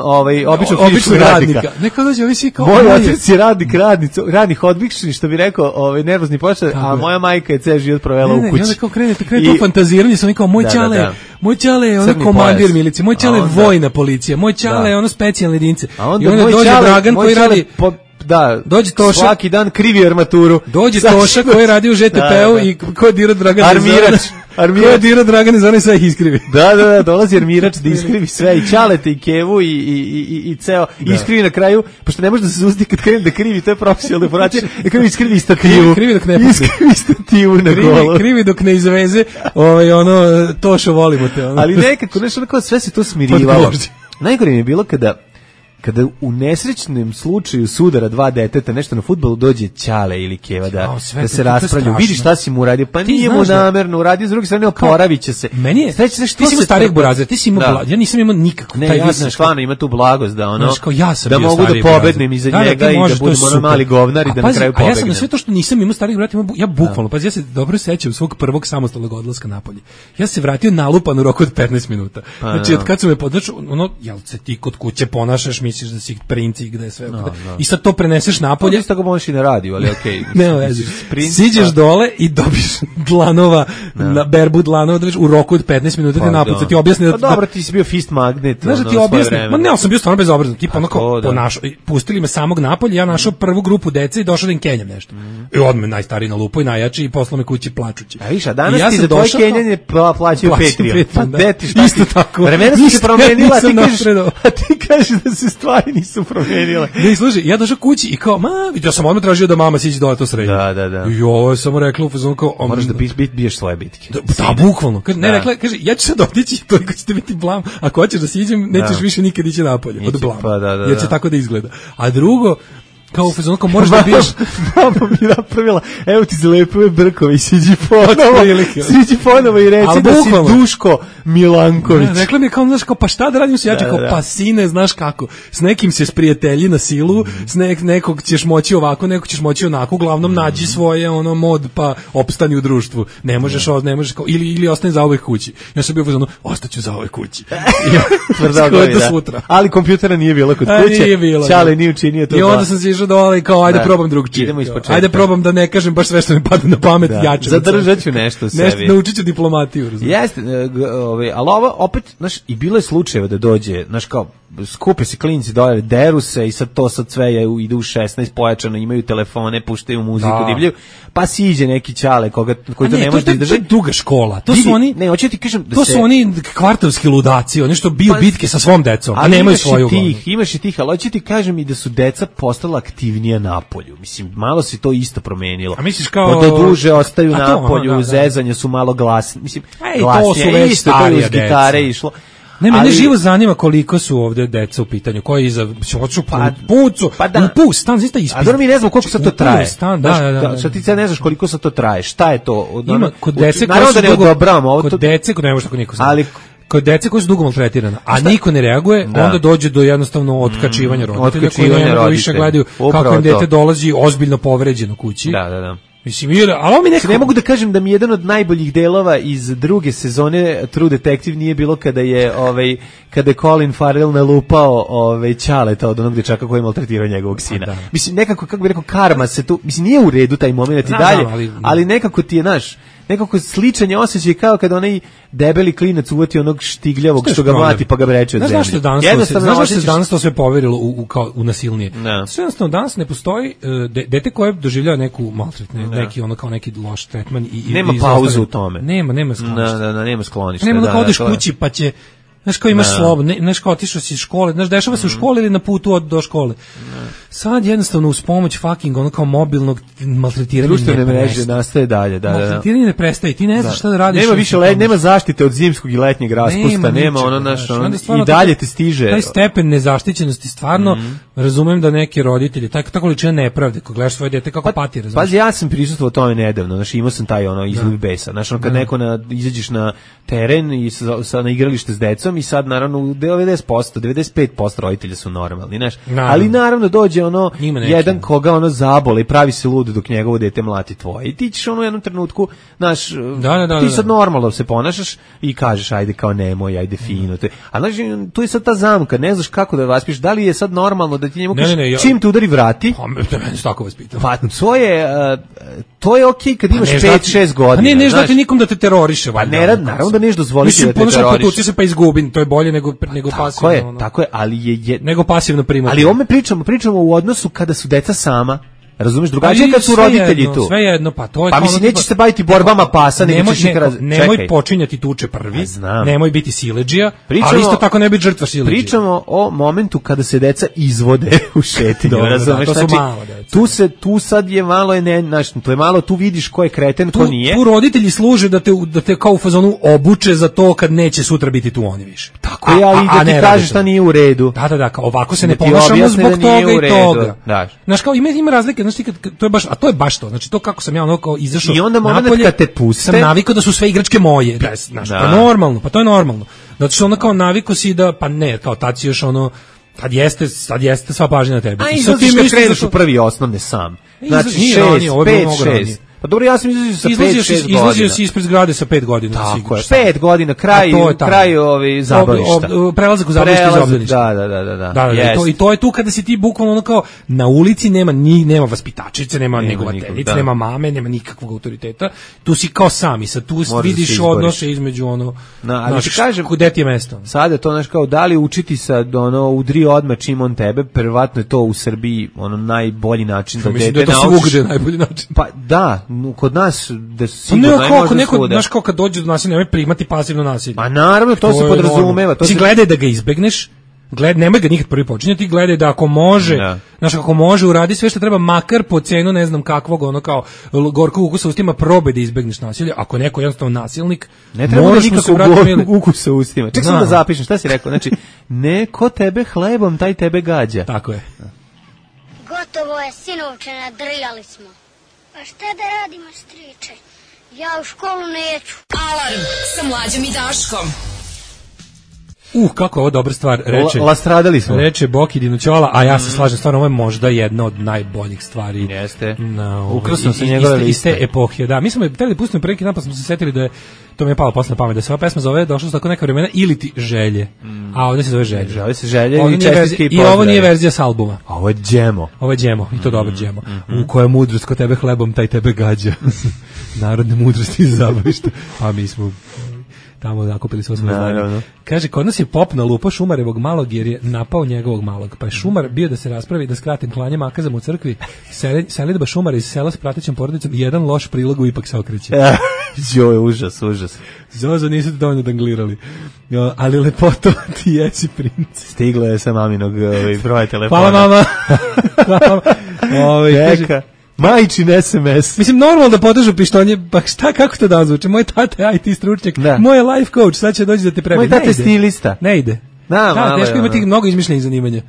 običnog radnika.
Neka dođe ovi svi kao
moj otac je radnih odbični, što bi rekao, nervozni počet, a moja majka je ceo život provela u kući.
I onda kao krene to fantaziranje, sam kao moj ćale je ono komandir milicije, moj ćale je vojna policija, moj ćale je ono specijalne jedinice. I onda dođe Dragan koji radi dođe Toša,
svaki dan krivi armaturu.
Dođe Toša koji radi u ŽTP-u i ko je dirao Dragana
armirač.
Ko je dirao Dragana za sve iskrivi.
Da, dolazi armirač da iskrivi sve i Ćalete i Kevu i ceo iskrivi na kraju, pošto ne može da se susti kad krene da krivi, to je profesionalna deformacija, da krivi iskrivi stativu.
Krivi dok ne
iskrivi stativu na golo.
Krivi dok ne izveze, Tošo volimo te.
Ali nekako, nešto onako sve se to smirivalo. Najgore mi je bilo kada u nesrećnom slučaju sudara dva deteta nešto na fudbalu dođe Ćale ili Keva da se raspravljaju. Vidi šta si mu uradio, pa nije mu namerno uradio, s druge strane oporaviće se.
Meni je, ti si imao starijeg burazera, ti si imao ja nisam imao nikako.
Ne, ja sam stvarno ima tu blagost da ono,
da
mogu da pobednem iza njega i da budemo ono mali govnari da na kraju pobegnem.
A ja sam na sve to što nisam imao starijeg brata, ja bukvalno, ja se dobro sećam svog prvog samostalnog odlaska napolje. Ja se vratio nalupan u roku od 15 minuta. Znači, od kad su me podržao, ono, jel se ti kod kuće ponašaš, misliš da si princ i gde sve. I sad to preneseš napolje.
Isto tako možeš i na radiju, ali okej.
Ne vezi. Siđeš dole i dobiš dlanova, na berbu dlanova, u roku od 15 minuta te napad. Ti objasni da...
Pa dobro, ti si bio fist magnet.
Znaš da ti objasni? Ma ne, ali sam bio stvarno bezobrazan. Tipa ono kao pustili me samog napolje, ja našao prvu grupu dece i došao da im kenjam nešto. I odmah najstariji na lupu i najjači i poslao me kući plačući.
A viša, danas ti za tvoje kenjanje plaćaju Patreon. Pa deti šta
isto tako.
Vremena su se promenila, a ti kažeš da se stvari nisu promenile.
Ne, slušaj, ja došao kući i kao, ja sam odmah tražio da mama siđe dole to srednje.
Da.
I ovo je samo rekla u fazonu kao...
Moraš da biješ svoje bitke.
Da, bukvalno. Ne, rekla, kaže, ja ću sad otići, toliko ćete biti blam, ako hoćeš da siđem, nećeš više nikad ići napolje, od blama. Jer će tako da izgleda. A drugo, kao u fazonu, kao moraš da biješ...
Mama mi napravila, evo ti za lepove brkovi, siđi ponovo i reci da si Duško Milanković.
Rekla mi je kao, znaš, kao, pa šta da radim se, ja ću kao, pa sine, znaš kako, s nekim se sprijatelji na silu, s nekog ćeš moći ovako, nekog ćeš moći onako, uglavnom nađi svoje, mod, pa opstani u društvu. Ne možeš kao, ili ostani za ovoj kući. Ja sam bio fazonu, ostaću za ovoj kući.
Ali kompjutera nije bilo kod kuće, Ćale nije učinio to.
I onda sam se išao dole i kao, ajde probam drugčije. Ajde probam da ne kažem baš sve što mi pada na pamet, jače.
Zadržat ću nešto u sebi.
Naučit ću diplomatiju.
Jeste, ali ovo opet, znaš, i bilo je slučajeva da dođe, znaš, kao, skupe se klinci dole, deru se i sad sve ide u 16 pojačano, imaju telefone, puštaju muziku, divljaju, pa siđe neki Ćale koji to ne može da izdrži.
To je druga škola. To su oni,
ne, hoću ti kažem da
to su oni kvartovski ludaci, oni što biju bitke sa svom decom, a nemaju svoju glavu.
Imaš i tih, ali hoću ti kažem i da su deca postala aktivnija napolju. Mislim, malo se to isto promenilo.
A misliš kao
da duže ostaju napolju, zezanje su malo glasni. Mislim, glasnije, isto to uz gitare išlo.
Ne, mene živo zanima koliko su ovde deca u pitanju, koji iza hoću pucu, stan zaista ispit.
A dobro mi ne znamo koliko sad to traje.
Stan, da.
Šta ti ne znaš koliko sad to traje? Šta je to?
Ima kod dece koji ne može tako niko zna. Ali kod dece koji su dugo maltretirana, a niko ne reaguje, onda dođe do jednostavno otkačivanja roditelja koji ne mogu više gledaju kako im dete dolazi ozbiljno povređeno kući.
Da.
Mislim, ali mi
ne mogu da kažem da mi jedan od najboljih delova iz druge sezone True Detective nije bilo kada je Colin Farrell nalupao Ćaleta od onog dečaka koji je maltretirao njegovog sina. Da. Mislim, nekako, kako bih rekao, karma se tu, mislim, nije u redu taj moment i dalje, ali nekako ti je, nekako sličan je osjećaj kao kada onaj debeli klinac uvati onog štigljavog što ga mlati pa ga breče od zemlje.
Znaš što se danas to sve poverilo u nasilnije? Sve jednostavno danas ne postoji dete koje doživljava neku maltretnu, neki loš tretman i
nema pauzu u tome.
Nema skloništa.
Nema skloništa.
Nema da odeš kući pa će znaš kao imaš slobodno, znaš kao otišao si iz škole, znaš dešava se u školi ili na putu do škole. Sad jednostavno uz pomoć fucking kao mobilnog maltretiranja
društvene mreže nastaje dalje, da.
Maltretiranje ne prestaje, ti ne znaš šta da radiš.
Nema više nema zaštite od zimskog i letnjeg raspusta, nema i dalje ti stiže.
Taj stepen nezaštićenosti stvarno razumem da neki roditelji, ta količina nepravde, kad gledaš svoje dete kako pati, razumeš.
Pazi, ja sam prisustvovao tome nedavno, znači imao sam taj izliv besa, znači kad neko izađeš na teren i na igralište s decom i sad naravno 90%, 95% roditelja su normalni, znaš. Ali naravno dođe jedan koga zabole i pravi se lud dok njegovo dete mlati tvoje. I ti ćeš u jednom trenutku, znaš, ti sad normalno se ponašaš i kažeš ajde kao nemoj, ajde fino. A znaš, tu je sad ta zamka, ne znaš kako da vaspiš, da li je sad normalno da ti njemu kažeš čim te udari vrati.
Tako vas pitam.
Pa to je okej kad imaš 5-6 godina.
Pa ne dati nikom da te teroriše.
Pa naravno da neš dozvoliti da te teroriše.
Potuci se pa izgubim, to je bolje nego pasivno.
Tako je, ali je
nego pasivno primati.
Ali ome pričamo u odnosu kada su deca sama. Razumeš, drugačije kad su roditelji tu.
Sve jedno, pa to je.
Pa mislim nećeš se baviti borbama pasa,
nemoj počinjati tuče prvi. Nemoj biti siledžija, ali isto tako ne biti žrtva siledžije.
Pričamo o momentu kada se deca izvode u šetnju, razumeš? Znači, tu sad je malo to je malo, tu vidiš ko je kreten, ko nije.
Tu roditelji služe da te kao u fazonu obuče za to kad neće sutra biti tu oni više.
Tako je, ali da ti kažeš šta nije u redu.
Da, ovako se ne ponašamo zbog toga i toga. Znaš, kao ima razlike. Znači, to je baš to. Znači, to kako sam ja izašao
i onda napolje, kad te puste,
sam navikao da su sve igračke moje. Znaš, to je normalno. Zato što kao navikao si da, pa ne, kao tad si još tad jeste sva pažnja na tebi.
A izlaziš kad kreneš u prvi osnovne sam. Znači, 5-6. Pa dobro, ja sam izlazio sa 5-6 godina.
Izlazio si ispred zgrade sa 5 godina.
Tako je, 5 godina, kraj zabavišta.
Prelazak u zabavište iz obdaništa.
Da.
I to je tu kada si ti bukvalno kao na ulici nema vaspitačice, nema negovateljice, nema mame, nema nikakvog autoriteta. Tu si kao sam i sad tu vidiš odnose između
ali ti kažem,
gde ti je mesto.
Sada je to, znaš, kao da li učiti sad udri odmah čim on tebe, prvatno je to u Srbiji najbolji način da dete naučiš.
Mislim da je to svugde najbolji način.
Pa da, kod nas da sigurno najbolje svuda.
Znaš kao kad dođe do nasilja, nemoj primati pasivno nasilje.
Pa naravno, to se podrazumeva.
Ti gledaj da ga izbegneš, nemoj ga nikad prvi počinjati, gledaj da ako može, znaš, ako može uradi sve što treba, makar po cenu ne znam kakvog, kao gorkog ukusa u ustima, probaj da izbegneš nasilje. Ako je neko jednostavno nasilnik,
ne treba nikakvog ukusa u ustima. Ček sam da zapišem, šta si rekao? Znači, neko tebe hlebom, taj tebe gađa.
Tako je.
Gotovo je, sinovče, nadrljali smo. Pa šta da radimo, striče? Ja u školu neću.
Alarm sa Mlađom i Daškom.
Kako ovo dobra stvar reče.
Lastradali smo.
Reče Boki Dinućola, a ja se slažem, stvarno ovo je možda jedna od najboljih stvari.
Jeste. Ukrasno se njegove liste.
Iz te epohe, da. Mi smo hteli da pustimo preki napad, smo se setili da je, to mi je palo posle na pamet, da se ova pesma zove Došlo su tako neka vremena ili ti želje. A ovdje se zove želje.
Zove se želje i čestitke i
pozdrave. I ovo nije verzija s albuma.
Ovo je džemo.
Ovo je džemo, i to dobar džemo. U kojoj mudrost ko tebe hlebom, taj tebe gađa. Narodne mudrosti iz zabavišta. A mi smo tamo nakupili sve znanje. Kaže, kod nas je pop nalupao Šumarevog malog jer je napao njegovog malog. Pa je Šumar bio da se raspravi, da skratim klanje makazama u crkvi, selidba Šumara iz sela s pratećom porodicom i jedan loš prilog ipak se okreće.
Joj, užas.
Zozo, nisu te dovoljno danglirali. Ali lepoto ti jesi princ.
Stigla je sa maminog broja telefona.
Hvala mama.
Majčin SMS.
Mislim, normalno da potežu pištolje, pa šta, kako to da zvuči? Moj tata je IT stručnjak, moj je life coach, sad će doći da te prebi.
Moj tata je stilista.
Ne ide. Da, teško ima tih mnogo izmišljenih zanimanja.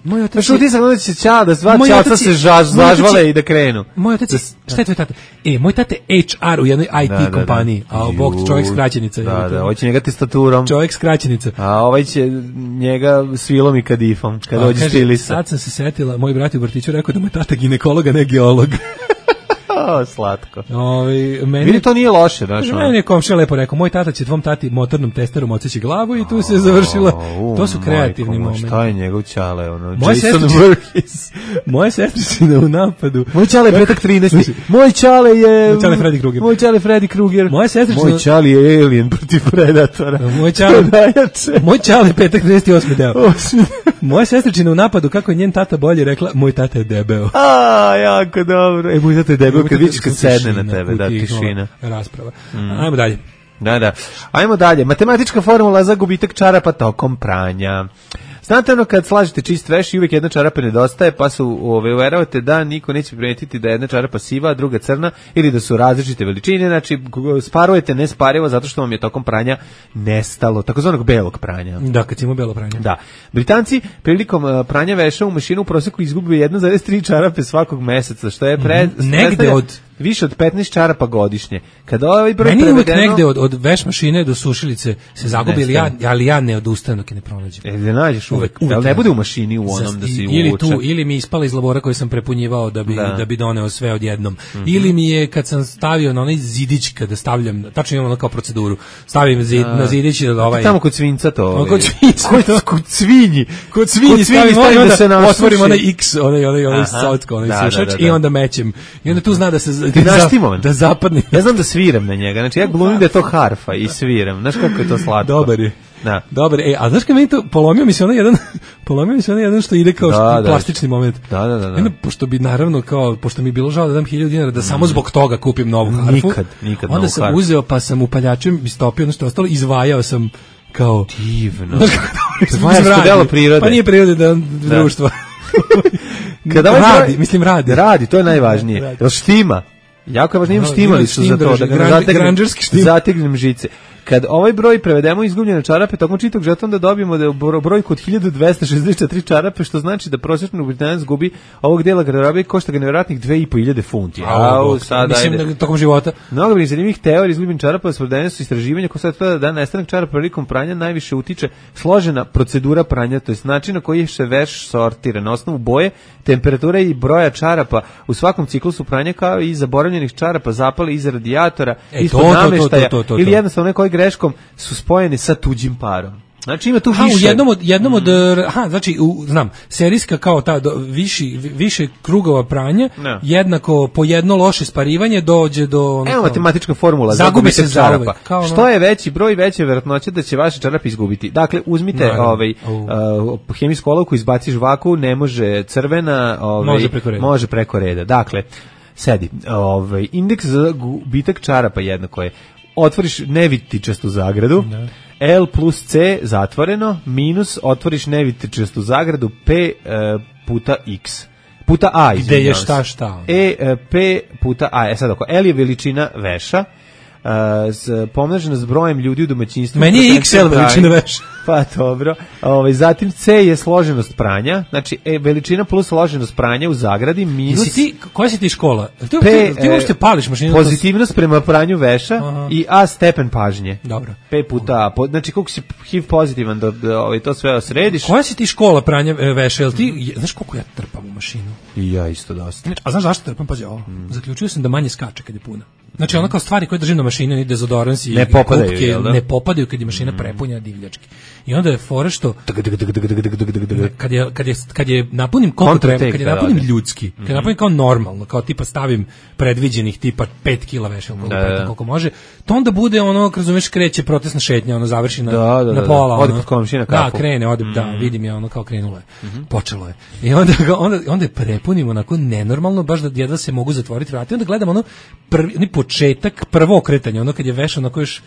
Moj otac
šuti sam da će da dva čalca se zažvale i da krenu.
Moj otac, šta je tvoj tata? Moj tata je HR u jednoj IT kompaniji, a bog čovjek skraćenica.
Da, ovaj će njega testaturom.
Čovjek skraćenica.
A ovaj će njega svilom i kadifom, kad dođe stilista.
Sad sam se setila, moj brat u vrtiću rekao da moj tata ginekolog, a ne geolog.
Slatko.
Meni
to nije loše, znaš.
Meni je komšija lepo rekao, moj tata će tvom tati motornom testerom odseći glavu i tu se završilo. To su kreativni momenti.
Šta je njegov ćale,
moja sestričina u napadu.
Moj ćale je petak 13. Moj ćale je
Freddy Krueger.
Moj ćale je Alien protiv Predatora.
Moj ćale je petak 38. deo. Moja sestričina u napadu, kako je njen tata bolje rekla, moj tata je debeo.
Jako dobro. Moj tata je debeo kad vidiš kad sedne na tebe, da, tišina.
Rasprava. Ajmo dalje.
Da. Ajmo dalje. Matematička formula za gubitak čarapa tokom pranja. Znate ono kad slažete čist veš i uvijek jedna čarapa nedostaje, pa su uveravate da niko neće primetiti da je jedna čarapa siva, a druga crna, ili da su različite veličine, znači sparujete nesparivo zato što vam je tokom pranja nestalo, takozvanog belog pranja.
Da, kad ima belo pranje.
Da. Britanci prilikom pranja veša u mašinu u proseku izgube 1,3 čarape svakog meseca, što je
negde od
više od 15 čarapa godišnje. Kada ovaj broj
prevedeno... Meni uvijek negde od veš mašine do sušilice se zagubi, ali ja ne odustajem dok je ne pronađem.
Da nađeš uvek. Ali ne bude u mašini u onom da se uvuče.
Ili mi je ispala iz labora koji sam prepunjivao da bi doneo sve odjednom. Ili mi je kad sam stavio na onaj zidić kada stavljam, tačno imam ono kao proceduru, stavim na zidić da ovaj...
Tamo kod svinca to.
Kod svinca.
Kod svinji.
Kod svinji stavim da se nasuši. Otvorim onaj X, onaj socko, onaj sušač i onda mećem. I onda tu zna da se da zapadne.
Ja znam da sviram na njega. Znači ja glumim da je to harfa i sviram. Znaš kako je to slatko.
Dobar je. Da. Dobar, a znaš kad meni to polomio mi se onaj jedan što ide kao plastični moment.
Da.
Pošto bi naravno pošto mi je bilo žao da dam 1000 dinara da samo zbog toga kupim novu harfu.
Nikad
onda sam uzeo pa sam upaljačem istopio ono što je ostalo, izvajao sam kao
divno. Delo prirode.
Pa nije prirode da društva.
Kada
radi,
to je najvažnije. Jel štima? Jako je važno, imam štimalicu za to, da zategnem žice. Kad ovaj broj prevedemo izgubljene čarape tokom čitog žetona, da dobijemo da je broj kod 1264 čarape, što znači da prosječan Britanac gubi ovog dela garderobe košta ga nevjerojatnih 2500 funti.
Mislim, tokom života.
Mnogo bi zanimljivih teorija izgubljenih čarapa, sprovedene su istraživanja koje sad tvrde da nestanak čarapa prilikom pranja najviše utiče složena procedura pranja, to je način na koji se veš sortira na osnovu boje, temperature i broja čarapa u svakom ciklusu pranja, kao i zaboravljenih čarapa zapale iza radijatora, ispod nameštaja ili jednostavno nekoj greškom su spojeni sa tuđim parom. Znači ima tu više.
Znači znam, serijska kao ta više krugova pranja, jednako po jedno loše sparivanje dođe do
Evo matematička formula za gubitak čarapa. Što je veći broj, veća je verovatnoća da će vaše čarape izgubiti. Dakle, uzmite hemijsku olovku, izbaciš vaku, ne može crvena, može preko reda. Dakle, sedi, indeks za gubitak čarapa jednako je otvoriš nevitičastu zagradu, L plus C zatvoreno, minus otvoriš nevitičastu zagradu, P puta X. Puta A,
gde je šta?
P puta A. Sad ako L je veličina veša, pomnožena s brojem ljudi u domaćinstvu.
Meni je XL veličina veša.
Pa dobro. Zatim C je složenost pranja, znači veličina plus složenost pranja u zagradi minus.
Koja si ti škola? Ti možete pališ mašinu.
Pozitivnost prema pranju veša i A stepen pažnje.
Dobro.
P puta A. Znači koliko si HIV pozitivan da to sve osrediš.
Koja si ti škola pranja veša? Jel ti znaš koliko ja trpam u mašinu?
I ja isto dosta.
A znaš zašto trpam? Pazi ovo. Zaključio sam da manje skače kad je puna. Znači ono kao stvari koje držim na mašini, ni dezodorans i kupke, ne popadaju kad je mašina prepunjena divljački. I onda je fore što kad je napunim koliko treba, kad je napunim ljudski, kad je napunim kao normalno, kao tipa stavim predviđenih tipa 5 kg veša koliko može, to onda bude ono, razumeš, kreće protestna šetnja, ono završi na pola.
Ode kod komšina kafu.
Da, krene, vidim je ono kao krenulo je. Počelo je. I onda je prepunim onako nenormalno, baš da jedva se mogu zatvoriti vrata. I onda gledam ono početak, prvo okretanje, ono kad je veš onako još,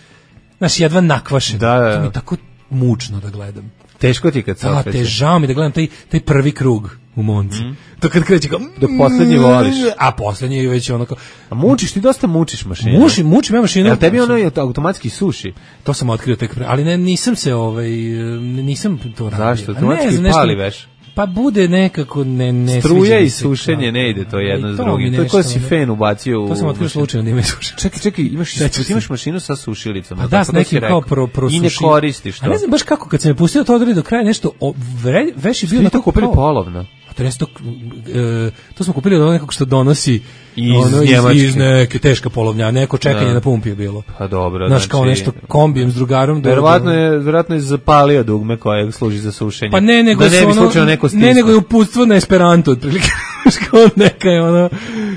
znaš, jedva nakvašen. To mi je tako mučno da gledam.
Teško ti kad se okreće.
Da, žao mi da gledam taj prvi krug u Monci. To kad kreće kao...
Da poslednji voliš.
A poslednji je već ono kao...
A mučiš, ti dosta mučiš mašinu.
Mučim ja mašinu.
Jel tebi ono automatski suši?
To sam otkrio tek pre... Ali nisam se, nisam to radio.
Zašto? Automatski pali veš?
Pa bude nekako ne
struja i sušenje ne ide to jedno s drugim. To je ko si fen ubacio u...
To sam otkrio slučajno da ima i sušenje.
Čekaj, imaš mašinu sa sušilicom.
A da, s nekim kao prosuši.
I ne koristiš to.
A ne znam baš kako, kad se me pustio to odredi do kraja nešto, veš je bio...
Ste to kupili polovno?
To smo kupili od nekog što donosi iz neke teška polovnja, neko čekanje na pumpi je bilo.
Pa dobro,
znači kao nešto kombijem s drugarom.
Verovatno je zapalio dugme koje služi za sušenje.
Pa ne, nego je uputstvo na Esperanto otprilike. Kao neka je ono...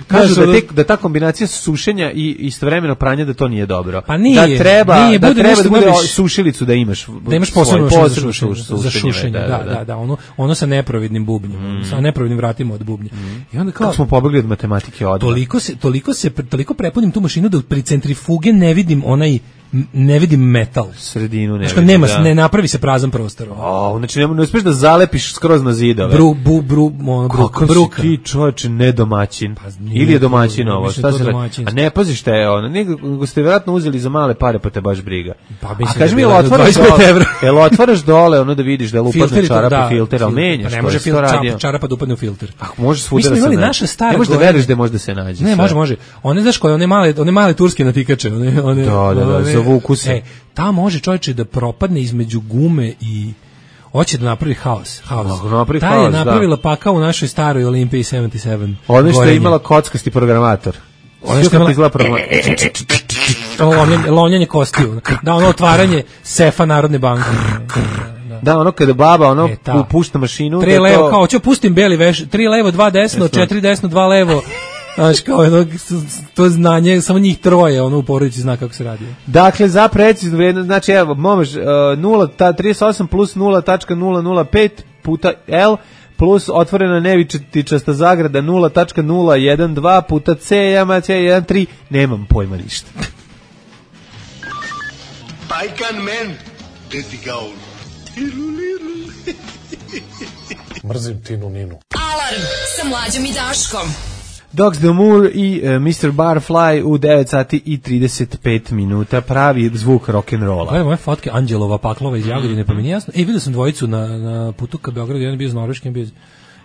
Kažu da ta kombinacija sušenja i istovremeno pranja da to nije dobro.
Pa nije.
Da treba da bude sušilicu da imaš.
Da imaš posebno za šušenje. Da, ono sa neprovidnim bubnjem, sa neprovidnim vratima od bubnja. I onda kao
smo pobegli od matematike odmah.
Toliko prepunim tu mašinu da pri centrifuge ne vidim metal.
Sredinu ne
vidim. Nema, ne napravi se prazan prostor.
Znači ne uspeš da zalepiš skroz na zidove.
Bruka.
Kako si ti čovječe nedomaćin? Ili je domaćin ovo? Šta se radi? A ne paziš šta je ono? Nego ste vjerojatno uzeli za male pare pa te baš briga.
A kaži mi, jel
otvaraš dole ono da vidiš da je lupadna čarapa filter, ali menjaš?
Ne može čarapa da upadne u filter.
Može svuda da se nađe. Ne možeš da veriš da može da se nađe.
Ne, može. One znaš koje, one male turske natikače.
Da, zavuku se.
Ta može čovječe da propadne između gume i hoće da napravi haos. Ta je napravila pakao u našoj staroj Olimpiji 77.
Ono što je imala kockasti programator. Ono što je imala
lonjanje kostiju. Da, ono otvaranje sefa Narodne banke.
Da, ono kada baba pušta mašinu.
3 levo, kao hoću pustim beli veš, 3 levo, 2 desno, 4 desno, 2 levo. Znaš, kao to znanje, samo njih troje, u porodici zna kako se radi.
Dakle, za preciznu vrijednost, znači, evo, momaš 38 plus 0.005 puta L plus otvorena nevičasta zagrada 0.012 puta C, C13, nemam pojma ništa.
I can man, dirty gaul.
Mrzim Tinu Ninu.
Alarm sa Mlađom i Daškom.
Dogs the Moor i Mr. Barfly u 9 sati i 35 minuta, pravi zvuk rock'n'rolla.
Gledam moje fotke Anđelova Paklova iz Jagodine, pa mi nije jasno. Vidio sam dvojicu na putu ka Beogradu, jedan je bio iz Norveške, jedan bio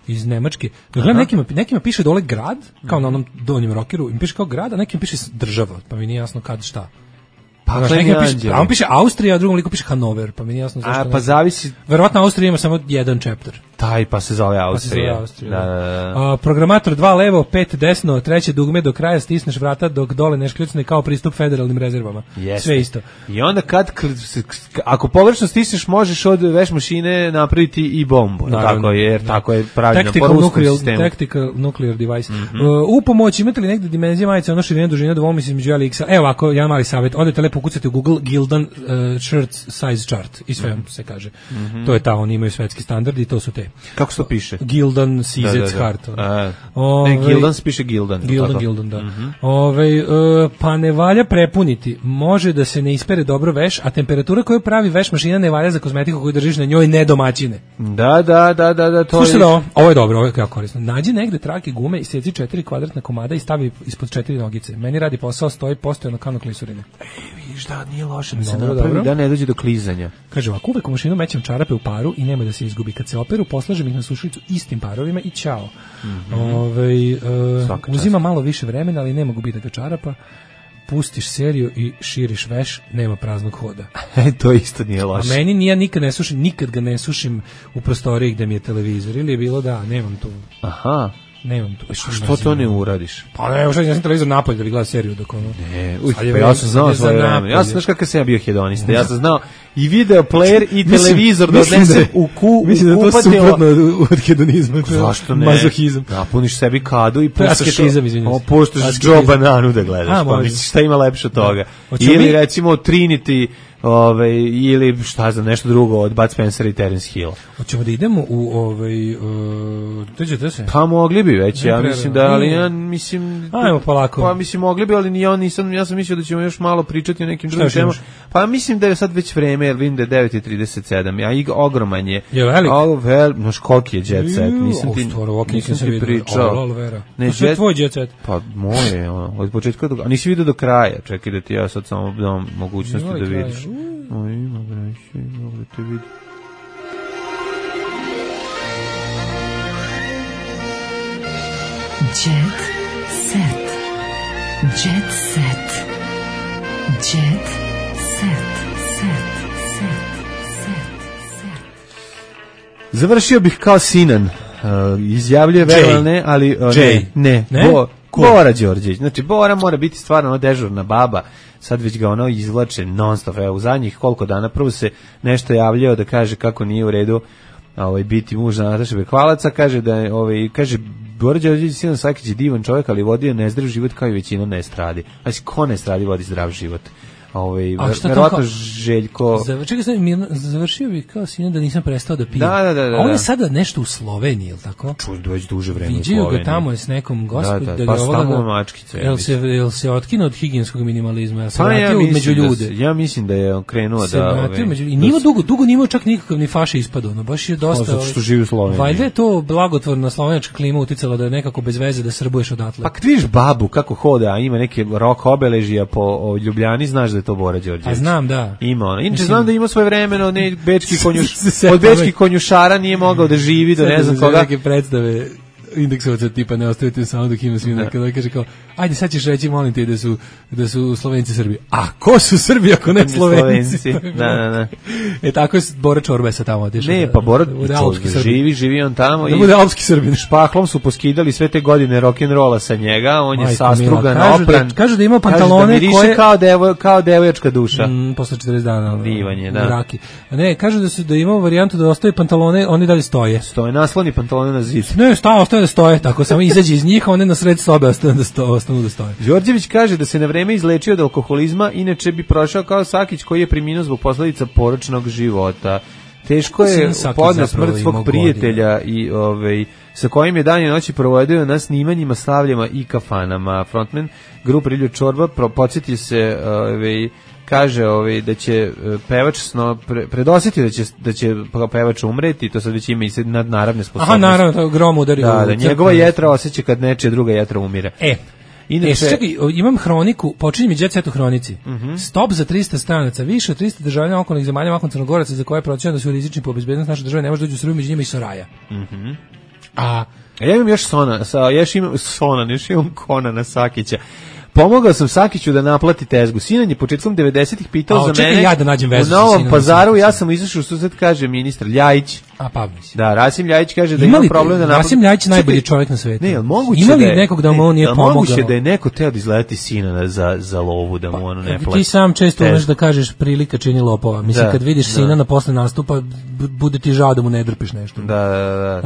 iz Nemačke. Gledam, nekima piše dole grad, kao na onom donjem rockeru, im piše kao grad, a nekim piše država, pa mi nije jasno kad šta. A on piše Austrija, a drugom liku piše Hanover, pa mi nije jasno zašto.
Pa zavisi.
Verovatno Austrija ima samo jedan chapter.
Taj pa se zove Austrija.
Da. Programator 2 levo, 5 desno, treće dugme do kraja, stisneš vrata dok dole ne škljucne kao pristup federalnim rezervama. Sve isto.
I onda ako pogrešno stisneš, možeš od veš mašine napraviti i bombu. Tako je, jer tako je pravilno po ruskom sistemu.
Tactical nuclear device. U pomoć imate li negde dimenzije majice, ono širine, dužine, dovoljno između L i X. Evo, ako jedan mali savjet, odete lepo ukucate u Google Gildan shirt size chart i sve se kaže. To je ta, oni imaju svetski standard i to su te.
Kako se to piše?
Gildan CZ Chart.
Gildan se piše Gildan.
Gildan, da. Pa ne valja prepuniti. Može da se ne ispere dobro veš, a temperatura koju pravi veš mašina ne valja za kozmetiku koju držiš na njoj nedomaćine.
Da.
Slušajte ovo je dobro, ovo je jako korisno. Nađi negde trake gume i seci 4 kvadratna komada i stavi ispod 4 nogice. Meni radi posao, stoji postojano kao na klisurine.
Vidiš da nije loše da se napravi da ne dođe do klizanja.
Kaže ovako, uvek u mašinu mećem čarape u paru i nema da se izgubi. Kad se operu, poslažem ih na sušilicu istim parovima i ćao. Uzima malo više vremena, ali nema gubitaka čarapa. Pustiš seriju i širiš veš, nema praznog hoda.
To isto nije loše.
A meni ja nikad ga ne sušim u prostoriji gde mi je televizor. Ili je bilo da, nemam tu.
Aha.
Nemam tu.
Što to ne uradiš?
Pa ne, ja sam televizor napolje da bi gledao seriju dok ono.
Ne, ja sam znao svoje vreme. Ja sam znaš kakav sam ja bio hedonista. Ja sam znao i video player i televizor da odnesem u kupatilo.
Mislim da to suprotno od hedonizma.
Zašto ne?
Mazohizam.
Napuniš sebi kadu i
puštaš
Joe Bananu da gledaš. Pa misliš šta ima lepše od toga? Ili recimo Trinity ili šta znam, nešto drugo od Bud Spencera i Terence Hill.
Hoćemo da idemo u teđete se?
Pa mogli bi već, ja mislim da, ali ja mislim...
Ajmo polako.
Pa mislim mogli bi, ali ja sam mislio da ćemo još malo pričati o nekim drugim temama. Pa mislim da je sad već vreme, jer vidim da je 9:37, ogroman je.
Je velik?
Znaš koliki je Jet Set, nisam ti pričao.
Ne, to je tvoj Jet Set.
Pa moje, od početka do... A nisi vidio do kraja, čekaj da ti ja sad samo dam mogućnosti da vidiš. Ima breći, mogu da te vidim.
Jet Set. Jet Set. Jet Set.
Završio bih kao Sinan. Izjavljuje verovane, ali ne. Bora Đorđević. Znači, Bora mora biti stvarno dežurna baba. Sad već ga izvlače non-stop. Evo, u zadnjih koliko dana prvo se nešto javljao da kaže kako nije u redu biti muž Nataše Bekvalaca. Kaže da je, kaže, Bora Đorđević Sinan Sakić je divan čovjek, ali vodio nezdrav život kao i većina nestradi. Znači, ko nestradi vodi zdrav život? Verovatno Željko...
Završio bih kao Sinan da nisam prestao da pijem.
Da.
A on je sada nešto u Sloveniji, je li tako?
Već duže vreme u
Sloveniji. Viđaju ga tamo s nekom gospodom.
Pa stavno mačkica.
Jel se otkinuo od higijenskog minimalizma? Jel se vratio među ljude?
Ja mislim da je on krenuo da...
I nije dugo nije imao čak nikakav ni faša ispadao. Baš je dosta...
Zato što živi u Sloveniji.
Valjda je to blagotvorna slovenačka klima uticala da je nekako bez veze da srbuješ odatle.
Pa kad vidiš babu kako hoda, a ima neke rock obeležija po Ljubljani, znaš da je to Bora Đorđević.
A znam, da.
Ima ona. Inače znam da ima svoje vremeno, od bečkih konjušara nije mogao da živi do ne znam koga.
Neke predstave indeksovaca tipa ne ostavite samo dok ima svina. Kada kaže kao, ajde sad ćeš reći, molim te da su Slovenci Srbi. A ko su Srbi ako ne Slovenci?
Da.
Tako je Bora Čorba sa tamo otišao.
Ne, pa Bora živi on tamo.
Da bude alpski Srbin.
Špahlom su poskidali sve te godine rock'n'rolla sa njega, on je sastrugan, opran.
Kažu da ima pantalone
koje... kao devojačka duša.
Posle 40 dana.
Divanje, da.
Ne, kažu da ima varijantu da ostaje pantalone, oni dalje stoje.
Stoje, nasloni pantalone na zid.
Ne, ostaje da stoje, tako samo izađe iz njih, a one na sred sobe ostanu da stoje.
Đorđević kaže da se na vreme izlečio od alkoholizma, inače bi prošao kao Sakić koji je preminuo zbog posledica poročnog života. Teško je podne smrt svog prijatelja i sa kojim je dan i noći provodio na snimanjima, slavljama i kafanama. Frontman grupe Riljo Čorba podsjetio se kaže da će pevač predosjetio da će pevač umreti, to sad već ima i nadnaravne sposobnosti.
Aha, naravno, to grom udari.
Da, njegova jetra osjeća kad nečija druga jetra umire.
Čekaj, imam hroniku, počinje mi Jet Set u hronici. Stop za 300 stranaca, više od 300 državljana okolnih zemalja, mahom Crnogoraca, za koje je procjenjeno da su rizični po bezbednost naše države, ne može doći u Srbiju, među njima i Soraja.
A ja imam još imam Konana Sakića. Pomogao sam Sakiću da naplati tezgu. Sinan je početkom 90-ih pitao za mene.
Ja da nađem vezu
u Novom Pazaru, ja sam izašao što sad kaže ministar Ljajić. Da, Rasim Ljajić kaže da ima problem da naplati.
Rasim Ljajić najbolji čovjek na svetu.
Ne, moguće
ima li nekog da mu on nije pomogao?
Moguće da je neko teo da izleti Sinana za lovu, da mu ono ne plati.
Ti sam često umeš da kažeš prilika čini lopova. Mislim, kad vidiš Sinana posle nastupa, bude ti žao da mu ne drpiš nešto.
Da.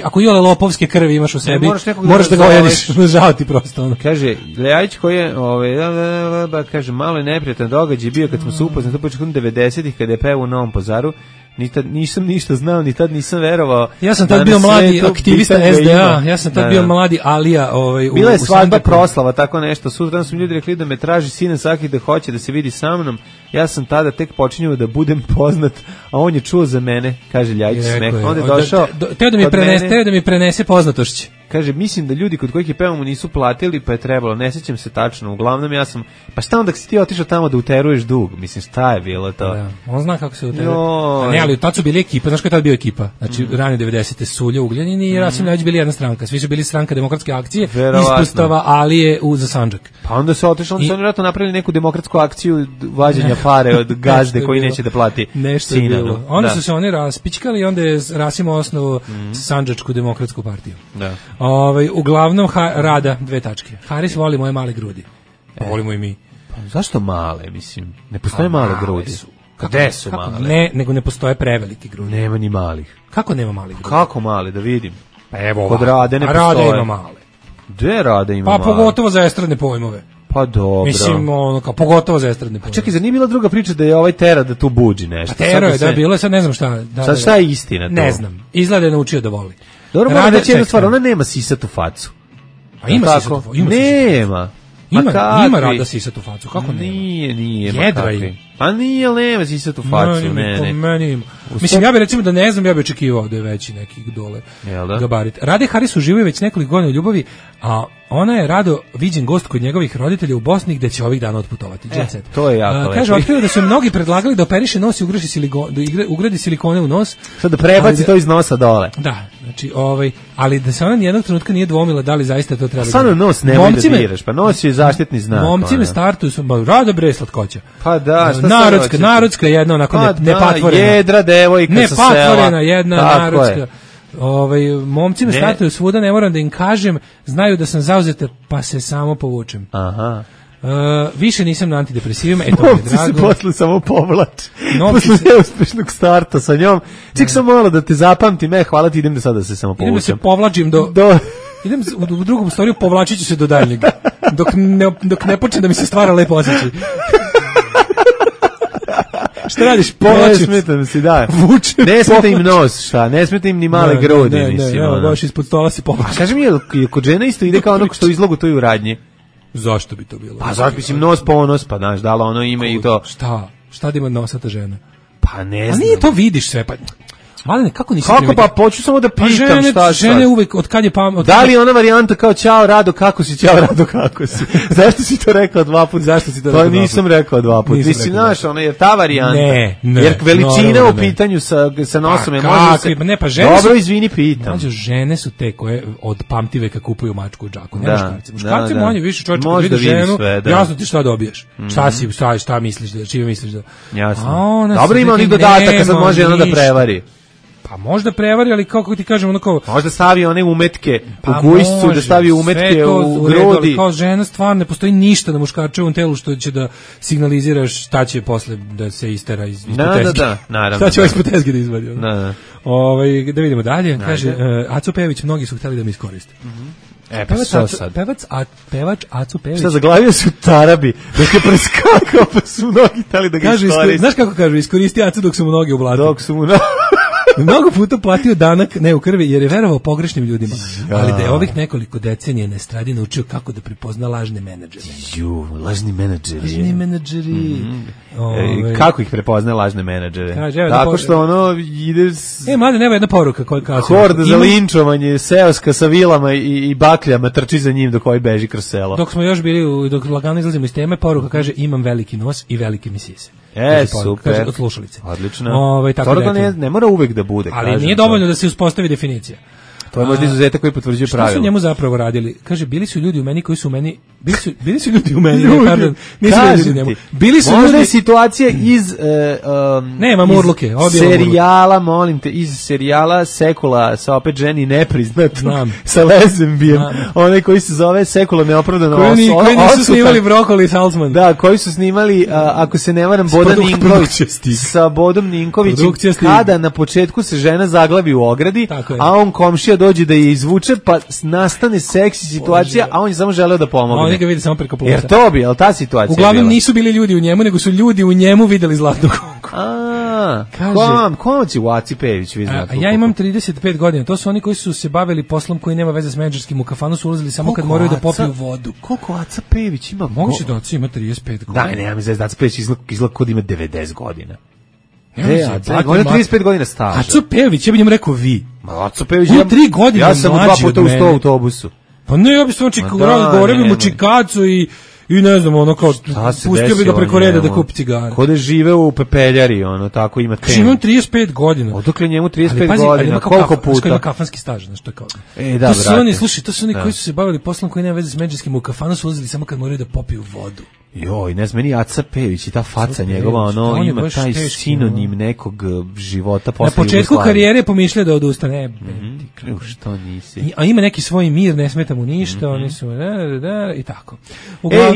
Ako iole lopovske krvi imaš u sebi, moraš da ga ojediš, žao ti prosto.
Kaže Ljajić koji je, kaže, malo je neprijatan događaj bio kad smo se upoznali, to početkom 90-ih kada je pevao u Novom Pazaru, nisam ništa znao, ni tad nisam verovao.
Ja sam tad bio mladi aktivista SDA, ja sam tad bio mladi Alija.
Bila je svadba proslava, tako nešto, sutra su mi ljudi rekli da me traži Sinan Sakić da hoće da se vidi sa mnom, ja sam tada tek počinjao da budem poznat, a on je čuo za mene, kaže Ljajić smeh. Onda je došao
teo da mi prenese poznatošće.
Kaže, mislim da ljudi kod kojih je pevamo nisu platili, pa je trebalo, ne sjećam se tačno, uglavnom ja sam, pa šta onda si ti otišao tamo da uteruješ dug, mislim, šta je bilo to?
Da, on zna kako se uteruje. Ne, ali tad su bili ekipa, znaš koja je tad bio ekipa? Znači, rane 90. Sulja, Ugljanin i Rasim Ljajić bili jedna stranka, svi su bili stranka demokratske akcije, ispostava Alije za Sandžak.
Pa onda se otišao, onda su oni vjerojatno napravili neku demokratsku akciju vađenja pare od gazde koji neće da plati Sinanu.
Onda su se oni raspičkali i onda je Rasim osnovu Sandžačku demokratsku partiju.
Da.
Uglavnom rada 2 tačke. Haris voli moje male grudi. Pa volimo i mi.
Pa zašto male, mislim? Ne postoje male grudi. Gde su male?
Ne, nego ne postoje prevelike grudi.
Nema ni malih.
Kako nema malih grudi?
Kako male, da vidim.
Pa evo
kod Rade ne postoje.
Rade ima male.
Gde Rade ima
male?
Pa
pogotovo za estradne pojmove.
Pa dobro.
Mislim, ono, kao, pogotovo za estradne pozorište.
Čekaj, zar nije bila druga priča da je ovaj tera da tu buđi nešto?
Pa tero je, da, bilo je, sad ne znam šta.
Sad šta je istina to?
Ne znam, izgleda je naučio da voli.
Dobro, moram da će jednu stvar, ona nema sisatu facu.
A ima sisatu facu?
Nema.
Ima Rada sisatu facu, kako nema?
Nije.
Jedra je.
Pa nije, nema sisatu facu, ne.
Mislim, ja bih recimo da ne znam, ja bih očekivao da je veći neki dole gabarit. Rade Haris uživaju već nekoliko godina u ljubavi, a ona je rado viđen gost kod njegovih roditelja u Bosni gde će ovih dana otputovati.
To je jako lepo.
Kaže, otkrio da su mnogi predlagali da operiše nos i ugradi silikone u nos.
Sad da prebaci to iz nosa dole.
Da, znači, ali da se ona nijednog trenutka nije dvomila da li zaista to treba.
Stvarno nos nemoj da diraš, pa nos je zaštitni znak.
Momci me startuju, rado bre slatkoća.
Pa da, šta
narodska jedna onako nepatvorena.
Jedra devojka sa sela.
Nepatvorena jedna narodska. Momci me startuju svuda, ne moram da im kažem, znaju da sam zauzeta, pa se samo povučem.
Aha.
Više nisam na antidepresivima, eto mi je drago.
Momci se posle samo povlače. Posle neuspešnog starta sa njom. Ček sam malo da te zapamtim, hvala ti, idem da sada se samo povučem.
Idem da se povlačim idem u drugom storiju, povlačit ću se do daljnjeg. Dok ne počne da mi se stvara lepo osjećaj. Šta radiš?
Ne smeta mi si, da. Ne smeta im nos, šta? Ne smeta im ni male grudi, mislim.
Ne, baš ispod stola si povlačio.
Kaži mi, je kod žena isto ide kao ono što u izlogu, to i u radnji?
Zašto bi to bilo?
Pa zašto mislim nos po nos, pa znaš, da li ono ime i to.
Šta da ima nosata žena?
Pa ne znam.
A nije to vidiš sve, pa... Malene, kako nisi
primetio? Kako pa, hoću samo da pitam šta.
Žene uvek, od kad je pamet...
Da li je ona varijanta kao ćao Rado, kako si, ćao Rado, kako si? Zašto si to rekao 2 puta?
Zašto si to rekao 2 puta?
Pa nisam rekao 2 puta. Mislim, znaš, ona je ta varijanta.
Ne.
Jer veličina u pitanju sa nosom je može se...
Ne, pa žene
dobro, izvini, pitam.
Znači, žene su te koje od pamtiveka kupuju mačku u džaku. Ne muškarci. Muškarci manje više čovječe kad vidi ženu, jasno ti šta dobiješ. Šta misliš, čime misliš da...
Jasno. Dobro, ima onih dodataka, sad može ona da prevari.
Pa možda prevari, ali kako ti kažem, ono kao...
Možda stavi one umetke u gujscu, da stavi umetke u grudi.
Kao žena stvarno ne postoji ništa na muškarčevom telu što će da signalizira šta će posle da se istera iz tezge.
Da, naravno.
Šta će ispod tezge da izvadi.
Da.
Da vidimo dalje. Kaže, Aco Pejević, mnogi su hteli da mi iskoriste. Pevač Aco Pejević.
Šta, zaglavio su tarabi, dok je preskakao, pa su mnogi hteli da ga iskoriste.
Znaš kako kažu, iskoristi Aco dok su mu noge u blatu.
Mnogo
puta platio danak ne u krvi jer je verovao pogrešnim ljudima, ali da je ovih nekoliko decenija na estradi naučio kako da prepozna lažne menadžere.
Lažni menadžeri. Kako ih prepozna lažne menadžere? Tako što ono ide...
mlade, nema jedna poruka koja kaže...
Horda za linčovanje, seoska sa vilama i bakljama trči za njim dok ovaj beži kroz selo.
Dok smo još bili, dok lagano izlazimo iz teme, poruka kaže imam veliki nos i velike mi sise.
Super.
Kaže od slušalice.
Odlično.
To
ne mora uvek da bude.
Ali nije dovoljno da se uspostavi definicija.
To je možda izuzetak koji potvrđuje pravilo.
Šta su njemu zapravo radili? Kaže, bili su ljudi u meni koji su u meni... Bili su ljudi u meni, pardon.
Bili su možda situacije iz...
Nema murluke.
Serijala, molim te, iz serijala Sekula sa opet ženi nepriznatom, sa Lezenbijem. Onaj koji se zove Sekula neopravdano
koji nisu snimali Brokoli i Salzman.
Da, koji su snimali, ako se ne varam, Bodan Ninković. Sa Bodom Ninkovićem. Kada na početku se žena zaglavi u ogradi, a on komšija dođe da je izvuče, pa nastane seksi situacija, a on je samo želeo da pomogne.
Oni ga vidi samo preko plusa.
Jer to bi, ali ta situacija
uglavnom nisu bili ljudi u njemu, nego su ljudi u njemu videli zlatnu konku.
Kom će u Aci Pejević vidjeti?
Ja imam 35 godina, to su oni koji su se bavili poslom koji nema veze s menadžerskim, u kafanu su ulazili samo kad moraju da popiju vodu.
Koliko Aca Pejević ima?
Moguće da Aca ima 35 godina.
Da, nema mi zvezda, Aca Pejević izgleda kod ima 90 godina. On je 35 godina staža.
Aco Pejević, ja bih njemu rekao vi.
Aco Pejević,
3 godine
ja sam 2 puta u 100 autobusu.
Pa ne, ja bih samo govorio bi mu čikacu i ne znam, ono kao, pustio bi ga preko reda da kupi cigare.
Kod je žive u pepeljari, ono, tako ima temu.
Imam 35 godina.
Odakle njemu 35 godina, koliko puta?
Ima kafanski staž, znaš, to je kao.
To
su oni, slušaj, to su oni koji su se bavili poslom koji nema veze s menadžerskim, u kafanu su ulazili samo kad moraju da popiju vodu.
Joj, ne znam, meni Aca Pejević i ta faca njegova, ono, ima taj sinonim nekog života posle Jugoslavije.
Na početku karijere pomišljao da odustane.
Što nisi?
A ima neki svoj mir, ne smeta mu ništa, oni su, i tako.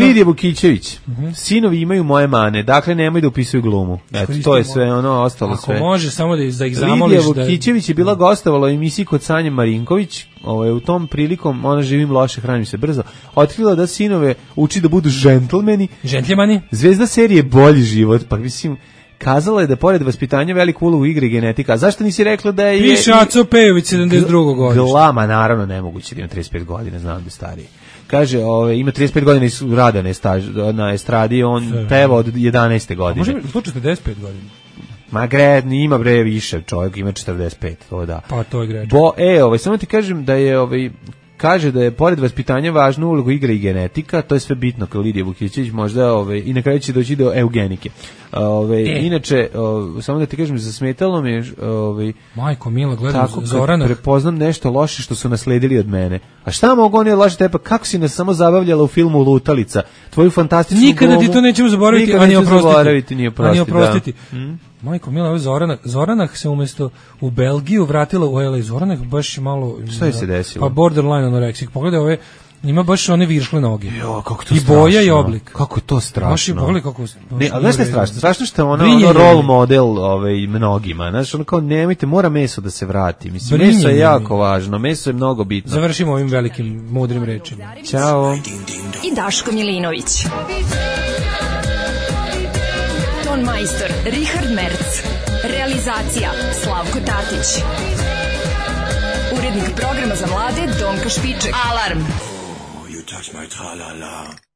Lidija Vukićević, sinovi imaju moje mane, dakle nemoj da upisuju glumu. Eto, to je sve, ono, ostalo sve.
Ako može, samo da ih zamoliš.
Lidija Vukićević je bila gostovala u emisiji kod Sanje Marinković, u tom prilikom ona živim loše, hranim se brzo, otkrila da sinove uči da budu džentlmeni. Zvezda serije Bolji život, pa mislim, kazala je da pored vaspitanja veliku ulogu igre genetika. A zašto nisi rekla da je...
Piše Aco Pejović 72. godište.
Glama, naravno, nemoguće da ima 35 godina, znam da je stariji. Kaže, ima 35 godina i rada na estradi, on peva od 11. godine.
Može u slučaju 45 godina?
Ma ima više, čovjek ima 45, to da.
Pa to je greč.
Samo ti kažem da je kaže da je pored vaspitanja važnu ulogu igra i genetika, to je sve bitno kao Lidija Vukićević, možda i na kraju će doći do eugenike. Inače, samo da ti kažem, zasmetalo mi je
Majko Mila, gledam Zorana.
Prepoznam nešto loše što su nasledili od mene. A šta mogu oni loše tepa? Kako si nas samo zabavljala u filmu Lutalica? Tvoju fantastičnu glumu.
Nikada ti to nećemo zaboraviti,
ni oprostiti.
Majko Mila, ovo Zorana se umjesto u Belgiju vratila u LA. Zorana baš malo...
Šta je se desilo?
Pa borderline anoreksik. Pogledaj ove... Ima baš one viršle noge.
Jo, kako to
i
strašno.
Boja i oblik.
Kako je to strašno.
Baš je pogledaj kako...
Ne, ali znaš šta je strašno? Strašno što je ona role model mnogima. Znaš, ono kao, nemojte, mora meso da se vrati. Mislim, meso je jako važno. Meso je mnogo bitno.
Završimo ovim velikim, mudrim rečima.
Ćao.
I Daško Milinović. Ton majstor Richard Merc. Realizacija Slavko Tatić. Urednik programa za mlade Donka Špiček. Alarm!
You touch my tra-la-la.